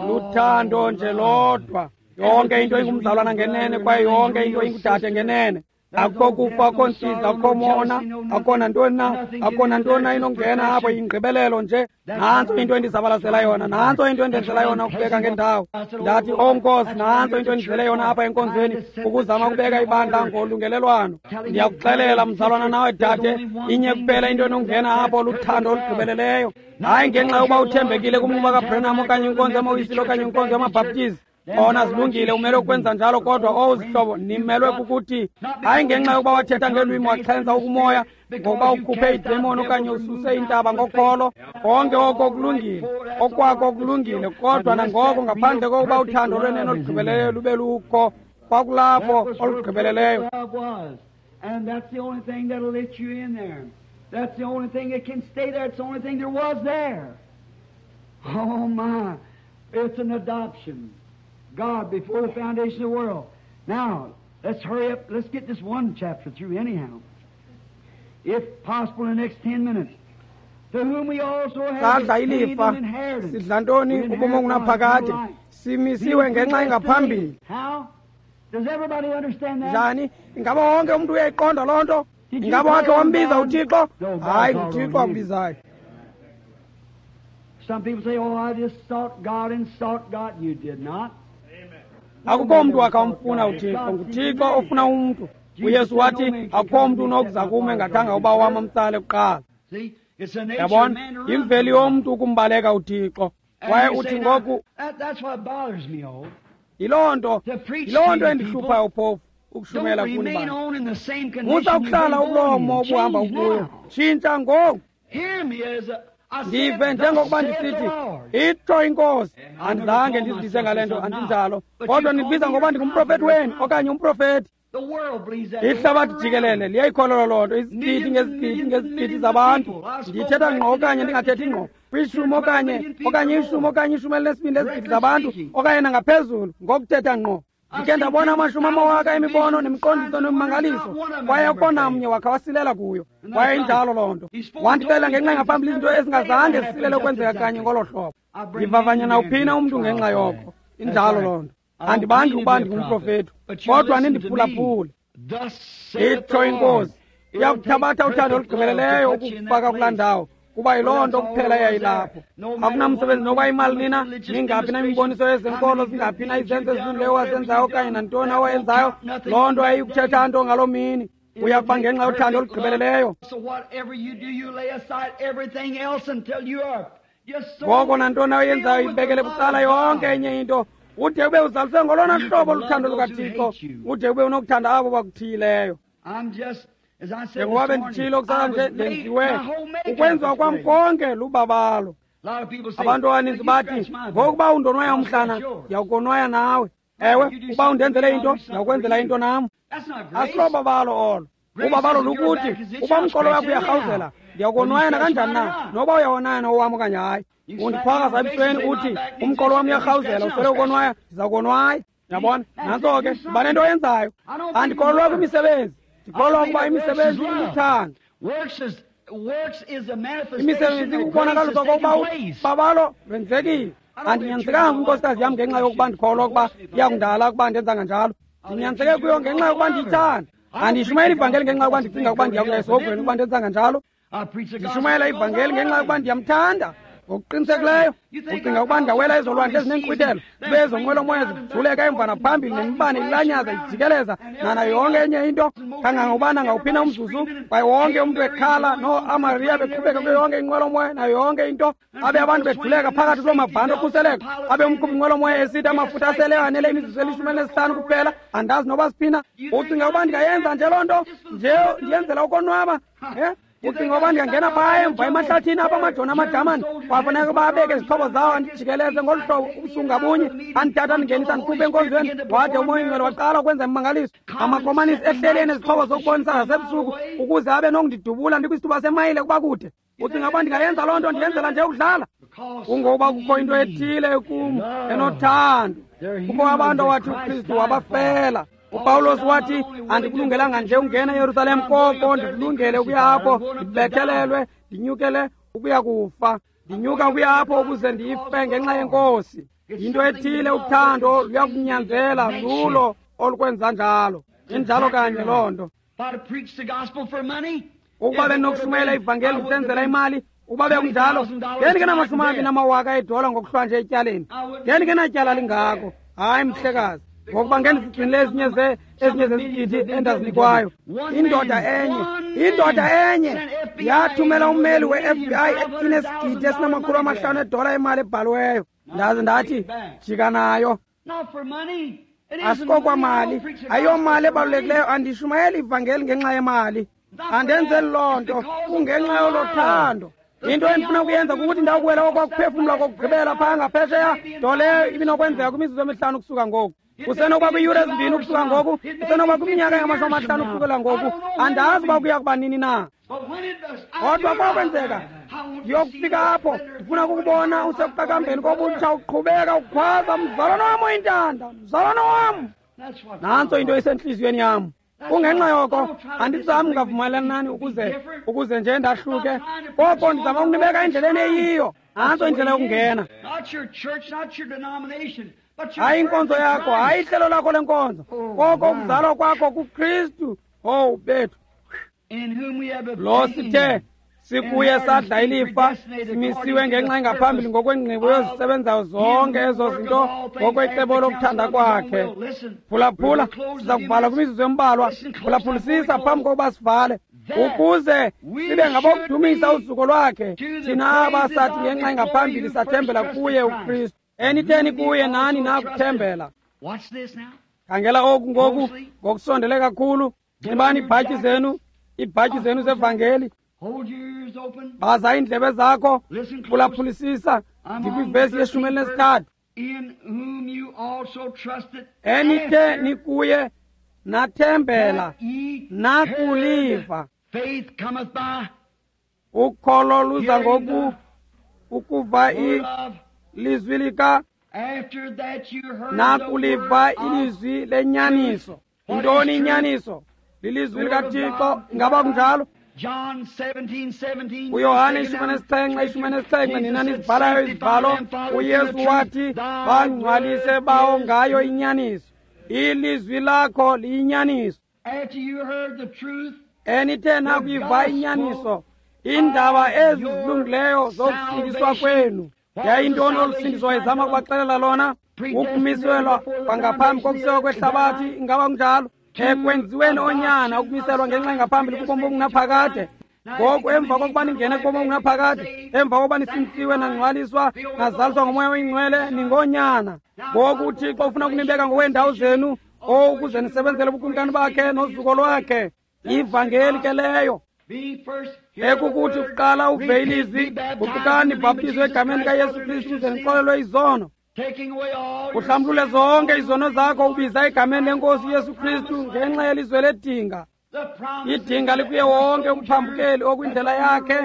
Luthando nje lodwa. Yonke into ingumzalwana ngenene kwaye yonke into ingudade ngenene. Akukho kufa, akukho ntsizi, akukho mona, akukho nantoni na, akukho nantoni na inongena apho, yingqibelelo nje. Nantso into endizabalazela yona, nantso into endenzela yona ukubeka ngendawo. Ndathi, oh Nkosi, nantso into endizele yona apha enkonzweni, ukuzama ukubeka ibandla ngolungelelwano. Ndiyakuxelela mzalwana nawe dade, inye kuphela into enongena apho, luthando olugqibeleleyo. Hayi ngenxa yokuba uthembekile kumnquba kaBranham okanye inkonzo yamaWisile okanye inkonzo yamaBhaptizi. Kona zilungile, umele ukwenza njalo, kodwa owu zihlobo, nimelwe kukuthi hayi ngenxa yokuba wathetha ngelwimi waxhenza ukumoya, ngokuba ukhuphe idemoni okanye ususe intaba ngokholo. Konke oko kulungile, okwako kulungile, kodwa nangoko ngaphandle kokuba uthando lwenene olugqibeleleyo lube lukho, kwakulapho olugqibeleleyo. And that's the only thing that'll let you in there. That's the only thing that can stay there. It's the only thing there was there. Oh my, it's an adoption. God before the foundation of the world. Now, let's hurry up. Let's get this one chapter through anyhow. If possible, in the next 10 minutes. To whom we also have Sadla obtained ilifa, an inheritance. sidla ntoni ubomi obungunaphakade, simisiwe ngenxa engaphambili. How? Does everybody understand that? Njani? Ingaba wonke umntu uyayiqonda loo nto? Ingaba wakhe wambiza uThixo? Hayi, nguThixo akubizayo. Some people say, oh, I just sought God and sought God. You did not. Akukho mntu wakhe wamfuna uThixo, nguThixo ofuna umntu. uYesu wathi, akukho mntu unokuza kum engathanga uba wam amtsale kuqala. See, it's the nature of Yabona, man to run yimveli from God. yomntu ukumbaleka uThixo. And Kwaye you uthi say, now, ngoku, that's what bothers me, oh. yiloo nto, To preach yiloo to nto you endihluphayo phofu, Don't ukushumayela kuni remain bantu. on in the same condition Musa you've ukuhlala been ukuloo born mo in. obuhamba Change ukuyo. now. Tshintsha ngoku. Hear me as I said, Ndive thus njengokuba saith the ndisithi, Lord. itsho iNkosi. Andizange ndizibize ngale nto, andinjalo. Kodwa nindibiza ngokuba ndingumprofethi wenu okanye umprofethi. The world believes that. Ihlabathi jikelele liyayikholelwa loo nto, izigidi ngezigidi ngezigidi zabantu. Ndithetha ngqo okanye ndingathethi ngqo, kwishumi okanye ishumi okanye ishumi elinesibini lezigidi zabantu okanye nangaphezulu, ngokuthetha ngqo. Ndikhe ndabona amashumi amawaka emibono nemiqondiso nemimangaliso, kwaye akukho namnye wakha wasilela kuyo. Kwaye injalo loo nto. Wandixelela ngenxa engaphambili izinto ezingazange zisilele ukwenzeka kanye ngolo hlobo. Ndivavanya nawuphina umntu ngenxa yoko. Injalo loo nto. Andibangi ukuba ndingumprofethi, kodwa nindiphulaphule. Thus saith Itsho the Lord. iNkosi, iyakuthabatha uthando olugqibeleleyo ukufaka kulaa ndawo, kuba yiloo nto kuphela eyayilapho. Akunamsebenzi nokuba imali nina, ningaphi na imiboniso yezenkolo, zingaphi na izenzo ezilungileyo owazenzayo okanye nantoni owayenzayo, loo nto ayikuthetha nto ngaloo mini. Uya kuba ngenxa yothando olugqibeleleyo. So whatever you do, you lay aside everything else until you are just so Ngoko nantoni oyenzayo filled with the ibekele love bucala of yonke God. enye into, ude ube uzaliswe ngolona hlobo luthando lukaThixo, ude ube unokuthanda abo bakuthiyileyo. I'm just, as I said Njengoba this morning, benditshilo I kusasa was nje, made, ndenziwe my whole makeup ukwenziwa was kwam great. konke lubabalo. A lot of people say, Abantu abaninzi "Well, you bathi, scratch my back." ngokuba undonwaya I'll umhlana, scratch yours. ndiyawukonwaya nawe. Ewe, uba undenzele into, ndiyawukwenzela into nam. That's not grace. Asilobabalo olo. Ubabalo lukuthi, uba umqolo wakho uyarhawuzela, ndiyawukonwaya nakanjani na, noba uyawonaya nowam okanye hayi. Undiphakaza ebusweni uthi, umqolo wam uyarhawuzela, uswele ukonwaya, ndiza konwaya. Yabona, nantso ke, uba nento oyenzayo. Andikholelwa kwimisebenzi, ndikholelwa ukuba imisebenzi iluthando. Works is works is a manifestation Imisebenzi that grace ikubonakaliswa has taken kokuba place. babalo lwenzekile. Andinyanzelekanga kwinkosikazi yam ngenxa yokuba ndikholwa ukuba iyakundala ukuba ndenza kanjalo. Ndinyanzeleke kuyo ngenxa yokuba ndiyithanda. Andiyishumayeli ivangeli ngenxa yokuba ndicinga ukuba ndiyakuya esihogweni ukuba ndenza kanjalo. I preach the gospel Ndishumayela because I ivangeli ngenxa love yokuba it. ndiyamthanda. Ngokuqinisekileyo, ucinga ukuba ndingawela ezolwandle ezineenkqwithelo, zibe ezonqwelomoya zijuleka emva naphambili, nemibane ilanyaza ijikeleza, nana yonke enye into, kangangokuba nangawuphi na umzuzu, kwaye wonke umntu ekhala, nooAmariya beqhubeka kuyo yonke inqwelomoya, nayo yonke into, abe abantu beduleka phakathi kuloo mabhanti okhuseleko, abe umqhubi nqwelomoya esithi amafutha asele anele imizuzu eli-15 kuphela, andazi noba siphina. Ucinga ukuba ndingayenza nje loo nto, nje ndiyenzela ukonwaba? Ucinga uba ndingangena phaya emva emahlathini apha amajoni amajamani kwafuneka uba abeke izixhobo zawo andijikeleze ngolu hlobo ubusuku ngabunye, andithatha andingenisa andikhuphe enkonzweni, wade uMoya oyiNgcwele waqala ukwenza imimangaliso. Amakomanisi ehleli enezixhobo zokubonisa zasebusuku ukuze abe nokundidubula ndikwisithuba semayile kuba kude. Ucinga uba ndingayenza loo nto ndiyenzela nje ukudlala? Kungokuba kukho into ethile kum enothando. Kukho abantu awathi uKristu wabafela. UPawulos wathi, andikulungelanga nje ungena eYerusalem, koko ndikulungele ukuya apho ndibethelelwe, ndinyukele ukuya kufa. Ndinyuka ukuya apho ukuze ndife ngenxa yeNkosi. Yinto ethile uthando luyakunyanzela, lulo olukwenza njalo. Injalo kanye loo nto. Ukuba bendinokushumayela ivangeli ndisenzela imali, ukuba bekunjalo, ngendingenamashumi namawaka edola ngokuhlwa nje etyaleni. Ngendingenatyala lingako. Hayi, mhlekazi. Ngokuba ngendisigcinile ezinye zezigidi endazinikwayo. Indoda enye yathumela ummeli we-FBI inesigidi esinama500 edola emali ebhaliweyo. Ndaze ndathi, jika nayo. Asikokwamali, ayomali ebalulekileyo. Andishumayeli ivangeli ngenxa yemali. Andenzeli loo nto, kungenxa yolo thando. Into endifuna ukuyenza kukuthi ndawukuwela okwakuphefumla kokugqibela phaa ngaphesheya, nto leyo ibinokwenzeka kwimizuzu emihlanu ukusuka ngoku. Kusenokuba kwiiyure ezimbini ukusuka ngoku, kusenokuba kwiminyaka engama-50 ukusukela ngoku. Andazi uba kuya kuba nini na. Kodwa kwakwenzeka, ndiyokufika apho, ndifuna ukukubona usekuqakambeni kobutsha uqhubeka ukhwaza, mzalwana wam oyintanda, mzalwana wam. Nantso into esentliziyweni yam. Kungenxa yoko andizami ngavumelani nani ukuze nje ndahluke, koko ndizama ukunibeka endleleni eyiyo. Nantso indlela yokungena. Hayi inkonzo yakho, hayi ihlelo lakho lenkonzo, koko ukuzalwa kwakho kuKristu. Owu bethu, lo sithe sikuye sadla ilifa, simisiwe ngenxa engaphambili ngokwengqibo yozisebenzayo zonke ezo zinto ngokwecebo lokuthanda kwakhe. Phulaphula, siza kuvala kwimizuzu embalwa. Phulaphulisisa phambi kokuba sivale, ukuze sibe ngabokudumisa uzuko lwakhe, thina aba sathi ngenxa engaphambili sathembela kuye uKristu. Enitheni kuye nani nakuthembela. Khangela oku ngoku ngokusondele kakhulu. Nxibani iibhatyi zenu, iibhatyi zenu zevangeli. Baza iindlebe zakho, phulaphulisisa. Ndikwivesi ye-13. Enithe nikuye nathembela nakuliva. Ukholo luza ngoku ukuva ilizwi lika, nakuliva ilizwi lenyaniso. Yintoni inyaniso? Lilizwi likaThixo. Ingaba kunjalo? uYohane 17:17, nina nizibhalayo izibhalo, uYesu wathi, bangcwalise bawo ngayo inyaniso. Ilizwi lakho liyinyaniso. Enithe nakuyiva inyaniso, iindaba ezi zilungileyo zokusindiswa kwenu. Yayintoni olu sindiso wayezama ukubaxelela lona? Ukumiselwa kwangaphambi kokusekwa kwehlabathi. Ingaba kunjalo? Ekwenziweni onyana, ukumiselwa ngenxa engaphambili kubomi obungunaphakade. Ngoku emva kokuba ningene kubomi obungunaphakade, emva kokuba nisindisiwe, nangcwaliswa, nazaliswa ngoMoya oyiNgcwele, ningonyana. Ngoku uThixo ufuna ukunibeka ngokweendawo zenu, ukuze nisebenzele ubukumkani bakhe nozuko lwakhe. Ivangeli ke leyo. Ekukuthi kuqala uve ilizwi, guqukani nibhaptizwe egameni likaYesu Kristu ukuze nixolelwe izono. Uhlambulule zonke izono zakho ubiza egameni lenkosi uYesu Kristu ngenxa yelizwe ledinga. Idinga likuye wonke umphambukeli okwindlela yakhe.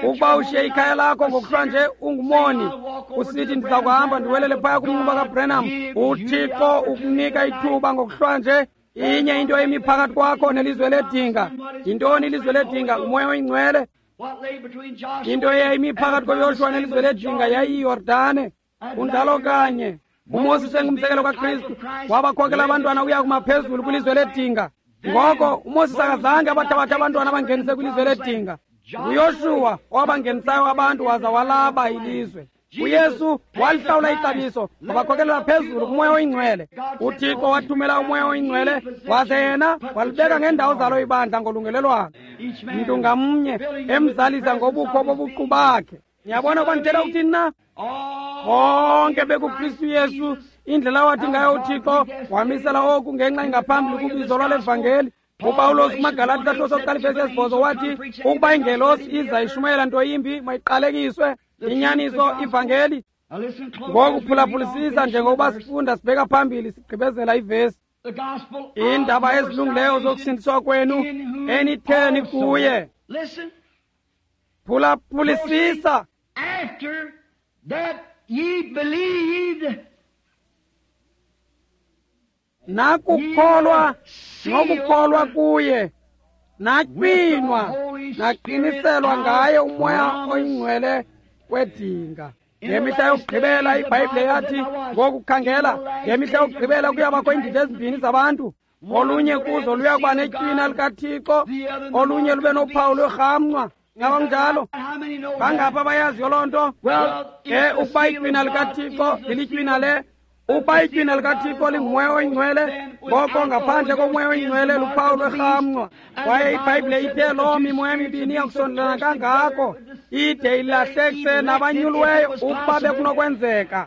Ukuba ushiye ikhaya lakho ngokuhlwa nje ungumoni, usithi ndiza kuhamba ndiwelele phaya kumnquba kaBrenham, uThixo ukunika ithuba ngokuhlwa nje. Inye into emi phakathi kwakho nelizwe ledinga. Yintoni ilizwe ledinga? Ngumoya oyingcwele. Into eyayimi phakathi koYoshuwa nelizwe ledinga yayiyiYordane. Kunjalo kanye. uMoses engumzekelo kaKristu wabakhokela abantwana ukuya kumaphezulu kwilizwe ledinga. Ngoko uMoses akazange abathabathe abantwana abangenise kwilizwe ledinga. NguYoshuwa owabangenisayo abantu waza walaba ilizwe. uYesu walihlawula ixabiso, wabakhokelela phezulu kuMoya oyiNgcwele. UThixo wathumela uMoya oyiNgcwele, waze yena walibeka ngeendawo zalo ibandla ngolungelelwano, mntu ngamnye emzalisa ngobukho bobuqu bakhe. Niyabona ukuba ndithetha ukuthini na? Bonke bekuKristu Yesu, indlela wathi ngayo uThixo wamisela oku ngenxa engaphambili kubizo lwale vangeli. UPawulos kumaGalati isahluko sokuqala ivesi yesibhozo wathi ukuba ingelosi iza ishumayela nto yimbi mayiqalekiswe. Inyaniso ivangeli. Ngoku phulaphulisisa njengokuba sifunda sibheka phambili sigqibezela ivesi. Iindaba ezilungileyo zokusindiswa kwenu enitheni kuye. Phulaphulisisa. After that ye believed, nakukholwa nokukholwa kuye, natywinwa naqiniselwa ngaye uMoya oyiNgcwele kwedinga. Ngemihla yokugqibela iBhayibhile yathi, ngokukhangela ngemihla yokugqibela kuyabakho iindidi ezimbini zabantu. Olunye kuzo luya kuba netywina likaThixo, olunye lube nophawu lwerhamncwa. Ngaba kunjalo? Bangaphi abayaziyo loo nto? Ke ukuba itywina likaThixo lilitywina le, ukuba itywina likaThixo linguMoya oyiNgcwele, ngoko ngaphandle koMoya oyiNgcwele luphawu lwerhamncwa. Kwaye iBhayibhile ithe loo mimoya mibini iyakusondelana kangako ide ilahlekise nabanyuliweyo ukuba bekunokwenzeka.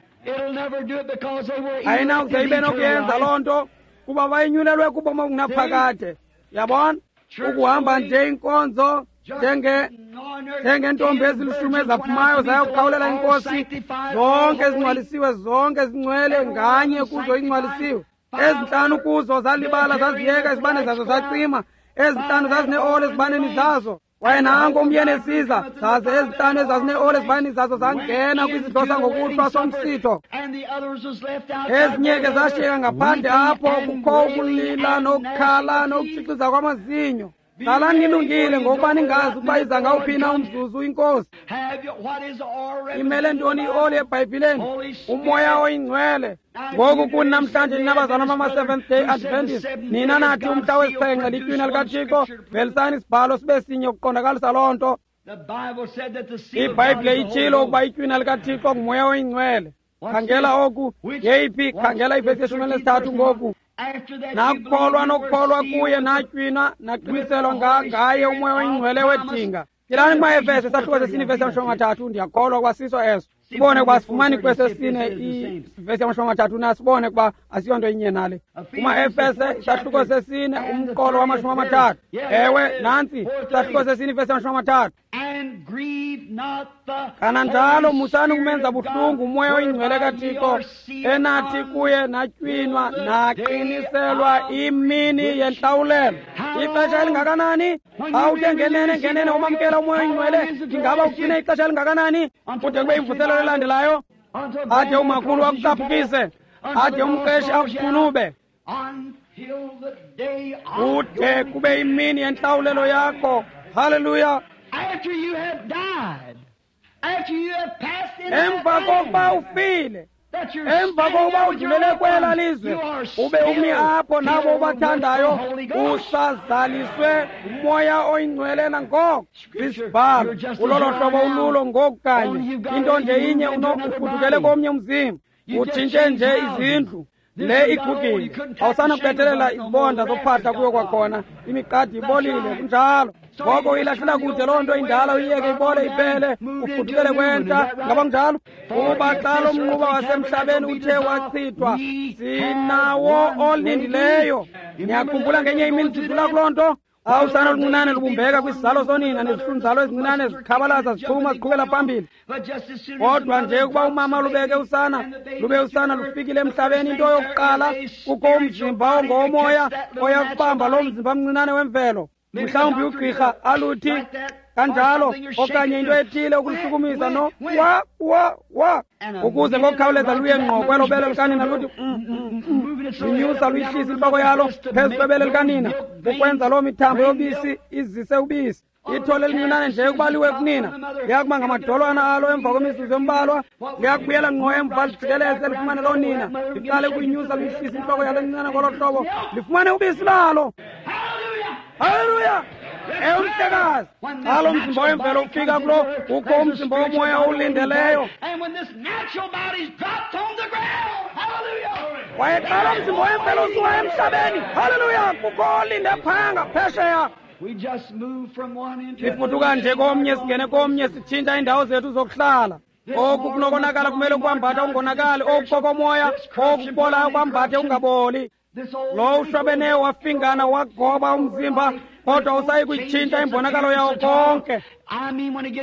Ayinawuze ibe nokuyenza loo nto kuba bayinyulelwe kubomi obungunaphakade. Yabona? Ukuhamba nje inkonzo njengentombi ezilishumi ezaphumayo zayokukhawulela inkosi, zonke ezingcwalisiwe, zonke ezingcwele, nganye kuzo ingcwalisiwe. 5 kuzo zalibala zaziyeka izibane zazo zacima, 5 zazineoli ezibaneni zazo. Kwaye nanko umyeni esiza, zaze 5 ezazineoli ezibaneni zazo zangena kwizidlo sangokuhlwa somsitho. Ezinye ke zashiyeka ngaphandle apho kukho ukulila nokukhala nokutshixiza kwamazinyo. Hlalani nilungile ngokuba ningazi ukuba iza ngawuphi na umzuzu inkosi. Imele ntoni ioli eBhayibhileni? UMoya oyiNgcwele. Ngoku kuni namhlanje nina bazalwana bama-Seventh Day Adventist, nina nathi umhla wesixhenxe litywina likaThixo, velisani isibhalo sibe sinye ukuqondakalisa loo nto. IBhayibhile itshilo ukuba itywina likaThixo nguMoya oyiNgcwele. Khangela oku, yeyiphi? Khangela ivesi yeshumi elinesithathu ngoku. Nakukholwa nokukholwa kuye natywinwa naqiniselwa ngaye uMoya oyiNgcwele wedinga. Tyelani kumaEfeso isahluko sesine ivesi yamashumi amathathu. Ndiyakholwa ukuba siso eso. Sibone ukuba sifumani kwesesine ivesi yamashumi amathathu na, sibone ukuba asiyonto inye nale. KumaEfese isahluko sesine umqolo wamashumi amathathu. Ewe, nantsi isahluko sesine ivesi yamashumi amathathu. Kananjalo musani ukumenza buhlungu uMoya oyiNgcwele kaThixo enathi kuye natywinwa naqiniselwa imini yentlawulelo. Ixesha elingakanani? Xa uthe ngenene ngenene wamamkela uMoya oyiNgcwele, ingaba ugcine ixesha elingakanani? Kude kube imvuselelo elandelayo, ade umakhulu akucaphukise, ade umqeshi akuqunube, kude kube imini yentlawulelo yakho. Haleluya! After you have died, after you have passed into Emva kokuba ufile, emva kokuba udlulele kwela lizwe, ube umi apho nabo ubathandayo, usazaliswe nguMoya oyiNgcwele nangoko. Isibhalo ulolo hlobo ululo ngoku kanye. Into nje inye, ufudukele komnye umzimba, utshintshe nje izindlu. Le igugile, awusanakubethelela izibonda zophahla kuyo kwakhona, imiqadi ibolile, kunjalo. Ngoko uyilahlela kude loo nto indala, uyiyeke ibole iphele, ufudukele kwentsha. Ngaba kunjalo? Kuba xa lo mnquba wasemhlabeni uthe wachithwa, sinawo olindileyo. Niyakhumbula ngenye imini sidlula kuloo nto? Xa usana oluncinane lubumbeka kwisizalo sonina, nezihlunzalo ezincinane zikhabalaza zichuma ziqhubela phambili. Kodwa nje ukuba umama lubeke usana, lube usana lufikile emhlabeni, into yokuqala kukho umzimba ongowomoya oya kubamba loo mzimba mncinane wemvelo. Mhlawumbi ugqirha aluthi kanjalo okanye into ethile ukulishukumisa no wa wa wa ukuze ngokukhawuleza luye ngqo kwelo bele likanina, luthi linyusa luyihlisa intloko yalo phezu kwebele likanina ukwenza loo mithambo yobisi izise ubisi. Ithole elincinane nje ukuba liwe kunina liyakuba ngamadolwana alo emva kwemizuzu embalwa, liyakubuyela ngqo emva lijikeleze lifumane loo nina, liqale ukuyinyusa luyihlisa intloko yalo encinane ngolo hlobo lifumane ubisi lalo. Haleluya! Ewe mhlekazi, xa lo mzimba wemvelo ufika kulo, kukho umzimba womoya owulindeleyo. Kwaye xa lo mzimba wemvelo usuka emhlabeni, haleluya, kukho olinde phaya ngaphesheya. Sifuduka nje komnye singene komnye, sitshintsha iindawo zethu zokuhlala. Oku kunokonakala kumele ukwambatha ungonakali, oku kokomoya, oku kubolayo kwambathe ungaboli. Lo ushwabeneyo wafingana wagoba umzimba, kodwa usayi kuyitshintsha imbonakalo yawo konke.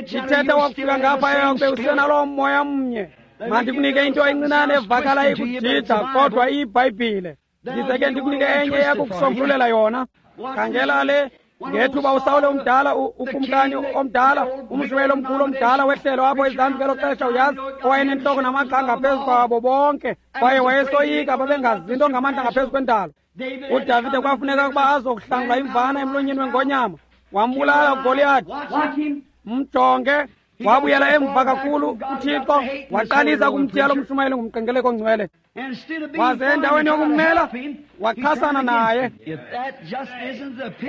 Ndithetha wakufika ngaphaya kube usenaloo moya mnye. Mandikunike into encinane evakala ikujija, kodwa iyiBhayibhile. Ndize ke ndikunike enye eyakukusombululela yona. Khangela le. Ngethuba uSawule omdala, ukumkani omdala, umshumayeli omkhulu omdala wehlelo apho ezantsi ngelo xesha, uyazi, owayenentloko namagxa ngaphezu kwabo bonke, kwaye wayesoyika, babengazi nto ngamandla ngaphezu kwendalo. UDavide kwafuneka ukuba azokuhlangula imvana emlonyeni wengonyama, wambulala uGoliyathi. Mjonge, wabuyela emva kakhulu uThixo waqalisa kumthiya lo mshumayeli ngumqengeleko ongcwele. Waze endaweni yokummela wachasana naye.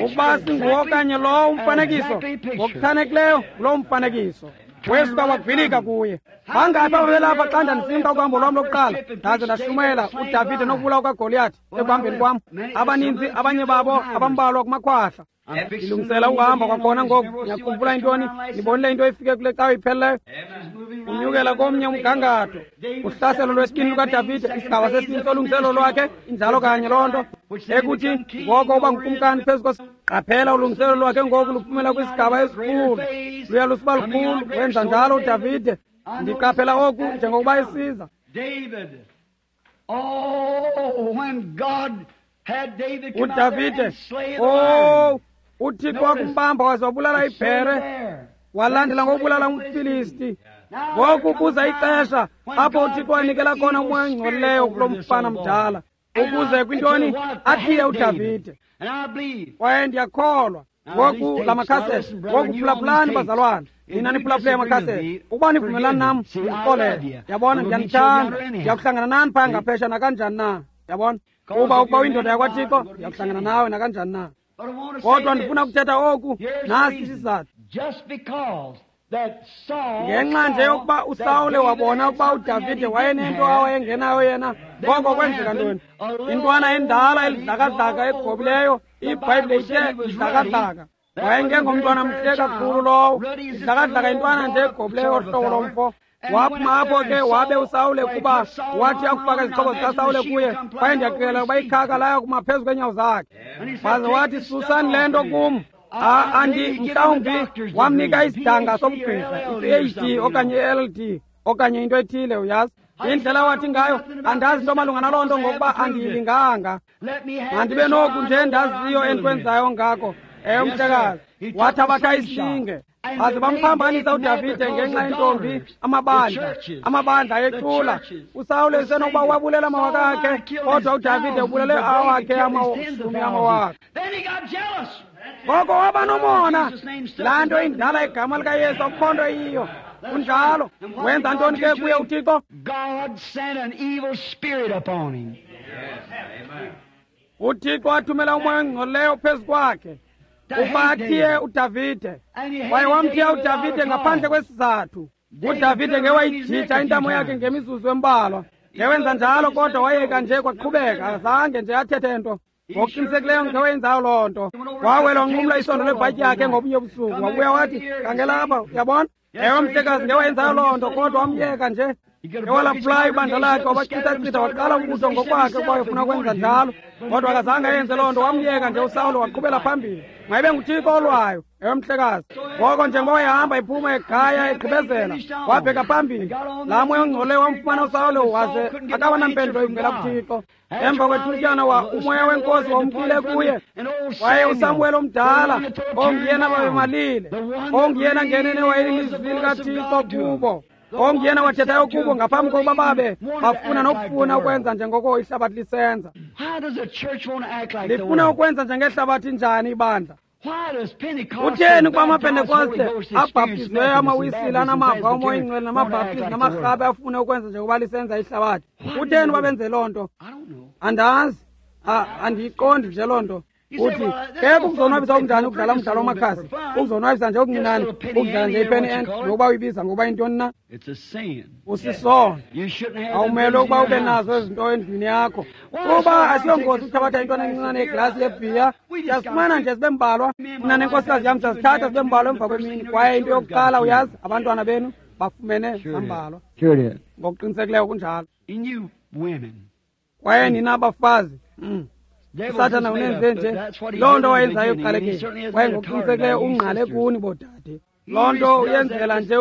Ukuba singuwo okanye lowo umfanekiso, ngokuchanekileyo ngulowo mfanekiso. Wesuka wagwilika kuye. Bangaphi ababelapha xa ndandisimka kuhambo lwam lokuqala ndaze ndashumayela uDavide nokubulawa kaGoliyathi ekuhambeni kwam? Abaninzi, abanye babo abambalwa kumakhwahla. Ndilungisela ukuhamba kwakhona ngoku. Niyakhumbula intoni? Nibonile into efike kule cawe ipheleleyo? Unyukela komnye umgangatho. Uhlaselo lwesibini lukaDavide, isigaba sesibini solungiselo lwakhe, injalo kanye loo nto. Ekuthi ngoko uba ngukumkani phezu kos. Qaphela ulungiselo lwakhe ngoku luphumela kwisigaba esikhulu. Luya lusiba lukhulu, wenza njalo uDavide. Ndiqaphela oku njengokuba esiza. UDavide, oh, uThixo wakumbamba waze wabulala ibhere, walandela ngokubulala umFilisti. Ngoku kuza ixesha apho uThixo wanikela khona umoya ongcolileyo kulo mfana mdala, ukuze kwintoni athiye uDavide. Kwaye ndiyakholwa ngoku la makhasethi. Ngoku phulaphulani bazalwane, nina niphulaphule amakhasethi. Ukuba nivumelani nam, ndixolele. Yabona, ndiyanithanda, ndiyakuhlangana nani phaya ngaphesha nakanjani na. Yabona, kuba ukuba uyindoda yakwaThixo, ndiyakuhlangana nawe nakanjani na. Kodwa ndifuna ukuthetha oku, nasi isizathu. Ngenxa nje yokuba uSawule wabona ukuba uDavide wayenento awayengenayo yena, ngoko kwenzeka ntoni? Intwana endala elidlakadlaka egobileyo, iBhayibhile ithe idlakadlaka. Wayengengomntwana mhle kakhulu lowo, idlakadlaka intwana nje egobileyo ohlobo lomfo. Waphuma apho ke wabe uSawule, kuba wathi akufaka izixhobo zikaSawule kuye, kwaye ndiyaqikelela ukuba ikhaka laya kuma phezu kweenyawo zakhe. Waze wathi, susani le nto kum. Andi mhlawumbi wamnika isidanga sobugqirha, i-PhD okanye i-LLD okanye into ethile, uyazi. Indlela wathi ngayo, andazi nto malunga naloo nto ngokuba andiyilinganga. Mandibe noku nje ndaziyo endikwenzayo ngako. Ewe, mhlekazi, wathabatha isilinge. Baze bamphambanisa uDavide ngenxa yentombi, amabandla, amabandla ayecula. uSawule usenokuba wabulela amawaka akhe, kodwa uDavide ubulele awakhe amashumi amawaka. Ngoko waba nomona. Laa nto indala igama likaYesu akukho nto iyiyo. Kunjalo. Wenza ntoni ke kuye uThixo? UThixo wathumela umoya ongcolileyo phezu kwakhe ukuba athiye uDavide. Kwaye wamthiya uDavide ngaphandle kwesizathu. UDavide ngewayijija intamo yakhe ngemizuzu embalwa. Ngewenza njalo, kodwa wayeka nje kwaqhubeka, azange nje athethe nto. Ngokuqinisekileyo ngewenzayo loo nto. Wawela wanqumla isondo lebhatyi yakhe ngobunye ubusuku, wabuya wathi, khangela apha, uyabona? Ewe, mhlekazi, ngewayenzayo loo nto, kodwa wamyeka nje. Ngewalaphulayo ibandla lakhe, wabachithachitha, waqala umbutho ngokwakhe ukuba efuna ukwenza njalo, kodwa akazange ayenze loo nto. Wamyeka nje uSawule waqhubela phambili. Mayibe nguThixo olwayo. Ewe, mhlekazi. Ngoko njengoba wayehamba ephuma egaya egqibezela, wabheka phambili. Laa moya ongcolileyo wamfumana uSawule, waze akaba nampendulo ivela kuThixo. Emva kwethutyana umoya wenkosi wamkile kuye. Waye uSamuweli omdala, onguyena babemalile, onguyena ngenene wayelilizwi likaThixo kubo, onguyena wathethayo kubo ngaphambi kokuba babe bafuna nokufuna ukwenza njengoko ihlabathi lisenza. Lifuna ukwenza njengehlabathi njani ibandla? Utheni ukuba amaPentekoste abhaptiziweyo, amaWisile, anamava omoya ingcwele, namabhaptizi namarhabe afune ukwenza njengoba lisenza ihlabathi? Utheni uba benze loo nto? Andazi, andiyiqondi nje loo nto. Uthi ke kukuzonwabisa okunjani ukudlala umdlalo wamakhasi, ukuzonwabisa nje okuncinane, ukudlala nje ipeni end, nokuba uyibiza ngokuba yintoni na? Usisono. Awumele ukuba ube nazo ezinto endlwini yakho, kuba asiyongozi ukuthabatha intwana encinane yeglasi yebhiya. Siyazifumana nje zibe mbalwa. Mna nenkosikazi yam siyazithatha zibe mbalwa emva kwemini, kwaye into yokuqala uyazi, abantwana benu bafumene zambalwa. Ngokuqinisekileyo kunjalo. Kwaye nina abafazi, uSathana unenze nje loo nto wayenzayo ekuqalekeni, kwaye ngokuqinisekileyo ungqale kuni boodade. Loo nto uyenzela nje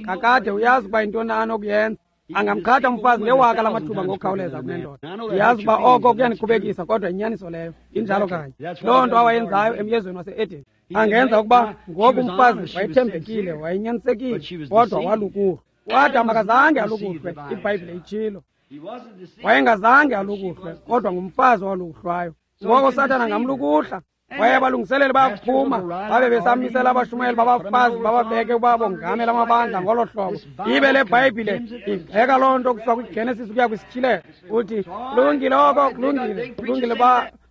kakade uyazi uba yintoni anokuyenza. Angamqhatha umfazi ngewaka lamathuba ngokukhawuleza kunendoda. Ndiyazi uba oko kuyanikhubekisa, kodwa inyaniso leyo injalo kanye. Loo nto awayenzayo emyezweni wase-Eden. Angenza ukuba ngoku umfazi wayethembekile, wayenyanisekile, kodwa walukuhlwa. UAdam akazange alukuhlwe, iBhayibhile itshilo. Wayengazange alukuhlwe, kodwa ngumfazi owalukuhlwayo. Ngoko uSathana angamlukuhla. Kwaye abalungiseleli bayakuphuma babe besamisela abashumayeli babafazi bababeke ukuba bongamela amabandla ngolo hlobo. Ibe le Bhayibhile igxeka loo nto kusuka kwiGenesis ukuya kwisiTyhilelo. Uthi kulungile oko, kulungile, kulungile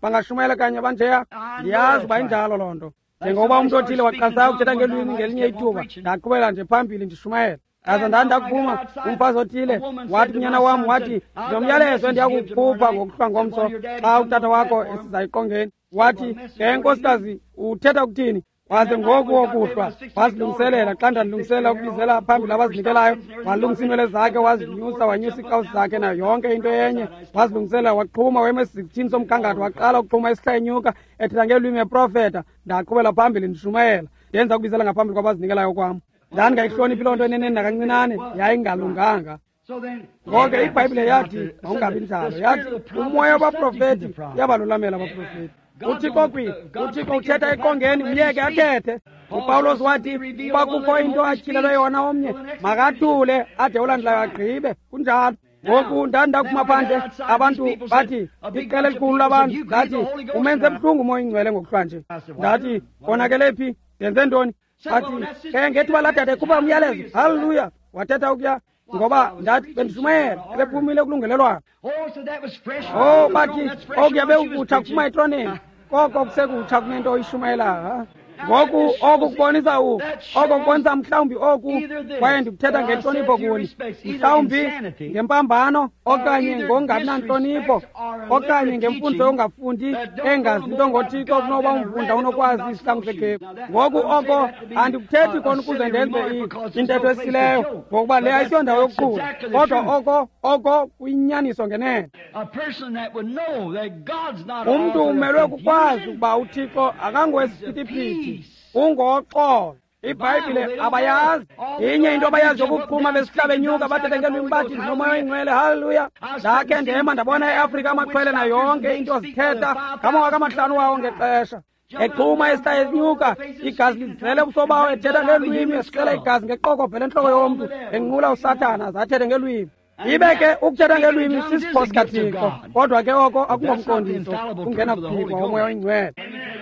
bangashumayela kanye banjeya. Ndiyazi uba injalo loo nto. Njengokuba umntu othile waqalisayo ukuthetha ngelwimi ngelinye ithuba, ndaqhubela nje phambili ndishumayela. Ndaza ndandakuphuma, umfazi othile wathi kunyana wam, wathi ndinomyalezo endiyakukhupha ngokuhlwa ngomso xa utata wakho esiza eqongeni. Wathi, ke nkosikazi, uthetha ukuthini? Waze ngoku wokuhlwa wazilungiselela. Xa ndandilungiselela ukubizela phambili abazinikelayo, walungisa iinwele zakhe, wazinyusa, wanyusa iikawusi zakhe nayo yonke into enye. Wazilungiselela, waxhuma, wema esizikithini somgangatho, waqala ukuxhuma esihla enyuka, ethetha ngelwimi eprofeta. Ndaqhubela phambili ndishumayela, ndenza ukubizela ngaphambili kwabazinikelayo kwam. Ndandingayihloniphi loo nto eneneni nakancinane, yayingalunganga. Ngoko iBhayibhile yathi mawungabi njalo. Yathi umoya wabaprofeti uyabalulamela abaprofeti. uThixo uThixo uthetha eqongeni, myeke athethe. uPawulos wathi uba kukho into atyhilelwe yona omnye, makathule ade olandelayo agqibe. Kunjalo. Ngoku ndandakuphuma phandle, abantu bathi iqela elikhulu labantu, ndathi umenze buhlungu umoya oyingcwele ngokuhlwa nje. Ndathi konakele phi? Ndenze ntoni? Bathi ke ngethuba laa dade ekhupha umyalezo, haleluya, wathetha ukuya. Ngoba ndathi bendishumayela, ebephumile kulungelelwano. Oh, bathi okuya bewukutsha kuphuma etroneni, koko kusekutsha kunento oyishumayelayo. Ngoku oku kubonisa oko kubonisa mhlawumbi oku, kwaye ndikuthetha ngentlonipho kuni, mhlawumbi ngempambano okanye ngongabi nantlonipho okanye ngemfundiso yongafundi engazi nto ngoThixo kunoba umfunda unokwazi isihlangu sekhephu. Ngoku oko andikuthethi kona ukuze ndenze intetho esileyo, ngokuba le ayisiyondawo yokuqhula, kodwa oko kuyinyaniso ngenene. Umntu umelwe kukwazi ukuba uThixo akangowesiphithiphithi, ungoxolo. iBhayibhile abayazi. Inye into abayazi yokuphuma besihlaba enyuka bathethe ngelwimi bathi ndinomoya oyingcwele, haleluya. Ndakhe ndema ndabona eAfrika amaxhwele nayo yonke into zithetha ngamawaka amahlanu wawo ngexesha. Exhuma esihla enyuka, igazi lizele ubuso bawo, ethetha ngelwimi, esixela igazi ngeqokobhe lentloko yomntu, enqula uSathana, zathethe ngelwimi. Ibe ke ukuthetha ngelwimi sisipho sikaThixo, kodwa ke oko akungomqondiso kungena kuphikwa umoya oyingcwele.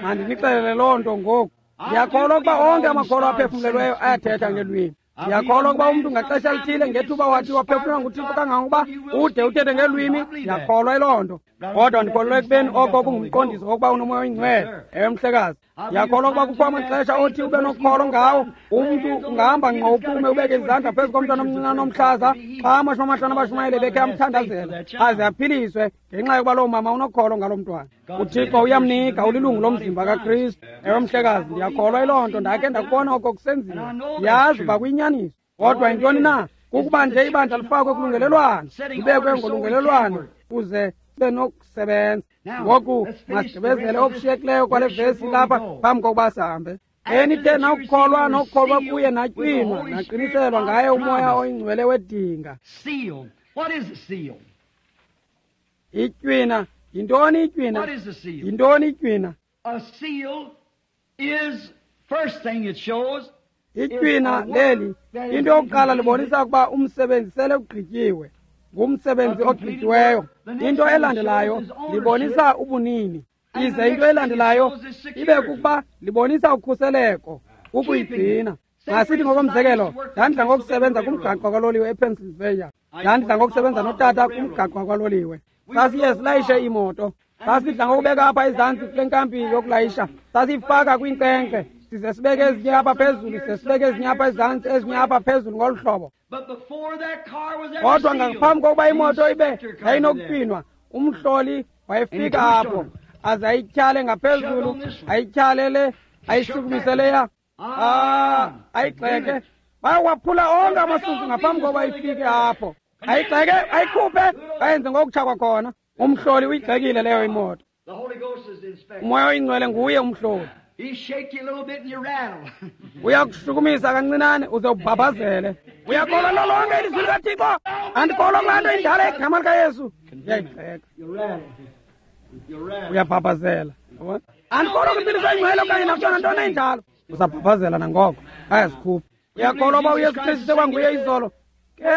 Mandinixelele loo nto ngoku. Ndiyakholwa ukuba onke amakholwa aphefumlelweyo ayathetha ngelwimi. Ndiyakholwa ukuba umntu ngaxesha elithile ngethuba wathi waphefumlelwa nguThixo kangangokuba ude uthethe ngelwimi, ndiyakholwa yiloo nto. Kodwa ndikholelwa ekubeni oko kungumqondiso wokuba unomoya oyingcwele. Ewe, mhlekazi. Ndiyakholwa ukuba kukho amaxesha othi ube nokholo ngawo, umntu ungahamba ngqo uphume ubeke izandla phezu komntwana omncinane omhlaza xa 50 abashumayeli bekhe amthandazela aze aphiliswe ngenxa yokuba loo mama unokholo ngaloo mntwana. uThixo uyamnika, ulilungu lomzimba kaKristu. Ewe, mhlekazi, ndiyakholwa yiloo nto. Ndakhe ndakubona oko kusenziwa, ndiyazi uba kuyinyaniso. Kodwa yintoni na? Kukuba nje ibandla lifakwe kulungelelwano, libekwe ngolungelelwano kuze sibe nokusebenza. Ngoku masigqibezele okushiyekileyo kwale vesi lapha phambi kokuba sihambe. Enithe nakukholwa nokukholwa kuye natywinwa naqiniselwa ngaye umoya oyingcwele wedinga. Itywina, yintoni itywina? Yintoni itywina? Itywina leli, into yokuqala libonisa ukuba umsebenzi sele ugqityiwe, ngumsebenzi ogqityiweyo. Into elandelayo libonisa ubunini. Ize into elandelayo ibe kukuba libonisa ukhuseleko, ukuyigcina. Masithi ngokomzekelo, ndandidla ngokusebenza kumgaqo kwaloliwe ePennsylvania. Ndandidla ngokusebenza notata kumgaqo kwaloliwe. Sasiye silayishe iimoto. Sasidla ngokubeka apha ezantsi kule nkampi yokulayisha. Sasiyifaka kwiinkcenkce, size sibeke ezinye apha phezulu, size sibeke ezinye apha ezantsi, ezinye apha phezulu ngolu hlobo. Kodwa ngaphambi kokuba imoto ibe yayinokutywinwa, umhloli wayefika apho aze ayityhale ngaphezulu, ayityhale le, ayishukumise leya, ayigxeke. Bayawaphula onke amasusu ngaphambi kokuba ifike apho. Ayigxeke, ayikhuphe, ayenze ngokutsha kwakhona. Umhloli uyigxekile leyo imoto. Umoya oyingcwele nguye umhloli. Uyakushukumisa kancinane uze ubhabhazele. Uyakholwa lo lonke ilizwi likaThixo? Andikholwa kulaa nto indala egama likaYesu. Uyayigxeka. Uyabhabhazela. Andikholwa kwimpiliso engcwele okanye nakuyona ntoni enjalo. Usabhabhazela nangoko. Ayazikhupha. Uyakholwa uba uYesu Kristu sekwanguye izolo? Ke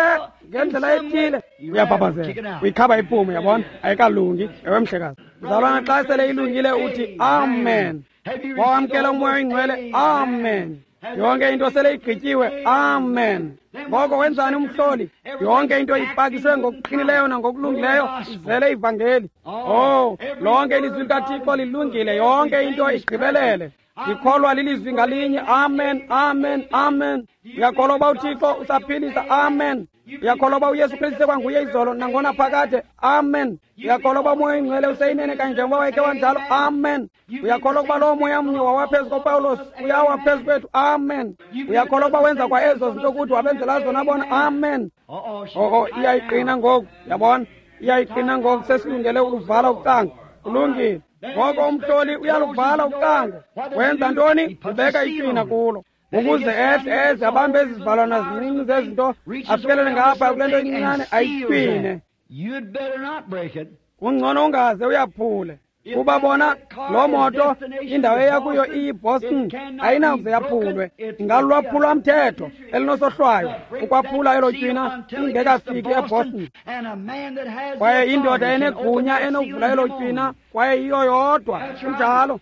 ngendlela ethile uyabhabhazela. Uyikhaba iphume, uyabona? Ayikalungi. Ewe mhlekazi. Mzalwana, xa sele ilungile uthi amen. Wawamkela umoya oyingcwele, amen. Yonke into sele igqityiwe, amen. Ngoko wenzani umhloli? Yonke into ipakishwe ngokuqinileyo nangokulungileyo, izele ivangeli. Oh, lonke ilizwi likaThixo lilungile, yonke into igqibelele. Ndikholwa lilizwi ngalinye, amen, amen, amen. Uyakholwa uba uThixo usaphilisa, amen. Uyakholwa uba uYesu Kristu sekwanguye izolo nangona phakade, amen. Uyakholwa uba umoya oyingcwele useyinene kanye njengoba wayekhe wanjalo, amen. Uyakholwa ukuba lowo moya mnye wawaphezu koPawulos uyawa phezu kwethu, amen. Uyakholwa ukuba wenza kwa ezo zinto kuthi wabenzela zona bona, amen. Oh, iyayiqina ngoku, yabona, iyayiqina ngoku, sesilungele ukuvala ucango. Kulungile. Ngoko umhloli uyaluvala ucango. Wenza ntoni? Ubeka itywina kulo, ukuze ehle eze abambe ezi zivalwana zincinci zezinto, afikelele ngapha kule nto incinane ayitywine. Kungcono ungaze uyaphule, kuba bona loo moto indawo eya kuyo iyiBoston ayinakuze yaphulwe. Ingalulwaphulwa mthetho elinosohlwayo ukwaphula elo tywina ingekafiki eBoston. Kwaye indoda enegunya enokuvula elo tywina, kwaye yiyo yodwa. Kunjalo.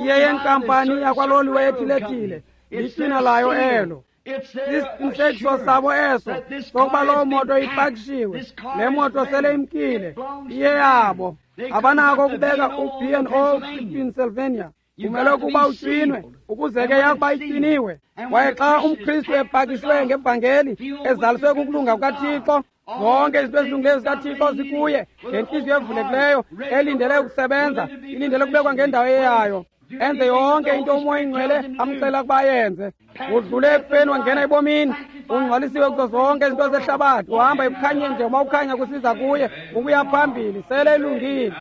Iye yenkampani yakwaloliwe ethile-thile, litywina layo elo. Sisiqinisekiso sabo eso sokuba loo moto ipakishiwe, le moto sele imkile, iyeyabo. Abanako ukubeka u-B&O kwiPennsylvania. Kumele ukuba utywinwe ukuze ke yakuba itywiniwe. Kwaye xa umKristu epakishwe ngevangeli ezaliswe kukulunga kukaThixo, zonke izinto ezilungileyo zikaThixo zikuye, ngentliziyo evulekileyo elindele ukusebenza, ilindele ukubekwa ngendawo eyayo, enze yonke into umoya oyingcwele amxela ukuba ayenze. Udlule ekufeni wangena ebomini, ungcwalisiwe kuzo zonke izinto zehlabathi, uhamba ekukhanyeni njengoba ukhanya kusiza kuye ukuya phambili, sele ilungile.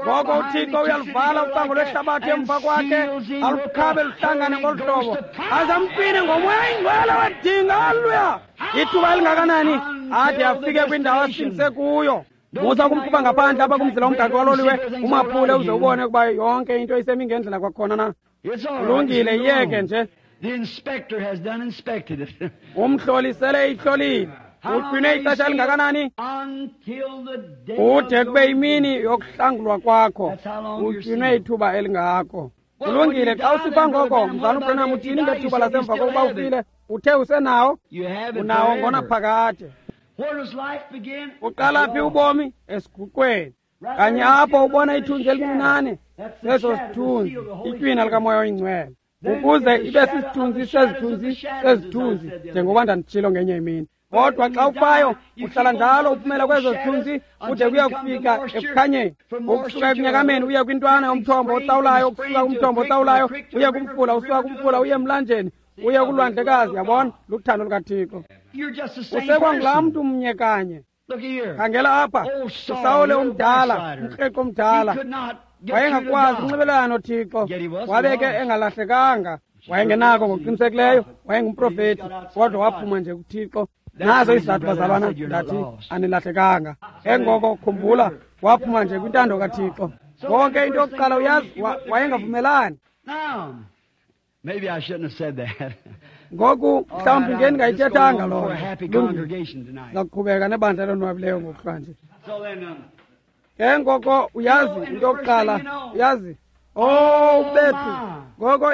Ngoko uThixo uyaluvala ucango lwehlabathi emva kwakhe, alukhabe luhlangane ngolu hlobo, aze amtywine ngomoya oyingcwele wedinga. Haleluya! Ithuba elingakanani ade afike kwindawo asingise kuyo. Musa ukumkhupha ngaphandle apha kumzila womgaqo waloliwe, umaphule uze ubone ukuba yonke into isemi ngendlela kwakhona na. Kulungile, iyeke nje. Umhloli sele ihlolile. Utywinwe ixesha elingakanani? Kude kube yimini yokuhlangulwa kwakho. Utywinwe ithuba elingako. Kulungile, xa usifa ngoko, mzalwana uBranham, uthini ngethuba lasemva kokuba ufile? Uthe usenawo? Unawo ngonaphakade. Uqala phi ubomi? Esiguqweni. Kanye apho ubona ithunzi elincinane, seso sithunzi, itywina likamoya oyingcwele, ukuze ibe sisithunzi sezithunzi sezithunzi, njengoba ndanditshilo ngenye imini. Kodwa xa ufayo uhlala njalo uphumela kwezo zithunzi kude kuya kufika ekukhanyeni. Ukusuka ekunyakameni uye kwintwana yomthombo otsawulayo, ukusuka kumthombo otsawulayo uye kumfula, usuka kumfula uye emlanjeni, uye kulwandlekazi. Yabona, luthando lukaThixo. Usekwangulaa mntu mnye kanye. Khangela apha, uSawule umdala, umkreqo omdala, wayengakwazi ukunxibelelana noThixo, wabe ke engalahlekanga. Wayengenako ngokuqinisekileyo, wayengumprofethi, kodwa waphuma nje kuThixo. Nazo izizathu, bazalwana, ndathi anilahlekanga. Engoko khumbula, waphuma nje kwintando kaThixo. Konke into yokuqala uyazi, wayengavumelani. Ngoku mhlawumbi ngendingayithethanga loo nto. Ndizawuqhubeka nebandla elonwabileyo ngokuhlwanje. Ke ngoko uyazi into yokuqala, uyazi, oh bethu, ngoko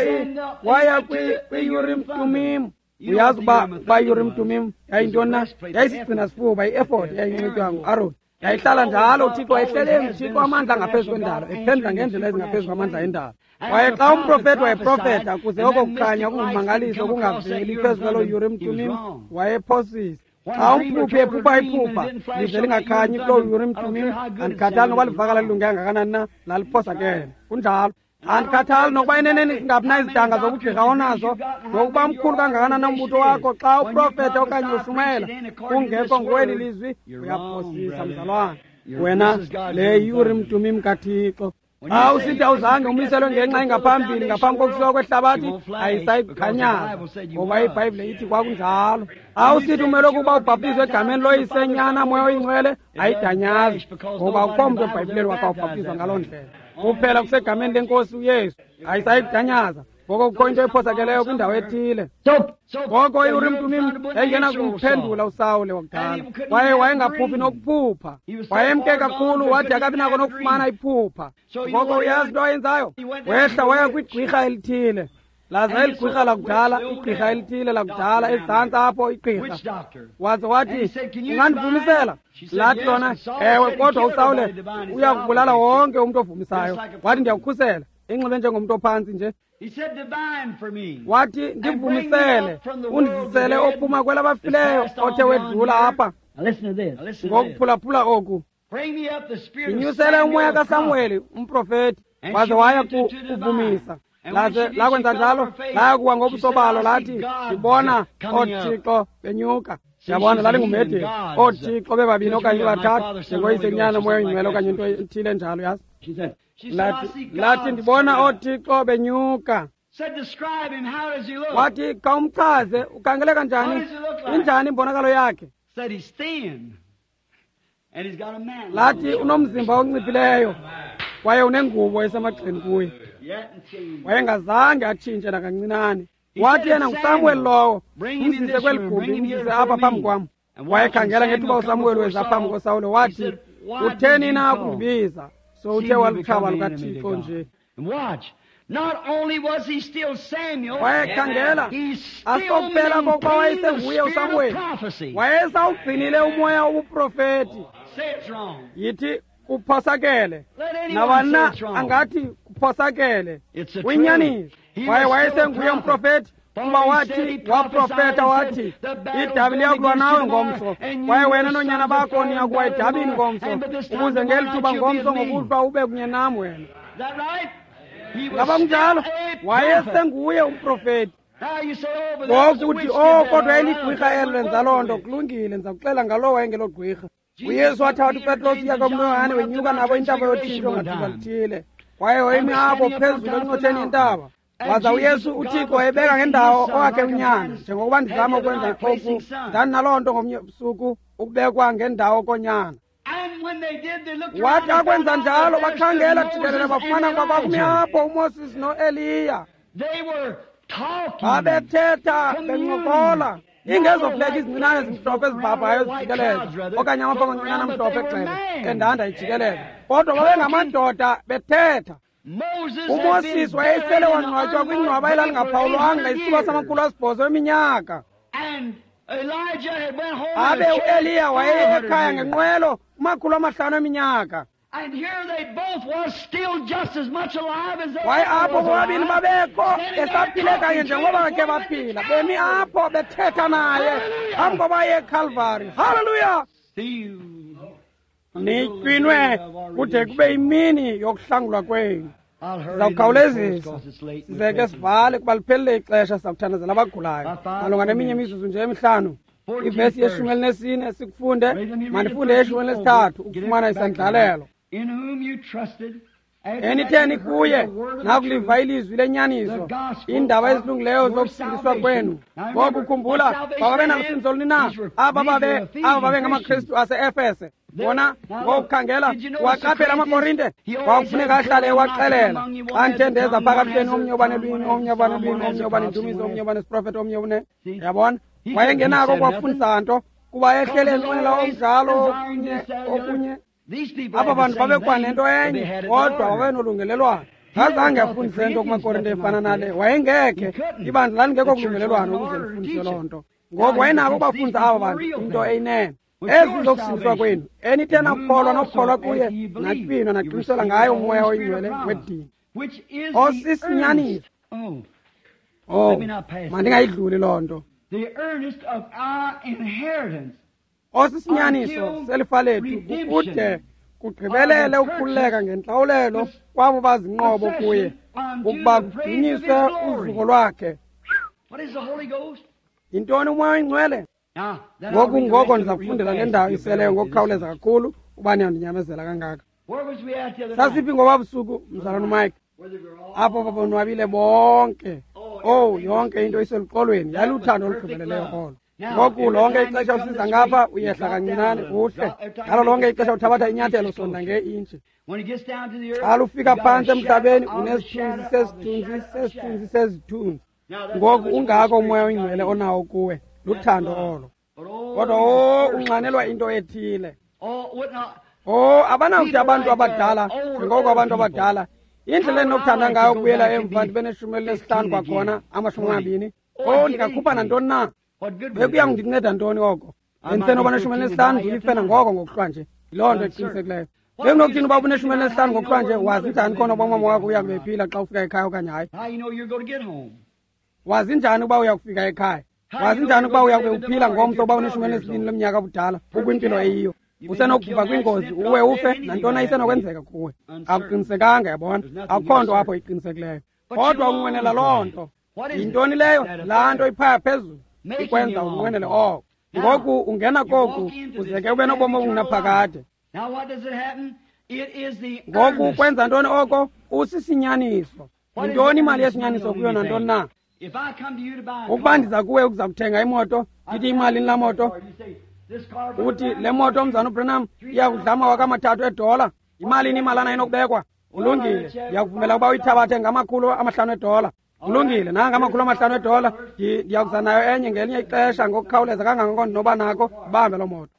waya kwi-Urim Tumim. Uyazi uba i-Urim Tumim yayintoni na? Yayisigcina sifuba, i-efodi yayinxitywa nguAron. Yayihlala njalo, uThixo wayehlele enguThixo amandla ngaphezu kwendalo, ephendula ngendlela ezingaphezu kwamandla endalo. Kwaye xa umprofethi wayeprofetha kuze oko kukhanya kungummangaliso kungaveli phezu kwaloo Urim Tumim, wayephosisa. Xa umphuphi ephupha iphupha lize lingakhanyi kuloo Urim Tumim, andikhathali nokuba livakala lilunge kangakanani na, laliphosakele. Kunjalo. Andikhathali nokuba eneneni singaphi na izidanga zobugqirha onazo, nokuba mkhulu kangakanani na umbutho wakho, xa uprofetha okanye ushumayela kungekho ngokweli lizwi, uyaphosisa, mzalwana. Wena le Urim Tumim kaThixo. Xa usithi awuzange umiselwe ngenxa engaphambili ngaphambi kokusuka kwehlabathi, ayisayikhanyaza, ngoba iBhayibhile ithi kwakunjalo. Xa usithi umele ukuba ubhaptizwe egameni loYise, Nyana, Moya oyiNgcwele, ayidanyazi, ngoba akukho mntu eBhayibhileni wakha ubhaptizwa ngaloo ndlela. Kuphela kusegameni leNkosi uYesu, ayisayikudanyaza. Ngoko kukho into ephosakeleyo kwindawo ethile. Ngoko iUrim Tumim yayingena kumphendula uSawule wakudala, kwaye wayengaphuphi nokuphupha. Wayemke kakhulu wade akabi nako nokufumana iphupha. Ngoko uyazi into ayenzayo? Wehla waya kwigqirha elithile. Laza eli gqirha lakudala, igqirha elithile lakudala, ezantsi apho igqirha. Waze wathi, ungandivumisela? Lathi lona, ewe, kodwa uSawule uyakubulala wonke umntu ovumisayo. Wathi, ndiyakukhusela. Inxibe njengomntu ophantsi nje. Wathi, ndivumisele, undizisele ophuma kwelabafileyo othe wedlula apha. Ngokuphulaphula oku, ndinyusele umoya kaSamuweli umprofeti. Waze waya kuvumisa. Laze lakwenza njalo, laya kuwa ngobusobalo, lathi, ndibona oothixo benyuka. Yabona, lalingumhedeni, oothixo bebabini okanye bathathu, njengoYise, Nyana, Moya oyiNgcwele okanye into ethile enjalo, yazi. Lathi ndibona oothixo benyuka. Wathi, khawumchaze, ukhangeleka njani? Injani imbonakalo yakhe? Lathi unomzimba onciphileyo kwaye unengubo esemagxeni kuye. Wayengazange atshintshe nakancinane. Wathi yena nguSamuel lowo, umzise kweli gumbi, umzise apha phambi kwam. Wayekhangela ngethuba uSamuel weza phambi koSawule, wathi, utheni na ukundibiza? So uthe walutshaba lukaThixo nje. Wayekhangela, asikokuphela kokuba wayesenguye uSamuweli, wayesawugcinile umoya wobuprofeti. Yithi kuphosakele, nabani angathi kuphosakele, kuyinyaniso. Kwaye wayesenguye umprofeti, kuba wathi, waprofeta wathi, idabi liyakulwa nawe ngomso, kwaye wena noonyana bakho niyakuwa edabini ngomso, ukuze ngeli thuba ngomso ngokuhlwa ube kunye nam wena. Ngaba kunjalo? Wayesenguye umprofeti. Ngoku uthi, oh, kodwa eligqwirha elo lenza loo nto. Kulungile, ndiza kuxela ngalowo wayengelo gqwirha. uYesu wathatha uPetros, uYakobi noYohane, wenyuka nabo intaba yotshintsho ngathuba lithile, kwaye wayemi apho phezulu encotsheni yentaba. Waza uYesu uThixo wayebeka ngendawo owakhe unyana, njengokuba ndizama ukwenza oku, ndandinaloo nto ngomnye ubusuku, ukubekwa ngendawo konyana. Wathi akwenza njalo, bakhangela jikelele, bafumana ukuba kwakumi apho uMoses noEliya. Babethetha bencokola, ingezofleki izincinane ezimhlophe ezibhabhayo ezijikeleza, okanye amafa amancinane amhlophe egxele endanda ijikeleza, kodwa babengamadoda bethetha. uMoses wayesele wangcwatywa kwingcwaba elalingaphawulwanga isithuba sama-800 eminyaka. Abe uEliya wayeye ekhaya ngenqwelo kuma-500 eminyaka. Kwaye apho bobabini babekho besaphile kanye njengoba bakhe baphila, bemi apho bethetha naye phambi koba aye eKhalvari. Haleluya! Nitywinwe kude kube imini yokuhlangulwa kwenu. Sizawukhawulezisa size ke sivale kuba liphelile ixesha. Sizawuthandazela abagulayo malunga neminye imizuzu nje emihlanu. Ivesi ye-14 sikufunde, mandifunde ye-13 ukufumana isandlalelo. Enitheni kuye nakuliva ilizwi lenyaniso, iindaba ezilungileyo zokusindiswa kwenu. Ngoku khumbula, bababe nalusindiso luni na aba babe aba babengamaKristu ase-Efese? Bona ngokukhangela waqaphela amaKorinte, kwakufuneka ahlale ewaxelela. Xa ndithe ndeza phakathi kwenu, omnye uba nelwimi, omnye uba nolwimi, omnye uba nendumiso, omnye uba nesiprofeto, omnye une. Yabona, wayengenako kwafundisa nto kuba ehlele enqwenela omdlalo okunye. Aba bantu babekwanento enye, kodwa babenolungelelwano. Azange afundise nto kumaKorinte efana nale, wayengekhe. Ibandla lalingekho kulungelelwano ukuze lifundise loo nto. Ngoku wayenako ukubafundisa aba bantu into eyinene. Ezi zokusindiswa kwenu, enithe nakukholwa nokukholwa kuye, natywinwa naqinisela ngaye uMoya oyiNgcwele wedini osisinyaniso. Oh, mandingayidluli loo nto. Osisinyaniso selifa lethu, kukude kugqibelele ukukhululeka ngentlawulelo kwabo bazinqobo kuye, ukuba kudunyiswe uzuko lwakhe. Yintoni uMoya oyiNgcwele? Ngoku ngoko ndiza kufundela le ndawo iseleyo ngokukhawuleza kakhulu uba niyandinyamezela kangaka. Sasiphi ngoba busuku, mzalwana uMike? Apho babonwabile bonke. Owu, yonke into iseluxolweni. Yayiluthando olugqibeleleyo olo. Ngoku lonke ixesha usiza ngapha uyehla kancinane uhle. Ngalo lonke ixesha uthabatha inyathelo sonda ngeintshi. Xa lufika phantsi emhlabeni unesithunzi sesithunzi sesithunzi sezithunzi. Ngoku ungako umoya oyingcwele onawo kuwe, luthando olo. Kodwa o unxanelwa into ethile. O abanawuthi abantu abadala njengoko abantu abadala indlela endinokuthanda ngayo ukubuyela emva ndibe neshumi elinesihlanu kwakhona 20. O ndingakhupha nantoni na? Bekuya kundinceda ntoni oko? Bendisenoba neshumi elinesihlanu ndilife nangoko ngokuhlwa nje. Yiloo nto eqinisekileyo. Bekunokuthini uba ubuneshumi elinesihlanu ngokuhlwa nje, wazi njani khona uba umama wakho uya kubephila xa ufika ekhaya okanye hayi? Wazi njani ukuba uya kufika ekhaya? Wazi njani ukuba uya kube uphila ngomso uba uneshumi elinesibini leminyaka ubudala ukwimpilo eyiyo? Usenokubhubha kwingozi uwe ufe, nantoni isenokwenzeka kuwe. Akuqinisekanga, yabona, akukho nto apho iqinisekileyo. Kodwa unqwenela loo nto. Yintoni leyo? Laa nto iphaya phezulu ikwenza unqwenele oko. Ngoku ungena koku uze ke ube nobomi obungunaphakade. Ngoku kwenza ntoni oko? Usisinyaniso. Yintoni imali yesinyaniso kuyo nantoni na? Ukuba ndiza kuwe ukuza kuthenga imoto, ndithi imalini laa moto? Uthi le moto, mzana uBranham, iya kudla $3,000. Imalini imalana inokubekwa? Kulungile, ndiyakuvumela ukuba uyithabathe ngama$500. Kulungile, nanga $500. Ndiyakuza nayo enye ngelinye ixesha ngokukhawuleza kangangoko ndinoba nako, ibambe loo moto.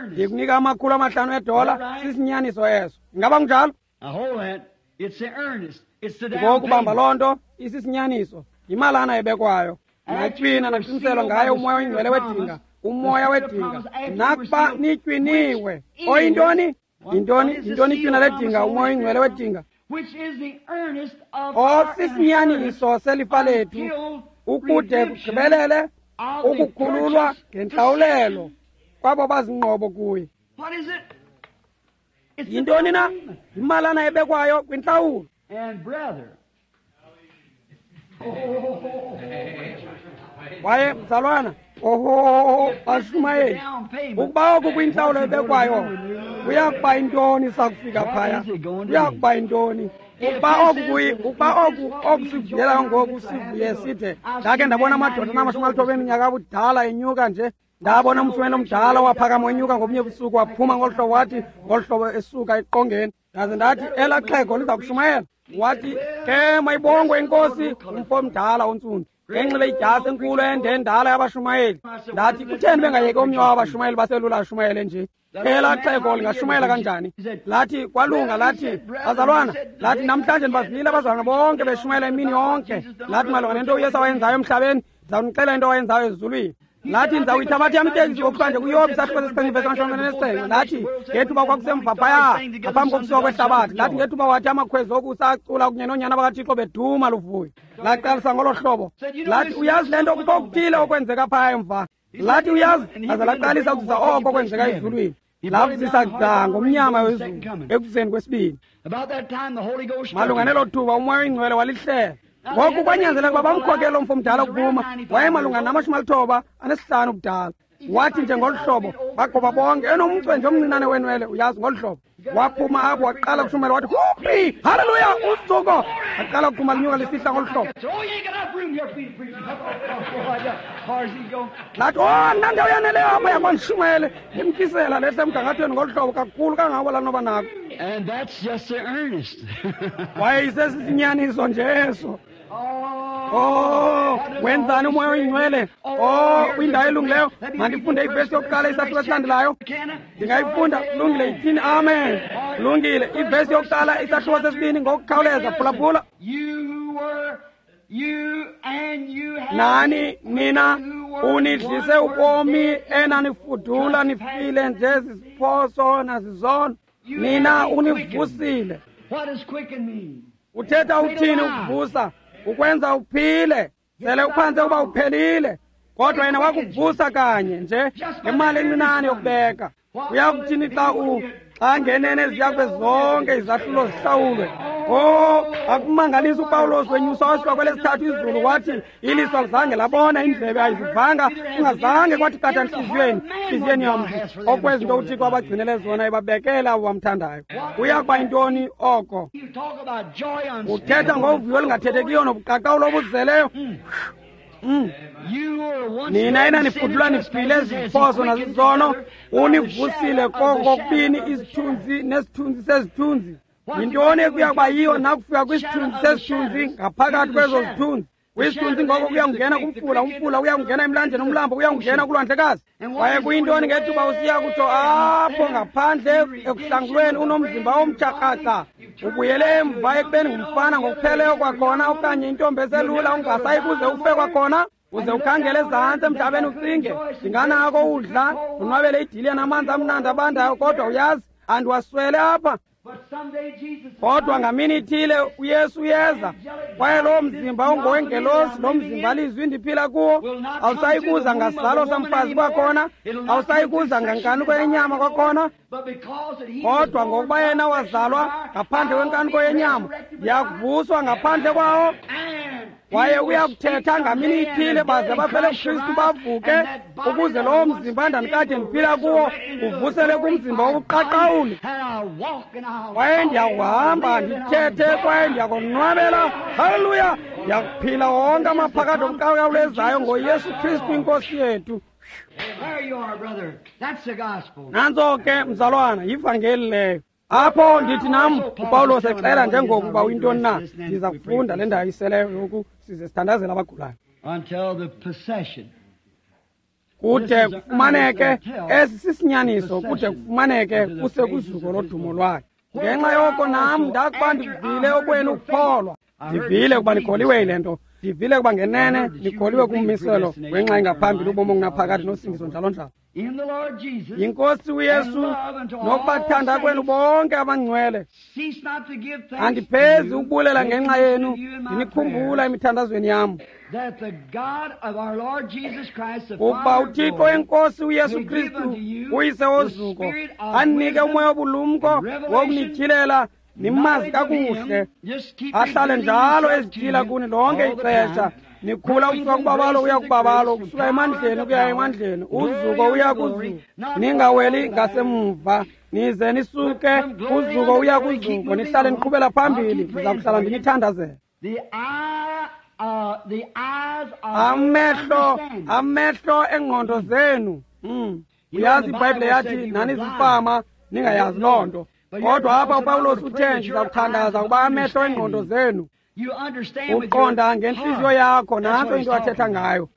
Ndikunika $500, sisinyaniso eso. Ingaba kunjalo? Ngoku bamba loo nto, isisinyaniso, yimalana ebekwayo. Natywina naqiniselwa ngayo umoya oyingcwele wedinga, umoya wedinga. Nakuba nitywiniwe. Oyintoni? Yintoni? Yintoni itywina ledinga, umoya oyingcwele wedinga? Osisinyaniso selifa lethu, ukude kugqibelele ukukhululwa ngentlawulelo kwabo bazinqobo kuye. Yintoni na? Yimalana ebekwayo kwintlawulo. Kwaye mzalwana, oho, bashumayeli, ukuba oku kwintlawulo ebekwayo kuya kuba yintoni sakufika phaya? Kuya kuba yintoni? Ukuba oku ukuba oku okusivuyelayo ngoku sivuye sithe, ndakhe ndabona amadoda anama-90 eminyaka abudala enyuka nje. Ndabona umshumayeli omdala waphakama wenyuka ngobunye busuku, waphuma ngolu hlobo, wathi ngolu hlobo esuka eqongeni. Ndaze ndathi elaa xhego liza kushumayela. Wathi ke mayibongwe inkosi, umfo omdala ontsundu enxibe idyasi enkulu ende endala yabashumayeli. Ndathi kutheni bengayeki omnye wabashumayeli baselula ashumayele nje? Elaa xhego lingashumayela kanjani? Lathi kwalunga, lathi bazalwana, lathi namhlanje ndibavile abazalwana bonke beshumayela imini yonke. Lathi malunga nento uYesu awayenzayo emhlabeni, ndizawunixelela into awayenzayo ezulwini. Lathi ndizawuyithabatha yam itekisi ngokuhlwa kuYobi isahluko sesixhenxe ivesi 27. Lathi ngethuba kwakusemva phaya ngaphambi kokusuka kwehlabathi, lathi ngethuba wathi amakhwezi okusa acula kunye noonyana bakaThixo beduma luvuyo. Laqalisa ngolo hlobo. Lathi uyazi le nto kukho okuthile okwenzeka phaya emva. Lathi uyazi, laze laqalisa ukuzisa oko kwenzeka ezulwini. Lavuzisa gca ngomnyama wezulu ekuzeni kwesibini. Malunga nelo thuba umoya oyingcwele walihlela. Ngoku kwanyanzeleka uba bamkhokele umfo omdala ukuphuma. Wayemalunga nama-95 ubudala. Wathi nje ngolu hlobo, bagoba bonke, enomcwe nje omncinane wenwele, uyazi, ngolu hlobo. Waphuma apho waqala kushumayela, wathi huphi, haleluya, uzuko. Waqala ukuphuma linyuka lisihla ngolu hlobo. Lathi, oh, nandawo yaneleyo apha yakwandishumayele, limkisela lehla emgangathweni ngolu hlobo kakhulu kangako lanoba nako. Waye isesisinyaniso nje eso. Oh, wenzani umoya oyingcwele? Oh, kwindawo elungileyo. Mandifunde ivesi yokuqala isahluko esilandelayo. Ndingayifunda. Kulungile, ithini? Amen. Kulungile, ivesi yokuqala isahluko sesibini ngokukhawuleza. Phulaphula. Nani nina unidlise ubomi enanifudula nifile nje ziziphoso nazizono. Nina univusile. Uthetha uthini ukuvusa? Ukwenza uphile. Sele uphantse ukuba uphelile, kodwa yena wakuvusa kanye nje ngemali encinane yokubeka. Uya kuthini xa xa ngenene ziya kube zonke izahlulo zihlawulwe? Oh, akumangalisa uPawulos wenyusa wasuka kwelesithathu izulu wathi iliso alizange labona, indlebe ayizivanga, kungazange kwathi qatha ntliziyweni yomntu okwezinto uThixo abagcinele zona ebabekela abo bamthandayo. Kuya kuba yintoni oko? Uthetha ngovuyo olungathethekiyo nobuqaqawulo obuzeleyo. Nina enanifudula nifile eziphoso nazizono, univusile kokubini isithunzi nesithunzi sezithunzi. Yintoni ekuya kuba yiyo nakufika kwisithunzi sesithunzi ngaphakathi kwezo zithunzi? Kwisithunzi ngoko kuyakungena kumfula, umfula uyakungena emlanjeni, umlambo uyakungena kulwandlekazi. Kwaye kuyintoni ngethuba usiya kutsho apho ngaphandle ekuhlangulweni unomzimba omtsha kraca, ubuyele emva ekubeni ngumfana ngokupheleyo kwakhona, okanye intombi eselula ungasayi kuze ufe kwakhona? Uze ukhangele ezantsi emhlabeni ucinge, ndinganako udla ndonwabele idiliya namanzi amnandi abandayo, kodwa uyazi andiwaswele apha. Kodwa ngamini ithile uYesu uyeza, kwaye loo mzimba ungowengelosi, lo mzimba lizwi ndiphila kuwo, awusayi kuza ngasizalo samfazi kwakhona, awusayi kuza ngankanuko yenyama kwakhona, kodwa ngokuba yena wazalwa ngaphandle kwenkanuko yenyama, ndiyakuvuswa ngaphandle kwawo. Kwaye uyakuthetha ngamini ithile baze bafele kuKristu bavuke, ukuze lowo mzimba ndandikade ndiphila kuwo uvusele kumzimba wobuqaqawuli. Kwaye ndiyakuhamba ndithethe, kwaye ndiyakonwabela. Haleluya! Ndiyakuphila wonke amaphakade obuqaqawulezayo ngoYesu Kristu iNkosi yethu. Nantso ke mzalwana, yivangeli leyo. Apho ndithi nam uPawulos exela njengokuba uyintoni na, ndiza kufunda le ndawo iseleyo yoku size sithandazele abagulayo. Kude kufumaneke esi sisinyaniso, kude kufumaneke kuse kuzuko lodumo lwakhe. Ngenxa yoko nam ndakuba ndivile okwenu ukukholwa, ndivile ukuba nikholiwe yile nto, ndivile ukuba ngenene nikholiwe kummiselo wenxa engaphambili ubomi obunaphakade nosindiso njalo njalo. YiNkosi uYesu nokubathanda kwenu bonke abangcwele. Andiphezi ukubulela ngenxa yenu, ndinikhumbula emithandazweni yam, ukuba uThixo wenkosi uYesu Kristu uyise wozuko anike umoya wobulumko wokunityhilela nimazi kakuhle, ahlale njalo ezityhila kuni lonke ixesha. Nikhula ukusuka kubabalo uya kubabalo, ukusuka emandleni ukuya emandleni, uzuko uya kuzuko. Ningaweli ngasemva, nize nisuke kuzuko uya kuzuko, nihlale niqhubela phambili. Ndiza kuhlala ndinithandazela. Amehlo engqondo zenu. Uyazi iBhayibhile yathi nanizifama ningayazi loo nto, kodwa apha uPawulos uthe ndiza kuthandaza ukuba amehlo engqondo zenu. Uqonda ngentliziyo yakho, nantso into athetha ngayo.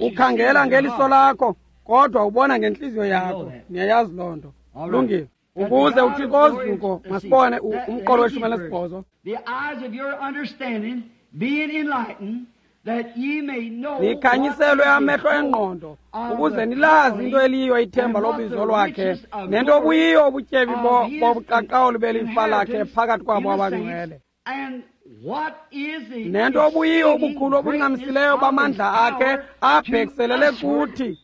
Ukhangela ngeliso lakho, kodwa ubona ngentliziyo yakho. Niyayazi loo nto. Lungile. Ukuze uThixo ozuko, masibone umqolo we-18. Nikhanyiselwe amehlo engqondo ukuze nilazi into eliyiyo ithemba lobizo lwakhe nento obuyiyo ubutyebi bobuqaqawuli belifa lakhe phakathi kwabo abangcwele, nento obuyiyo ubukhulu obuncamisileyo bamandla akhe abhekiselele kuthi.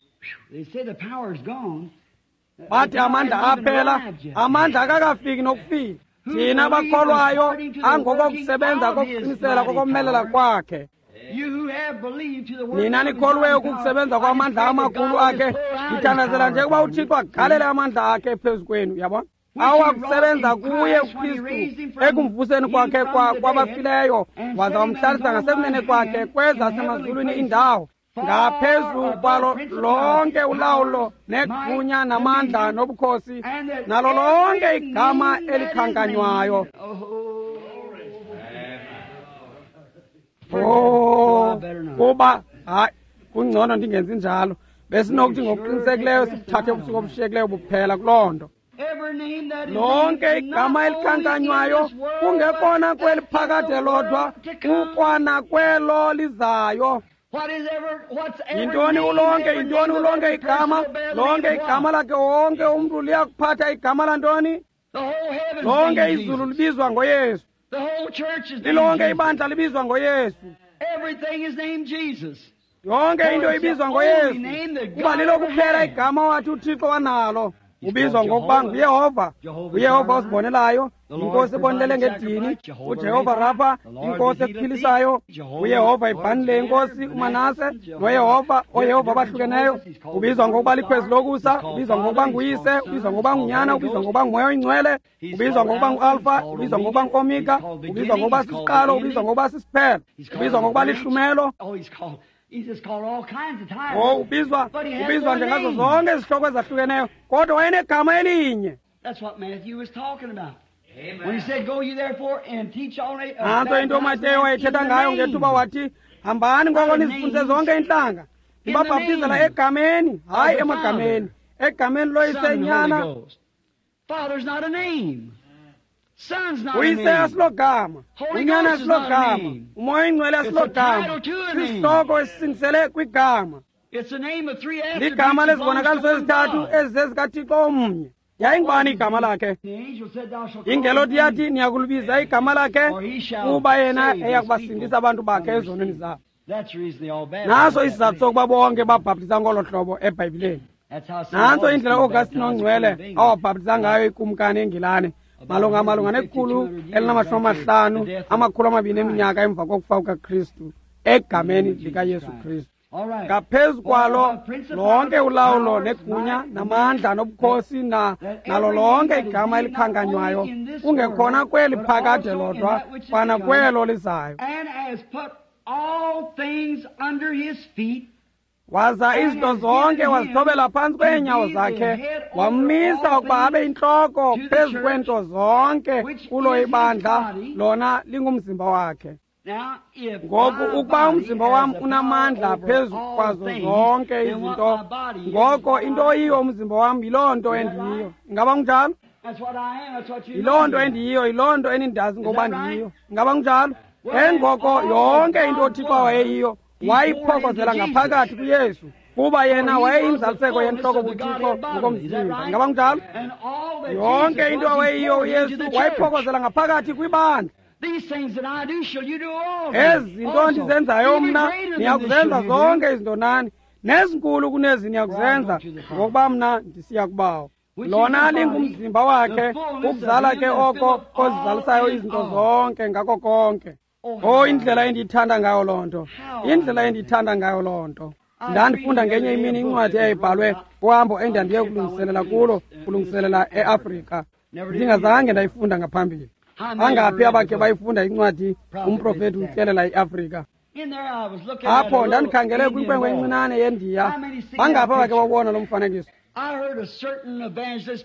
Bathi amandla aphela, amandla akakafiki nokufika. Thina bakholwayo angokokusebenza kokuqinisela kokomelela kwakhe. Nina nikholweyo ukukusebenza kwamandla amakhulu akhe, ndithandazela nje ukuba uThixo agalele amandla akhe phezu kwenu. Uyabona, awakusebenza kuye uKristu ekumvuseni kwakhe kwabafileyo, waza wamhlalisa ngasekunene kwakhe kwezasemazulwini indawo, ngaphezu kwalo lonke ulawulo negunya namandla nobukhosi nalo lonke igama elikhankanywayo. Oh, kuba hayi, kungcono ndingenzi njalo. Besinokuthi ngokuqinisekileyo sibuthathe ubusuku obushiyekileyo buphela kuloo nto. Lonke igama elikhankanywayo kungekona kweli phakade lodwa, kukwana kwelo lizayo. Yintoni ulonke? Yintoni ulonke igama? Lonke igama lakhe wonke umntu liyakuphatha igama lantoni? Lonke izulu libizwa ngoYesu. Lilonke ibandla libizwa ngoYesu. Yonke into ibizwa ngoYesu, kuba lilo kuphela igama wathi uThixo wanalo. Ubizwa ngokuba nguYehova, uYehova osibonelayo, inkosi ebonelele ngedini, uJehova Rafa, inkosi ekuphilisayo, uYehova ibhanile inkosi uManase, noYehova, ooYehova abahlukeneyo. Ubizwa ngokuba likhwezi lokusa, ubizwa ngokuba nguyise, ubizwa ngokuba ngunyana, ubizwa ngokuba ngumoya oyingcwele, ubizwa ngokuba nguAlfa, ubizwa ngokuba nguOmega, ubizwa ngokuba sisiqalo, ubizwa ngokuba sisiphelo, ubizwa ngokuba lihlumelo. Oh, ubizwa nje ngazo zonke izihloko ezahlukeneyo, kodwa wayenegama elinye. Nantso into uMateyu wayethetha ngayo ngethuba wathi, hambani ngoko nizifundise zonke iintlanga, nibabhaptizela egameni, hayi emagameni, egameni loyise, nyana. Uyise asilogama, unyana asilogama, umoya oyingcwele asilogama, sisihloko esisingisele kwigama. Ligama lezibonakaliso ezithathu ezizezikaThixo omnye. Yayingubani igama lakhe? Ingelosi yathi, niyakulibiza igama lakhe, kuba yena eyakubasindisa abantu bakhe ezonweni zabo. Naso isizathu sokuba bonke babhaptiza ngolo hlobo eBhayibhileni. Nantso indlela uAugustine ongcwele awabhaptiza ngayo ikumkani eNgilane malunga ne-150 200 eminyaka emva kokufa kukaKristu, egameni likaYesu Kristu. Ngaphezu kwalo lonke ulawulo negunya namandla nobukhosi nalo lonke igama elikhankanywayo, kungekhona kweli phakade lodwa, kwana kwelo lizayo. Waza izinto zonke wazithobela phantsi kweenyawo zakhe, wammisa ukuba abe intloko phezu kweento zonke kulo ibandla, lona lingumzimba wakhe. Ngoku ukuba umzimba wam unamandla phezu kwazo zonke izinto, ngoko into oyiyo umzimba wam yiloo nto endiyiyo. Ingaba kunjalo? Yiloo nto endiyiyo, yiloo nto enindazi ngokuba ndiyiyo. Ingaba kunjalo? Engoko yonke into uThixo wayeyiyo wayiphokozela ngaphakathi kuYesu, kuba yena wayeyinzaliseko yentloko kuThixo ngokomzimba. Ingaba kunjalo? Yonke into awayeyiyo uYesu wayiphokozela ngaphakathi kwibandla. Ezi zinto ndizenzayo mna niyakuzenza zonke izinto nani, nezinkulu kunezi niyakuzenza, ngokuba mna ndisiya kubawo. Lona lingumzimba wakhe, ukuzala ke oko kozizalisayo izinto zonke ngako konke. Oh, indlela endiyithanda ngayo loo nto, indlela endiyithanda ngayo loo nto. Ndandifunda ngenye imini incwadi eyayibhalwe kuhambo endandiye kulungiselela kulo, kulungiselela eAfrika. Ndingazange ndayifunda ngaphambili. Angaphi abakhe bayifunda incwadi umprofeti utyelela iAfrika? Apho ndandikhangele kwinkwenkwe encinane yeNdiya. Bangaphi abakhe bawubona lo mfanekiso?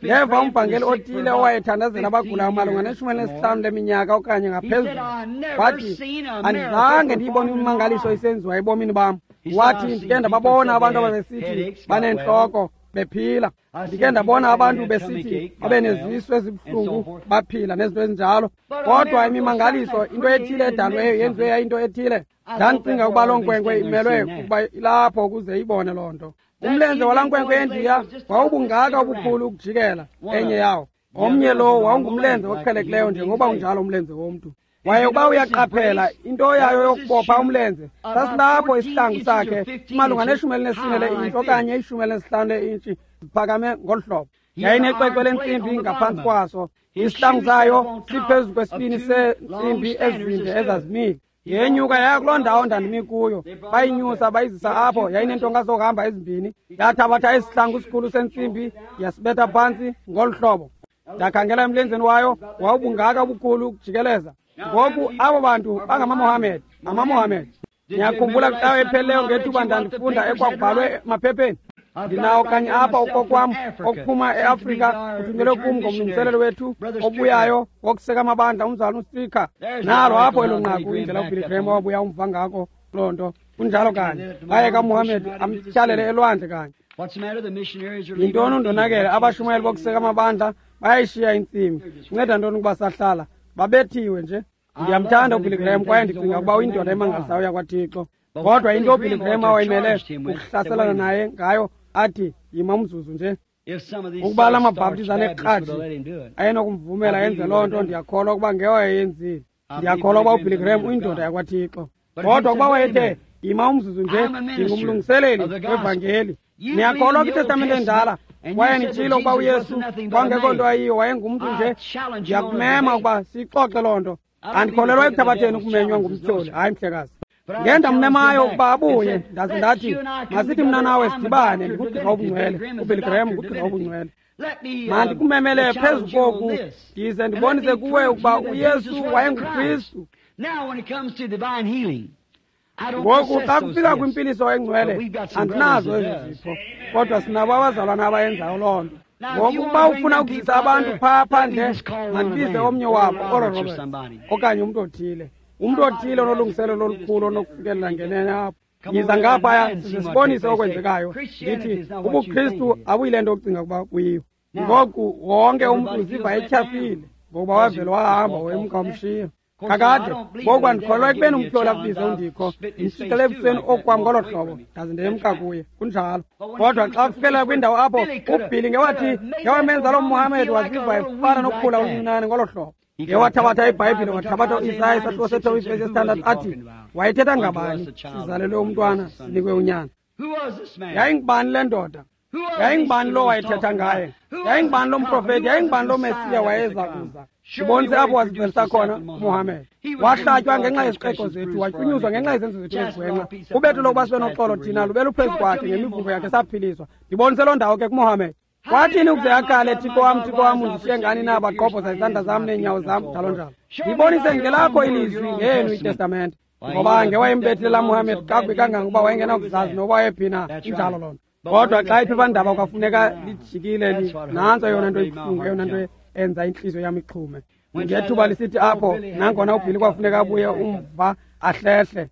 Ndeva umvangeli othile owayethandazela abagulayo malunga ne-15 leminyaka okanye ngaphezulu. Wathi, andizange ndiyibone imimangaliso isenziwa ebomini bam. Wathi, ndike ndababona abantu ababesithi baneentloko bephila, ndike ndabona abantu besithi babe nezisu ezibuhlungu baphila, nezinto ezinjalo, kodwa imimangaliso, into ethile edalweyo yenziwe yayinto ethile. Ndandicinga ukuba loo nkwenkwe imelwe ukuba ilapho ukuze ibone loo nto. Umlenze walaa nkwenkwe yendiya wawubungaka ubukhulu ukujikela enye yawo. Omnye lo wawungumlenze oqhelekileyo njengoba unjalo umlenze womntu. Waye uba uyaqaphela into yayo yokubopha umlenze, sasilapho isihlangu sakhe malunga ne-14 le-intshi okanye 15 le-intshi ziphakame ngolu hlobo. Yayinecwecwe lentsimbi ngaphantsi kwaso, isihlangu sayo siphezu kwesibini seentsimbi ezinde ezazimile. Yenyuka yaya kuloo ndawo ndandimi kuyo, bayinyusa bayizisa apho. Yayineentonga zokuhamba ezimbini, yathabatha isihlangu sikhulu sentsimbi yasibetha phantsi ngolu hlobo. Ndakhangela emlenzeni wayo, wawubungaka ubukhulu ukujikeleza. Ngoku abo bantu bangamaMohammed, amaMohammed. Ndiyakhumbula kwicawa ephelileyo ngethuba ndandifunda ekwakubhalwe emaphepheni. Ndinawo kanye apha okokwam okuphuma eAfrika, kuthunyelwe kum ngomlungiselelo wethu obuyayo wokuseka amabandla, umzalwana uStrika. Nalo apho elo nqaku, indlela uBilly Graham owabuya umva ngako loo nto. Kunjalo kanye. Bayeka uMohammed amtyhalele elwandle kanye. Yintoni undonakele? Abashumayeli bokuseka amabandla bayayishiya intsimi. Inceda ntoni ukuba sahlala? Babethiwe nje. Ndiyamthanda uBilly Graham kwaye ndicinga ukuba uyindoda emangalisayo yakwaThixo. Kodwa into uBilly Graham awayimele ukuhlaselana naye ngayo, athi, yima umzuzu nje. Ukuba la mabhaptizi anekratshi ayenokumvumela enze loo nto, ndiyakholwa ukuba ngewayeyenzile. Ndiyakholwa ukuba uBilly Graham uyindoda yakwaThixo. Kodwa ukuba wayethe, yima umzuzu nje, ndingumlungiseleli wevangeli. Niyakholwa kwiTestamente endala Kwaye nitshilo ukuba uYesu kwangekho nto ayiyo, wayengumntu nje. Ndiyakumema ukuba siyixoxe loo nto. Andikholelwa ekuthabatheni ukumenywa ngumtyholi. Hayi, mhlekazi. Ngendammemayo ukuba abuye, ndaze ndathi, masithi mna nawe sidibane, ndikugqirha obungcwele. UBilly Graham ngugqirha obungcwele. Mandikumemele phezu koku, ndize ndibonise kuwe ukuba uYesu wayenguKristu. Ngoku xa kufika kwimpiliso engcwele, andinazo ezo zipho, kodwa sinabo abazalwana abayenzayo loo nto. Ngoku ukuba ufuna ukuzisa abantu phaa phandle, mandibize omnye wabo, Oral Roberts, okanye umntu othile. Umntu othile onolungiselelo olukhulu onokufikelela ngenene apho. Yiza ngaphaya size sibonise okwenzekayo. Ndithi ubuKristu abuyile nto ocinga ukuba kuyiyo. Ngoku wonke umntu uziva etyhafile ngokuba wavele wahamba wemka wamshiya. Kakade ngoku andikholelwa ekubeni umtyholi akubize undikho, ndimshicele ebusweni okwam ngolo hlobo, ndaze ndemka kuye. Kunjalo. Kodwa xa kufikelela kwindawo apho uBhili ngewathi ngewamenza loo Muhammed waziva efana nokukhula oluncinane ngolo hlobo. Ngewathabatha iBhayibhile, wathabatha uIsaya isahluko sethoba ivesi yesithandathu, athi wayethetha ngabani? Sizalelwe umntwana, sinikwe unyana. Yayingubani le ndoda? Yayingubani lo wayethetha ngaye? Yayingubani lo mprofeti? Yayingubani lo Mesiya wayeza kuza? Ndibonise apho wazivelisa khona uMuhammed. Wahlatywa ngenxa yeziqeko zethu, watyunyuzwa ngenxa yezenzo zethu ezigwenxa. Ubetho lokuba sibe noxolo thina lube luphezu kwakhe, ngemivuko yakhe saphiliswa. Ndibonise loo ndawo ke kuMuhammed. Kwathini ukuze akhale, Thixo wam, Thixo wam, undishiye ngani na? Bagqobhoza izandla zam neenyawo zam, njalo njalo. Ndibonise ngelakho ilizwi ngeyenu itestamente. Ngoba ngewayembethile laa Muhammed kakubi kangangokuba wayengenakuzazi noba wayephi na. Injalo loo nto. Kodwa xa iphephandaba kwafuneka lijikile, nantso eyona nto ibuhlungu, eyona nto enza intliziyo yam ixhume. Ngethuba lisithi apho, nangona uBhili kwafuneka abuye umva ahlehle.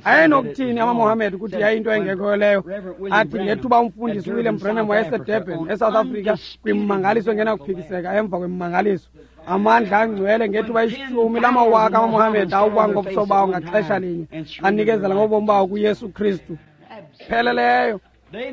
Ayenokuthini amaMohammed ukuthi yayinto engekhoyo leyo? Athi ngethuba umfundisi uWilliam Branham wayeseDurban, eSouth Africa, kwimmangaliso engenakuphikiseka emva kwemmangaliso, amandla angcwele, ngethuba 10 lamawaka amaMohammed awuba ngobuso bawo ngaxesha linye anikezela ngobomi bawo kuYesu Kristu pheleleyo.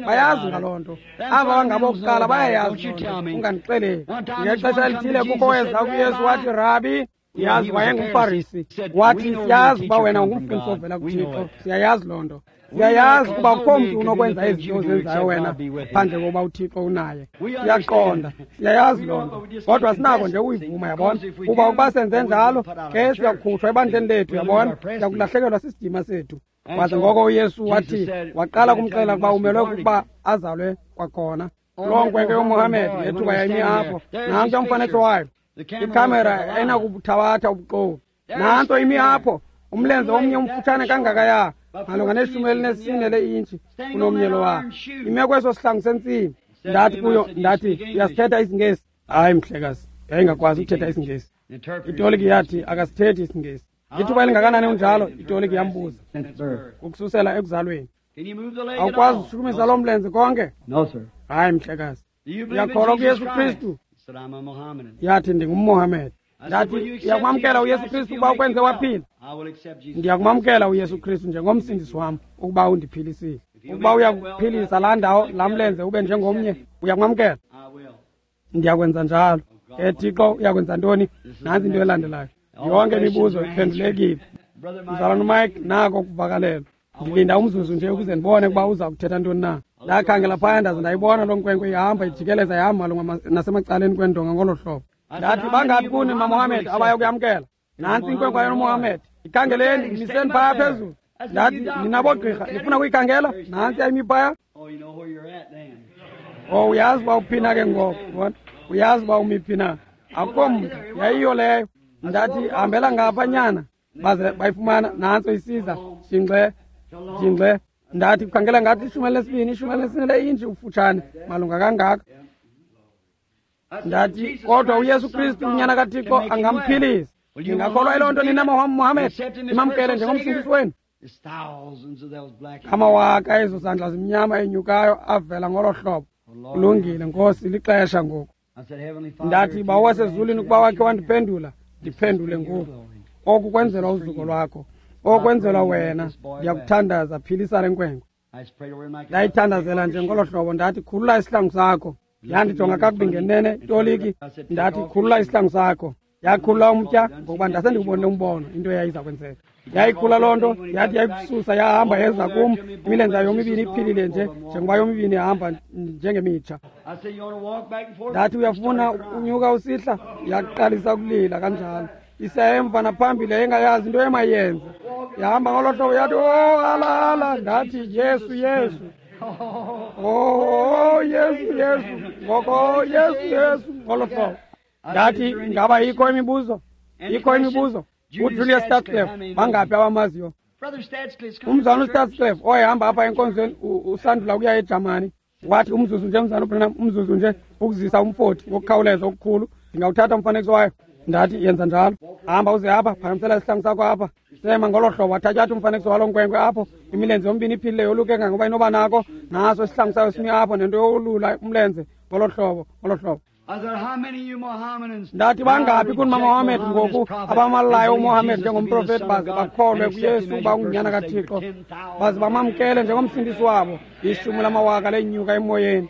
Bayazi ngaloo nto. Aba bangabokuqala bayayazi loo nto. Ungandixeleli. Ngexesha elithile kukho weza kuYesu wathi, Rabi, yazi wayengumFarisi. Wathi, siyazi uba wena ungumfundisi ovela kuThixo. Siyayazi loo nto. Siyayazi ukuba akukho mntu unokwenza izinto ozenzayo wena phandle kokuba uThixo unaye. Siyaqonda, siyayazi loo nto. Kodwa sinako nje uyivuma, yabona. Kuba ukuba senze njalo, ke siyakukhutshwa ebandleni lethu, yabona. Siyakulahlekelwa sisidima sethu. Waze ngoko uYesu wathi, waqala kumxelela ukuba umelwe kukuba azalwe kwakhona. Loo nkwenkwe yoMohammed ngethuba yayimi apho, nantso umfanekiso wayo. Ikhamera ayinakubuthabatha ubuxoki. Nantso imi apho, umlenze omnye umfutshane kangakaya, malunga ne-14 le-intshi kunomnye lowa. Ime kweso sihlangu sentsimi. Ndathi kuyo, ndathi, uyasithetha isiNgesi? Hayi, mhlekazi, yayingakwazi ukuthetha isiNgesi. Itoliki yathi akasithethi isiNgesi. Ithuba elingakanani unjalo? Itoliki yambuza. Ukususela ekuzalweni. Awukwazi ushukumisa loo mlenze konke? Hayi, mhlekazi. Uyakholwa kuYesu Kristu? Yathi, ndingumMohammed. Ndathi, uyakumamkela uYesu Kristu ukuba ukwenze waphila? Ndiyakumamkela uYesu Kristu njengomsindisi wam ukuba undiphilisile. Ukuba uyakuphilisa laa ndawo, laa mlenze ube njengomnye, uyakumamkela? Ndiyakwenza njalo. Ke Thixo uyakwenza ntoni? Nantsi into elandelayo. Yonke imibuzo iphendulekile. Mzalwana uMike nako kuvakalelwa. Ndilinda umzuzu nje ukuze ndibone ukuba uza kuthetha ntoni na. Ndakhangela phaya ndaze ndayibona loo nkwenkwe ihamba ijikeleza ihamba malunga nasemacaleni kwendonga ngolo hlobo. Ndathi, bangaphi kuni maMohammed abaya kuyamkela? Nantsi inkwenkwe yoMohammed. Ikhangeleni, miseni phaya phezulu. Ndathi, nina bogqirha, nifuna kuyikhangela? Nantsi ayimi phaya. Oh, uyazi uba uphi na ke ngoku, bona? Uyazi uba umi phi na. Akukho mntu, yayiyo leyo. Ndathi, hambela ngapha nyana. Baze bayifumana, nantso isiza, jingxe, jingxe. Ndathi, kukhangela ngathi 12, 14 le-intshi ufutshane, malunga kangaka. Ndathi, kodwa uYesu Kristu unyana kaThixo angamphilisa. Ningakholwa yiloo nto nina Mohammed? Nimamkele njengomsindisi wenu? Amawaka ezo zandla zimnyama enyukayo avela ngolo hlobo. Kulungile, Nkosi, lixesha ngoku. Ndathi, Bawo wasezulwini, ukuba wakhe wandiphendula, ndiphendule ngoku. Oku kwenzelwa uzuko lwakho, oku kwenzelwa wena. Ndiyakuthandaza, philisa le nkwenkwe. Ndayithandazela nje ngolo hlobo. Ndathi, khulula isihlangu sakho. Yandijonga kakubi ngenene itoliki. Ndathi, khulula isihlangu sakho. Yakhulula umtya ngokuba ndasendikubonile umbono into eyayiza kwenzeka. Yayikhula loo nto, yathi yayikususa yahamba yeza kum, imilenze yayo yomibini iphilile nje njengoba yomibini ihamba njengemitsha. Ndathi uyafuna unyuka usihla, yaqalisa ukulila kanjalo. Isemva naphambili yayingayazi into emayenze. Yahamba ngolo hlobo yathi, oh, hala hala. Ndathi, Yesu, Yesu. Oh, Yesu, Yesu. Ngoko, Yesu, Yesu. Ngolo hlobo. Ndathi, ingaba ikho imibuzo? Ikho imibuzo? UJulius Stadsclef, bangaphi abamaziyo? Umzana uStadsclef oyehamba apha enkonzweni usandula ukuya eJamani. Wathi umzuzu nje, mzana uBranham, umzuzu nje ukuzisa umfoti ngokukhawuleza okukhulu. Ndingawuthatha umfanekiso wayo. Ndathi yenza njalo. Hamba uze apha, phakamisela isihlangu sakho apha. Sema ngolo hlobo, wathatya umfanekiso walo nkwenkwe apho, imilenze yombini iphilile yoluke kangangoba inoba nako, naso isihlangu sayo simi apho nento yolula umlenze ngolo hlobo, ngolo hlobo. Ndathi bangaphi kuni maMohammed ngoku abamalayo uMohammed njengomprofeti baze bakholwe kuYesu uba ungunyana kaThixo, baze bamamkele njengomsindisi wabo, 10 lamawaka lenyuka emoyeni.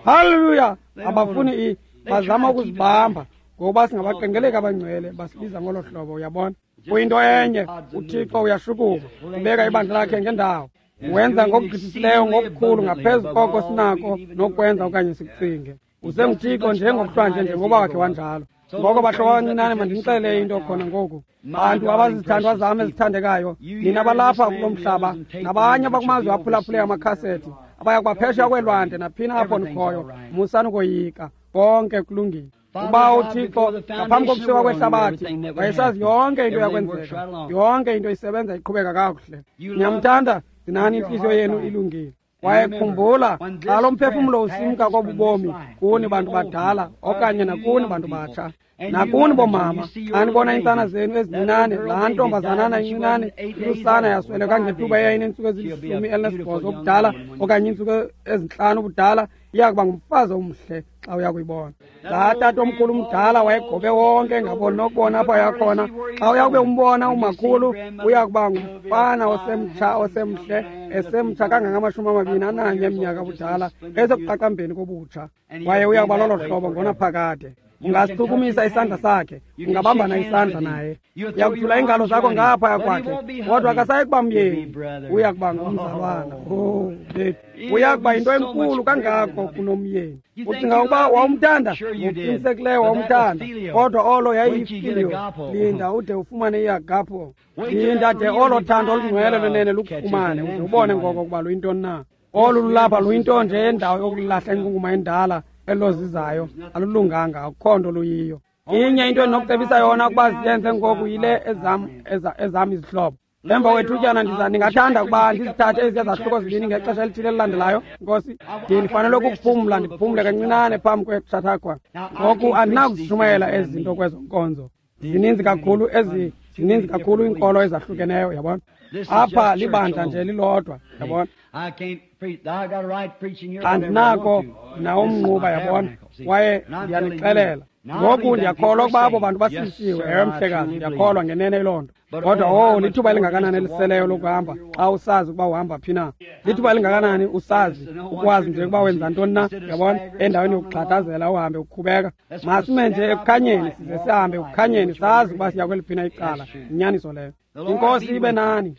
Haleluya! Abafuni bazama ukuzibamba ngokuba singabaqengeleki abangcwele, basibiza ngolo hlobo, uyabona. Kuyinto enye, uThixo uyashukuma, ubeka ibandla lakhe ngendawo. Wenza ngokugqithisileyo ngokukhulu ngaphezu koko sinako nokwenza okanye sikucinge. UsenguThixo njengokuhlwanje njengoba wakhe wanjalo. Ngoko bahlobo abancinane, mandinixelele into khona ngoku. Bantu abazizithandwa zam ezithandekayo, nina balapha kulo mhlaba nabanye abakumazwe aphulaphule amakhasethi, abaya kubaphesheya kweelwandle naphina apho nikhoyo, musani ukoyika, konke kulungile. Uba uThixo ngaphambi kokusekwa kwehlabathi wayesazi yonke into yakwenzeka, yonke into isebenza iqhubeka kakuhle. Niyamthanda, gcinani intliziyo yenu ilungile. Kwaye khumbula, xa lo mphefumlo usimka kobubomi kuni bantu badala okanye nakuni bantu batsha, nakuni bomama, xa nibona iintsana zenu ezincinane, laa ntombazanana incinane ilusana yasweleka ngethuba eyayinentsuku ezili-18 ubudala okanye iintsuku ezi-5 ubudala, iya kuba ngumfazi omhle xa uya kuyibona. Laa tata omkhulu umdala wayegobe wonke engaboni nokubona apho yakhona. Xa uya kube umbona umakhulu, uya kuba ngumfana osemtsha osemhle, esemtsha kangange-21 eminyaka ubudala, esekuqaqambeni kobutsha. Kwaye uya kuba lolo hlobo ngonaphakade. Ungasichukumisa isandla sakhe, ungabambana isandla naye, uyakuthula iingalo zakho ngaphaya kwakhe, kodwa akasayi kuba myeni, uya kuba ngumzalwana. Oh, bethu, uya kuba yinto enkulu kangako kunomyeni. Ucinga ukuba wawumthanda? Ngokuqinisekileyo wawumthanda, kodwa olo yayiyifiliyo. Linda ude ufumane iagapo, linda de olo thando olungcwele lwenene lukufumane, uze ubone ngoko ukuba luyintoni na. Olu lulapha luyinto nje yendawo yokulahla inkunkuma endala elozizayo, alulunganga, akukho nto luyiyo. Inye into endinokucebisa yona ukuba ziyenze ngoku yile ezam izihlobo. Emva kwethutyana ndingathanda ukuba ndizithathe eziya zahluko zibini ngexesha elithile elilandelayo. Nkosi, ndifanele ukuphumla, ndiphumle kancinane phambi kweChautauqua. Ngoku andinakuzishumayela ezi zinto kwezo nkonzo. Zininzi kakhulu zininzi kakhulu iinkolo ezahlukeneyo, yabona. Apha libandla nje lilodwa, yabona. Andinako nawumnquba, yabona, kwaye ndiyanixelela ngoku ndiyakholwa ukuba abo bantu basindisiwe. Ewe mhlekazi, ndiyakholwa ngenene iloo nto. Kodwa oh, lithuba elingakanani eliseleyo lokuhamba xa usazi ukuba uhamba phi na. Lithuba elingakanani usazi ukwazi nje ukuba wenza ntoni na, yabona, endaweni yokugxathazela uhambe ukhubeka. Masime nje ekukhanyeni, size sihambe ekukhanyeni, sazi ukuba siya kweliphi na icala. Inyaniso leyo. Inkosi ibe nani.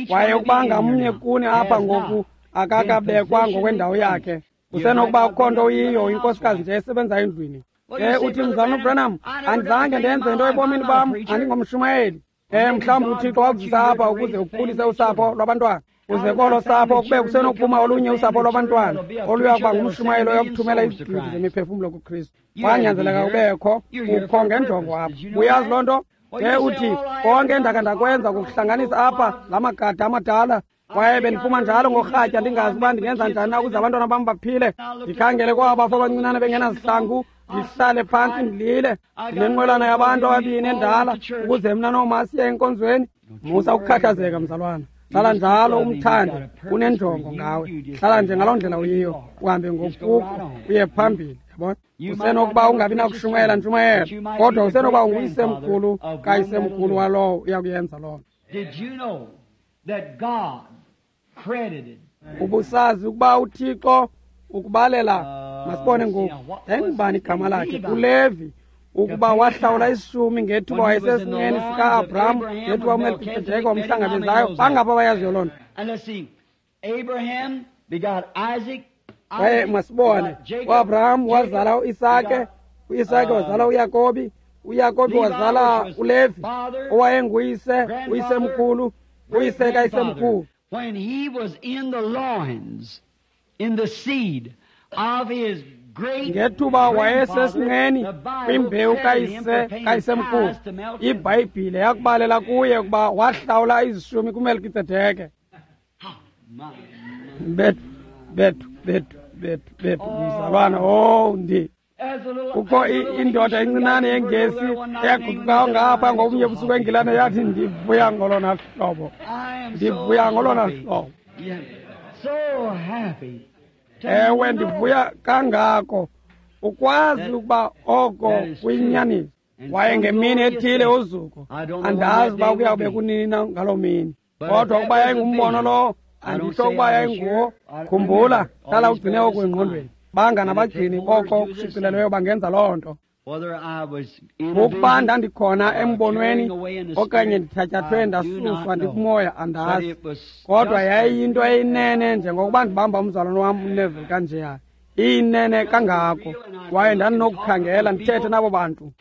Kwaye ukuba ngamnye kuni apha ngoku akakabekwa ngokwendawo yakhe, usenokuba akukho nto uyiyo, inkosikazi nje esebenza endlwini. Ke uthi, mzalwana uBranham, andizange ndenze nto ebomini bam, andingomshumayeli. Mhlawumbi uThixo wakuzisa apha ukuze ukhulise usapho lwabantwana. Uze kolo sapho kube kusenokuphuma olunye usapho lwabantwana oluya kuba ngumshumayeli oyokuthumela izigidi zemiphefumlo kuKristu. Kwanyanzeleka ubekho, ukho ngenjongo apha. Uyazi loo nto? Ke uthi, konke endakhe ndakwenza kukuhlanganisa apha la magada amadala. Kwaye bendiphuma njalo ngorhatya ndingazi uba ndingenza njani na ukuze abantwana bam baphile. Ndikhangele kwaba bafo abancinane bengenazihlangu, ndihlale phantsi ndilile. Ndinenqwelana yabantu ababini endala ukuze mna nooma siye enkonzweni. Musa ukukhathazeka mzalwana, hlala njalo umthande, unenjongo ngawe. Hlala nje ngaloo ndlela uyiyo, uhambe ngokuko uye phambili, yabona. Usenokuba ungabi nakushumayela ntshumayelo, kodwa usenokuba unguyisemkhulu kayisemkhulu walowo uyakuyenza loo nto. Ubusazi ukuba uThixo Ukubalela, masibone ngoku, yayingubani igama lakhe? ULevi. Ukuba wahlawula isishumi ngethuba wayesesinqeni sika-Abraham, ngethuba uMelkisedeke wamhlangabezayo. Bangapha abayaziyo loo nto? Kwaye masibone, uAbraham wazala uIsake, uIsake wazala uYakobi, uYakobi wazala uLevi, owayenguyise, uyisemkhulu, uyise kayisemkhulu. When he was in the loins, in the seed of his ngethuba wayesesinqeni kwimbewu kayise kayisemkhulu, iBhayibhile yakubalela kuye ukuba wahlawula izishumi kuMelkisedeke. Bethu, bethu, bethu, bethu, bethu, mzalwana, oh ndi kukho indoda encinane yengesi eyaguqukayo ngapha ngobunye busuku eNgilane, yathi, ndivuya ngolona hlobo, ndivuya ngolona hlobo. Ewe, ndivuya kangako ukwazi ukuba oko kuyinyaniso. Kwaye ngemini ethile uzuko, andazi uba kuyawube kunini na ngaloo mini, kodwa ukuba yayingumbono lowo, anditsho ukuba yayinguwo. Khumbula, hlala ugcine oku engqondweni. Banganabagcini boko kushicilelweyo bangenza loo nto. Ukuba ndandikhona embonweni okanye ndithatyathwe ndasuswa ndikumoya, andazi, kodwa yayiyinto eyinene njengokuba ndibamba umzalwane wam uNeville kanjeya, iyinene kangako. Kwaye ndandinokukhangela ndithethe nabo bantu,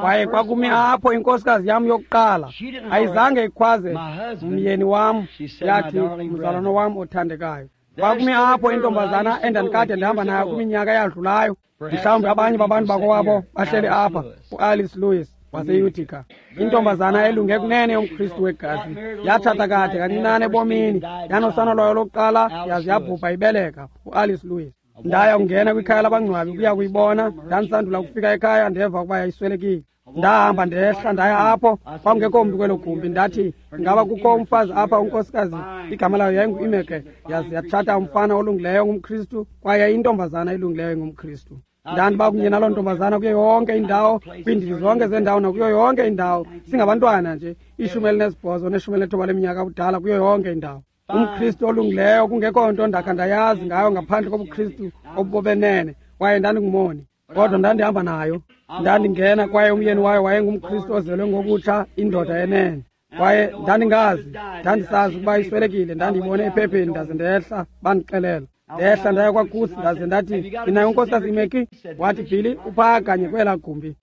kwaye kwakumi apho inkosikazi yam yokuqala. Ayizange ikhwaze myeni wam, yathi, mzalwane wam othandekayo. Kwakumi apho intombazana endandikade ndihamba nayo kwiminyaka eyadlulayo. Mhlawumbi abanye babantu bakowabo bahleli apha, uAlice Lewis waseUtica, intombazana elunge kunene yomKristu wegazi. Yatshata kade kancinane ebomini, yanosana lwayo lokuqala, yaze yabhubha ibeleka uAlice Lewis. Ndaya kungena kwikhaya labangcwabi ukuya kuyibona. Ndandisandula kufika ekhaya, ndeva ukuba yayiswelekile. Ndahamba ndehla ndaya apho, kwakungekho mntu kwelo gumbi. Ndathi, ingaba kukho umfazi apha, unkosikazi igama layo yayingu-Imeke, yaze yatshata umfana olungileyo ngumKristu, kwaye intombazana elungileyo ngumKristu. Ndandiba kunye naloo ntombazana kuyo yonke indawo, kwiindidi zonke zendawo nakuyo yonke indawo, singabantwana nje, 18 ne-19 leminyaka kudala, kuyo yonke indawo. UmKristu olungileyo, kungekho nto ndakha ndayazi ngayo ngaphandle kobuKristu obubobenene. Kwaye ndandingumoni, kodwa ndandihamba nayo. Ndandingena, kwaye umyeni wayo wayengumKristu ozelwe ngokutsha, indoda yenene. Kwaye ndandingazi, ndandisazi ukuba iswelekile, ndandiyibone ephepheni, ndaze ndehla, bandixelela. Ndehla ndaya kwakusi, ndaze ndathi, ndinayo unkosikazi Imeki? Wathi, Billy, uphaa kanye kwelaa gumbi.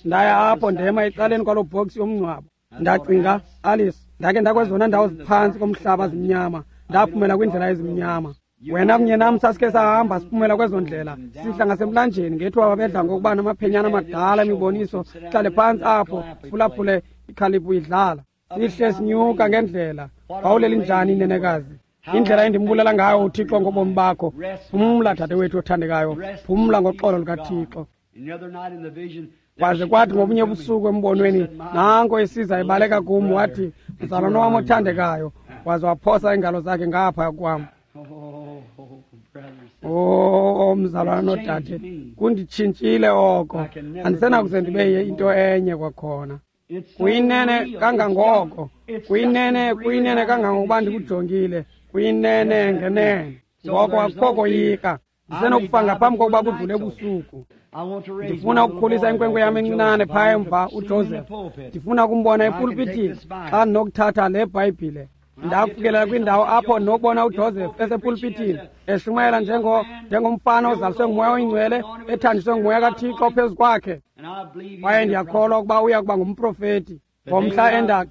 Ndaya apho, ndema ecaleni kwaloo bhoksi yomngcwabo. Ndacinga, Alice, ndake ndakwezona ndawo ziphantsi komhlaba zimnyama, ndaphumela kwiindlela ezimnyama. Wena kunye nam sasikhe sahamba siphumela kwezo ndlela, sihla ngasemlanjeni ngethuba babedla ngokuba namaphenyana amadala emiboniso, sihlale phantsi apho siphulaphule ikhaliphu idlala. Sihle sinyuka ngendlela. Wawuleli njani inenekazi? Indlela endimbulela ngayo uThixo ngobomi bakho. Phumla, dadewethu othandekayo, phumla ngoxolo lukaThixo. Kwaze kwathi ngobunye ubusuku embonweni, nanko esiza ebaleka kum, wathi, mzalwana wam othandekayo, waze waphosa iingalo zakhe ngapha kwam. Oh, mzalwana nodade, kunditshintshile oko. Andisenakuze ndibe into enye kwakhona. Kuyinene kangangoko, kuyinene, kuyinene kangangokuba ndikujongile, kuyinene ngenene. Ngoko akukho koyika. Ndisenokufa ngaphambi kokuba kudlule ubusuku. Ndifuna ukukhulisa inkwenkwe yam encinane phaya emva, uJoseph. Ndifuna ukumbona epulpitini xa ndinokuthatha le Bhayibhile. Ndakufikelela kwindawo apho ndinokubona uJoseph esepulpitini eshumayela njengomfana ozaliswe nguMoya oyiNgcwele, ethanjiswe nguMoya kaThixo phezu kwakhe. Kwaye ndiyakholwa ukuba uya kuba ngumprofeti. Ngomhla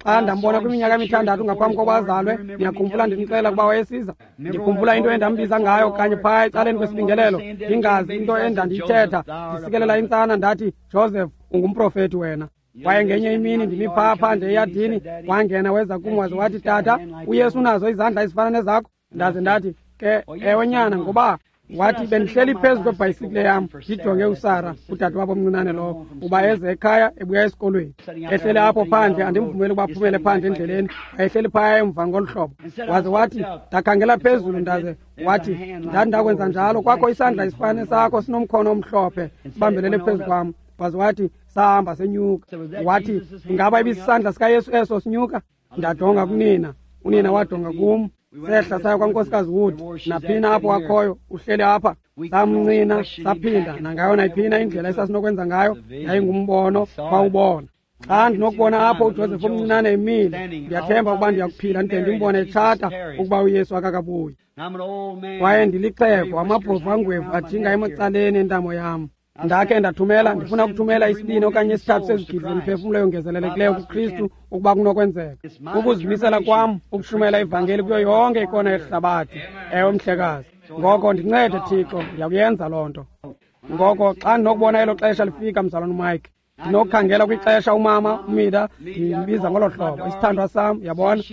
xa ndambona kwiminyaka emithandathu ngaphambi kokuba azalwe, ndiyakhumbula ndimxelela ukuba wayesiza. Ndikhumbula into endambiza ngayo kanye phaya ecaleni kwesibingelelo, ndingazi into endandiyithetha, ndisikelela intsana, ndathi, Joseph, ungumprofeti wena. Kwaye ngenye imini ndimi phaa phandle eyadini, wangena weza kum waze wathi, tata, uYesu unazo izandla ezifana nezakho. Ndaze ndathi, ke ewe nyana, ngoba wathi bendihleli phezu kwebhayisikile yam ndijonge uSara, udadewabo omncinane lowo, uba eze ekhaya ebuya esikolweni. Ehleli apho phandle, andimvumeli ukuba aphumele phandle endleleni, wayehleli phaya emva ngolu hlobo. Waze wathi, ndakhangela phezulu, ndaze wathi, ndandakwenza njalo, kwakho isandla esifana sakho sinomkhono omhlophe sibambelele phezu kwam. Waze wathi, sahamba senyuka. Wathi, ingaba ibisisandla sikaYesu eso sinyuka? Ndajonga kunina, unina wajonga kum. Sehla saya kwaNkosikazi Wood, naphina apho akhoyo, uhleli apha. Samncina, saphinda nangayo nayiphina indlela esasinokwenza ngayo, yayingumbono, wawubona. Xa ndinokubona apho uJoseph omncinane emile, ndiyathemba ukuba ndiyakuphila ndide ndimbone etshata ukuba uYesu akakabuyi. Kwaye ndilixhego, amabhovu angwevu ajinga emacaleni entamo yam. Ndakhe ndathumela, ndifuna ukuthumela isibini okanye isithathu sezigidi zemiphefumlo yongezelelekileyo kuKristu ukuba kunokwenzeka. Ukuzimisela kwam ukushumayela ivangeli kuyo yonke ikona yehlabathi. Ewe, mhlekazi. Ngoko ndincede Thixo, ndiyakuyenza loo nto. Ngoko xa ndinokubona elo xesha lifika, mzalwana uMike, ndinokukhangela kwixesha umama uMida, ndimbiza ngolo hlobo, isithandwa sam, yabona,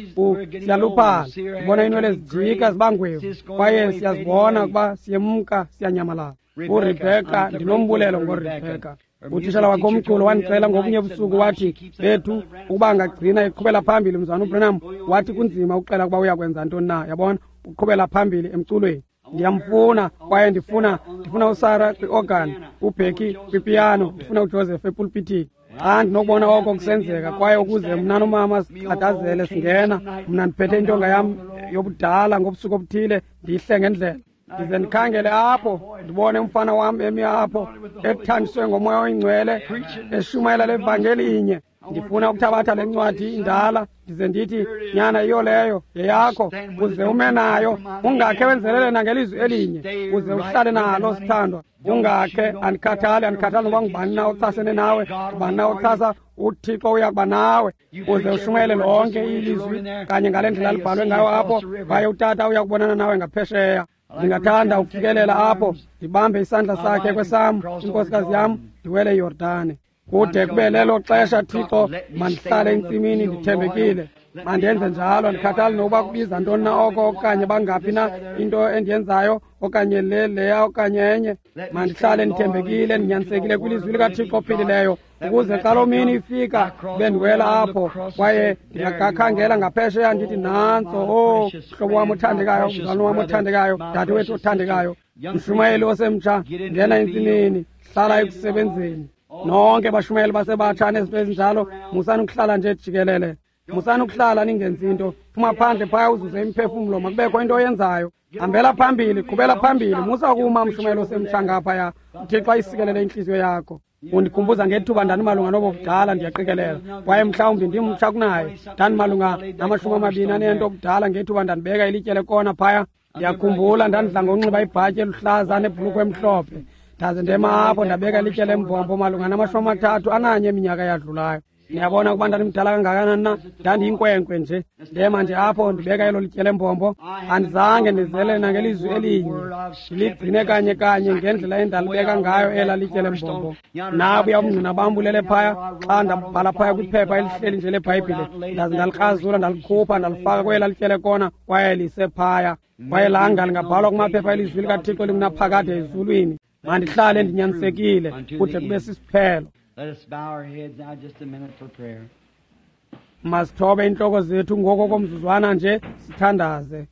siyaluphala, ndibona iinwele zijika ziba ngwevu, kwaye siyazibona ukuba siyemka, siyanyamalala. URebheka, ndinombulelo ngoRebheka. Utitshala wakhe omculo wandicela ngobunye busuku, wathi, bethu, ukuba angagcina eqhubela phambili mzalwana uBranham, wathi kunzima ukuxela ukuba uyakwenza ntoni na, yabona, uqhubela phambili emculweni. Ndiyamfuna, kwaye ndifuna uSarah kwi-organ, uBecky kwipiyano, ndifuna uJoseph epulpitini. Xa ndinokubona oko kusenzeka, kwaye ukuze mna nomama siqadazele singena, mna ndiphethe intonga yam yobudala ngobusuku obuthile, ndiyihle ngendlela. Ndize ndikhangele apho, ndibone umfana wam emi apho, ethandiswe ngoMoya oyiNgcwele, eshumayela le vangeli inye. Ndifuna ukuthabatha le ncwadi indala, ndize ndithi, nyana, yiyo leyo, yeyakho, uze ume nayo, ungakhe wenzelele nangelizwi elinye, uze uhlale nalo, sithandwa. Ungakhe, andikhathali, andikhathali noba ngubani na ochasene nawe, ngubani na ochasa, uThixo uyakuba nawe. Uze ushumayele lonke ilizwi kanye ngale ndlela libhalwe ngayo apho, kwaye utata uyakubonana nawe ngaphesheya. Ndingathanda ukufikelela apho, ndibambe isandla sakhe kwesam, inkosikazi yam, ndiwele iYordane. Kude kube lelo xesha, Thixo, mandihlale entsimini ndithembekile. Mandenze njalo, andikhathali nokuba kubiza ntoni na oko, okanye bangaphi na into endiyenzayo, okanye le leya okanye enye. Mandihlale ndithembekile, ndinyanisekile kwilizwi likaThixo ophilileyo, ukuze xa loo mini ifika bendiwela apho, kwaye ndingakhangela ngaphesheya ndithi, nantso, o mhlobo wam othandekayo, mzalwane wam othandekayo, dadewethu othandekayo, mshumayeli osemtsha, ngena entsimini, hlala ekusebenzeni. Nonke bashumayeli basebatsha nezinto ezinjalo, musani ukuhlala nje jikelele, musani ukuhlala ningenzi into. Phuma phandle phaya uzuze imiphefumlo, makubekho into oyenzayo. Hambela phambili, qhubela phambili, musa kuma mshumayeli osemtsha ngaphaya. uThixo ayisikelele intliziyo yakho. Undikhumbuza ngethuba ndandimalunga nobo budala, ndiyaqikelela, kwaye mhlawumbi ndimtsha kunaye. Ndandimalunga nama-24 obudala ngethuba ndandibeka ilitye lekona phaya. Ndiyakhumbula ndandidla ngokunxiba ibhatyi eluhlaza nebhulukhwe emhlophe, ndaze ndema apho ndabeka ilitye lembombo malunga nama-31 eminyaka eyadlulayo. Niyabona ukuba ndandimdala kangakanani na? Ndandiyinkwenkwe nje, ndema nje apho ndibeka elo litye lembombo. Andizange ndizele nangelizwi elinye, ndiligcine kanye kanye ngendlela endalibeka ngayo ela litye lembombo. Nabuya ubungqina bam bulele phaya, xa ndabhala phaya kwiphepha elihleli nje leBhayibhile, ndaze ndalikrazula, ndalikhupha, ndalifaka kwela litye lekona, kwaye lisephaya. Kwaye langa lingabhalwa kumaphepha elizwi likaThixo lingunaphakade ezulwini. Mandihlale ndinyanisekile kude kube sisiphelo. Masithobe intloko zethu ngoko komzuzwana nje sithandaze.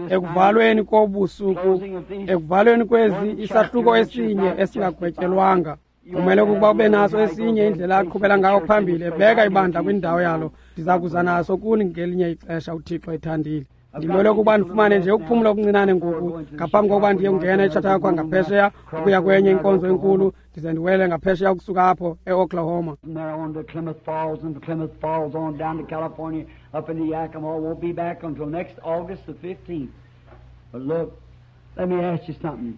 Ekuvalweni kobusuku, ekuvalweni kwezi isahluko esinye esingagwetyelwanga, kumele ukuba ube naso esinye indlela aqhubela ngayo phambili, ebeka ibandla kwindawo yalo. Ndiza kuza naso kuni ngelinye ixesha, uThixo ethandile. Ndimele ukuba ndifumane nje ukuphumla okuncinane ngoku ngaphambi kokuba ndiye kungena eChautauqua ngaphesheya ukuya kwenye inkonzo enkulu, ndize ndiwele ngaphesheya ukusuka apho eOklahoma. Let me ask you something.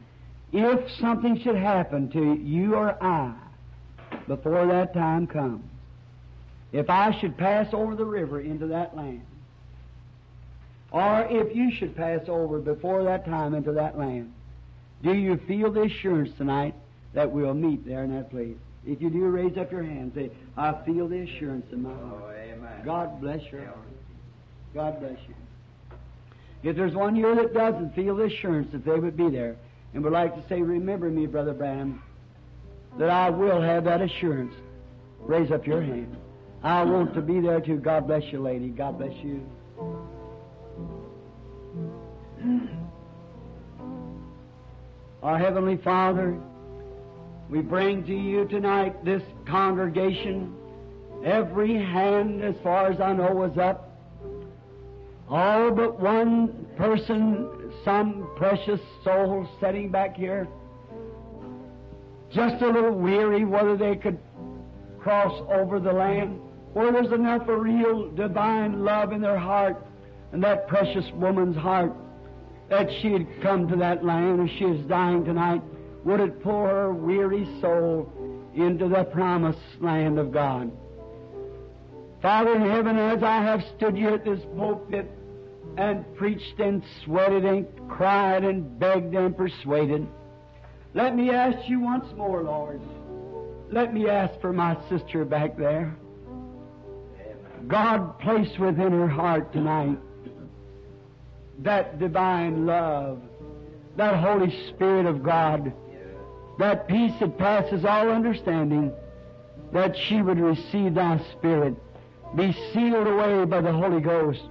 If something should happen to you or I before that time comes, if I should pass over the river into that land, or if you should pass over before that time into that land, do you feel the assurance tonight that we'll meet there in that place? If you do, raise up your hand and say, I feel the assurance in my heart. Oh, amen. God bless your heart. God bless you. If there's one here that doesn't feel the assurance that they would be there and would like to say, remember me, Brother Branham, that I will have that assurance, raise up your hand. I want to be there too. God bless you, lady. God bless you. Our Heavenly Father, we bring to you tonight this congregation. Every hand, as far as I know, was up. All but one person, some precious soul sitting back here, just a little weary whether they could cross over the land, where there's enough of real divine love in their heart and that precious woman's heart that she had come to that land, and she is dying tonight, would it pull her weary soul into the promised land of God? Father in heaven, as I have stood here at this pulpit and preached and sweated and cried and begged and persuaded, let me ask you once more, Lord. Let me ask for my sister back there. God, place within her heart tonight that divine love, that Holy Spirit of God, that peace that passes all understanding, that she would receive thy Spirit, be sealed away by the Holy Ghost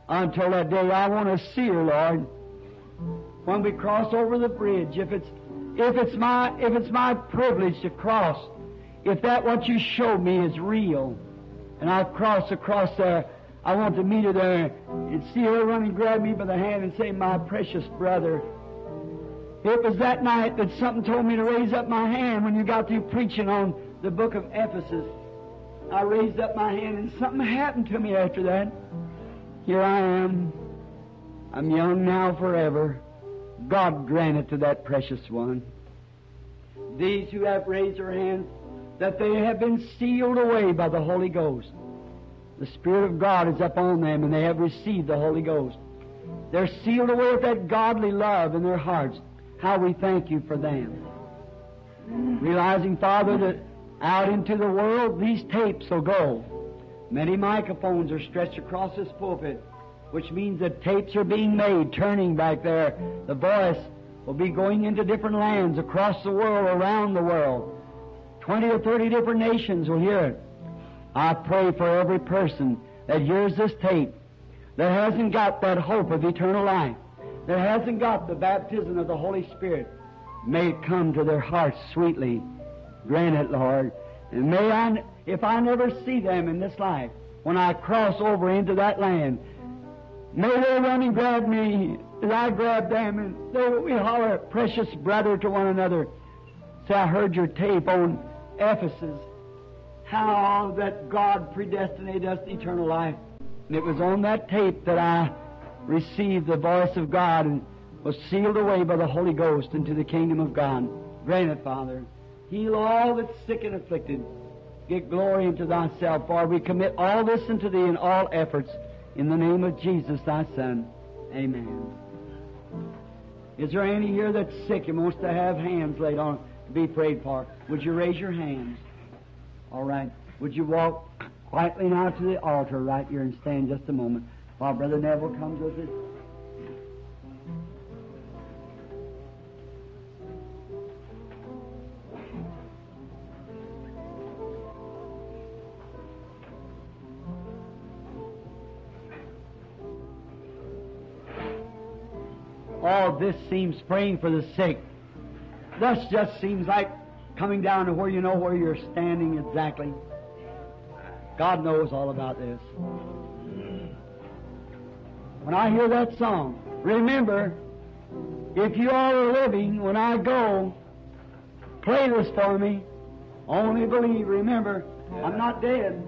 until that day. I want to see her, Lord, when we cross over the bridge. If it's my privilege to cross, if that what you showed me is real, and I cross across there, I want to meet her there and see her run and grab me by the hand and say, "My precious brother." It was that night that something told me to raise up my hand when you got through preaching on the book of Ephesus. I raised up my hand and something happened to me after that. Here I am. I'm young now forever. God grant it to that precious one. These who have raised their hands, that they have been sealed away by the Holy Ghost. The Spirit of God is upon them and they have received the Holy Ghost. They're sealed away with that godly love in their hearts. How we thank you for them. Realizing, Father, that out into the world these tapes will go. Many microphones are stretched across this pulpit, which means that tapes are being made, turning back there. The voice will be going into different lands across the world, around the world. 20 or 30 different nations will hear it. I pray for every person that hears this tape, that hasn't got that hope of eternal life, that hasn't got the baptism of the Holy Spirit. May it come to their hearts sweetly. Grant it, Lord. And may I, if I never see them in this life, when I cross over into that land, may they run and grab me as I grab them, and we holler, "Precious brother," to one another. Say, "I heard your tape on Ephesus, how that God predestinated us to eternal life." And it was on that tape that I received the voice of God and was sealed away by the Holy Ghost into the kingdom of God. Grant it, Father. Heal all that's sick and afflicted. Get glory unto thyself, for we commit all this unto thee in all efforts. In the name of Jesus, thy Son. Amen. Is there any here that's sick and wants to have hands laid on to be prayed for? Would you raise your hands? All right. Would you walk quietly now to the altar right here and stand just a moment while Brother Neville comes with us? All this seems praying for the sick. This just seems like coming down to where you know where you're standing exactly. God knows all about this. When I hear that song, remember, if you all are living, when I go, play this for me. Only believe. Remember, I'm not dead.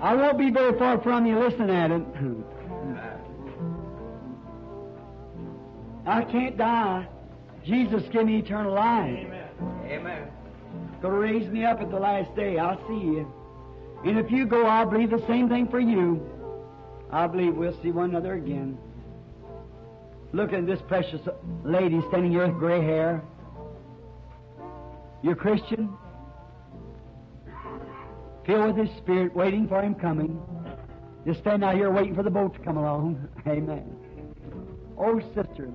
I won't be very far from you listening at it. I can't die. Jesus give me eternal life. Amen. Amen. Going to raise me up at the last day. I'll see you. And if you go, I believe the same thing for you. I believe we'll see one another again. Look at this precious lady standing here with gray hair. You're Christian? Filled with His Spirit, waiting for Him coming. Just stand out here waiting for the boat to come along. Amen. Oh, sister,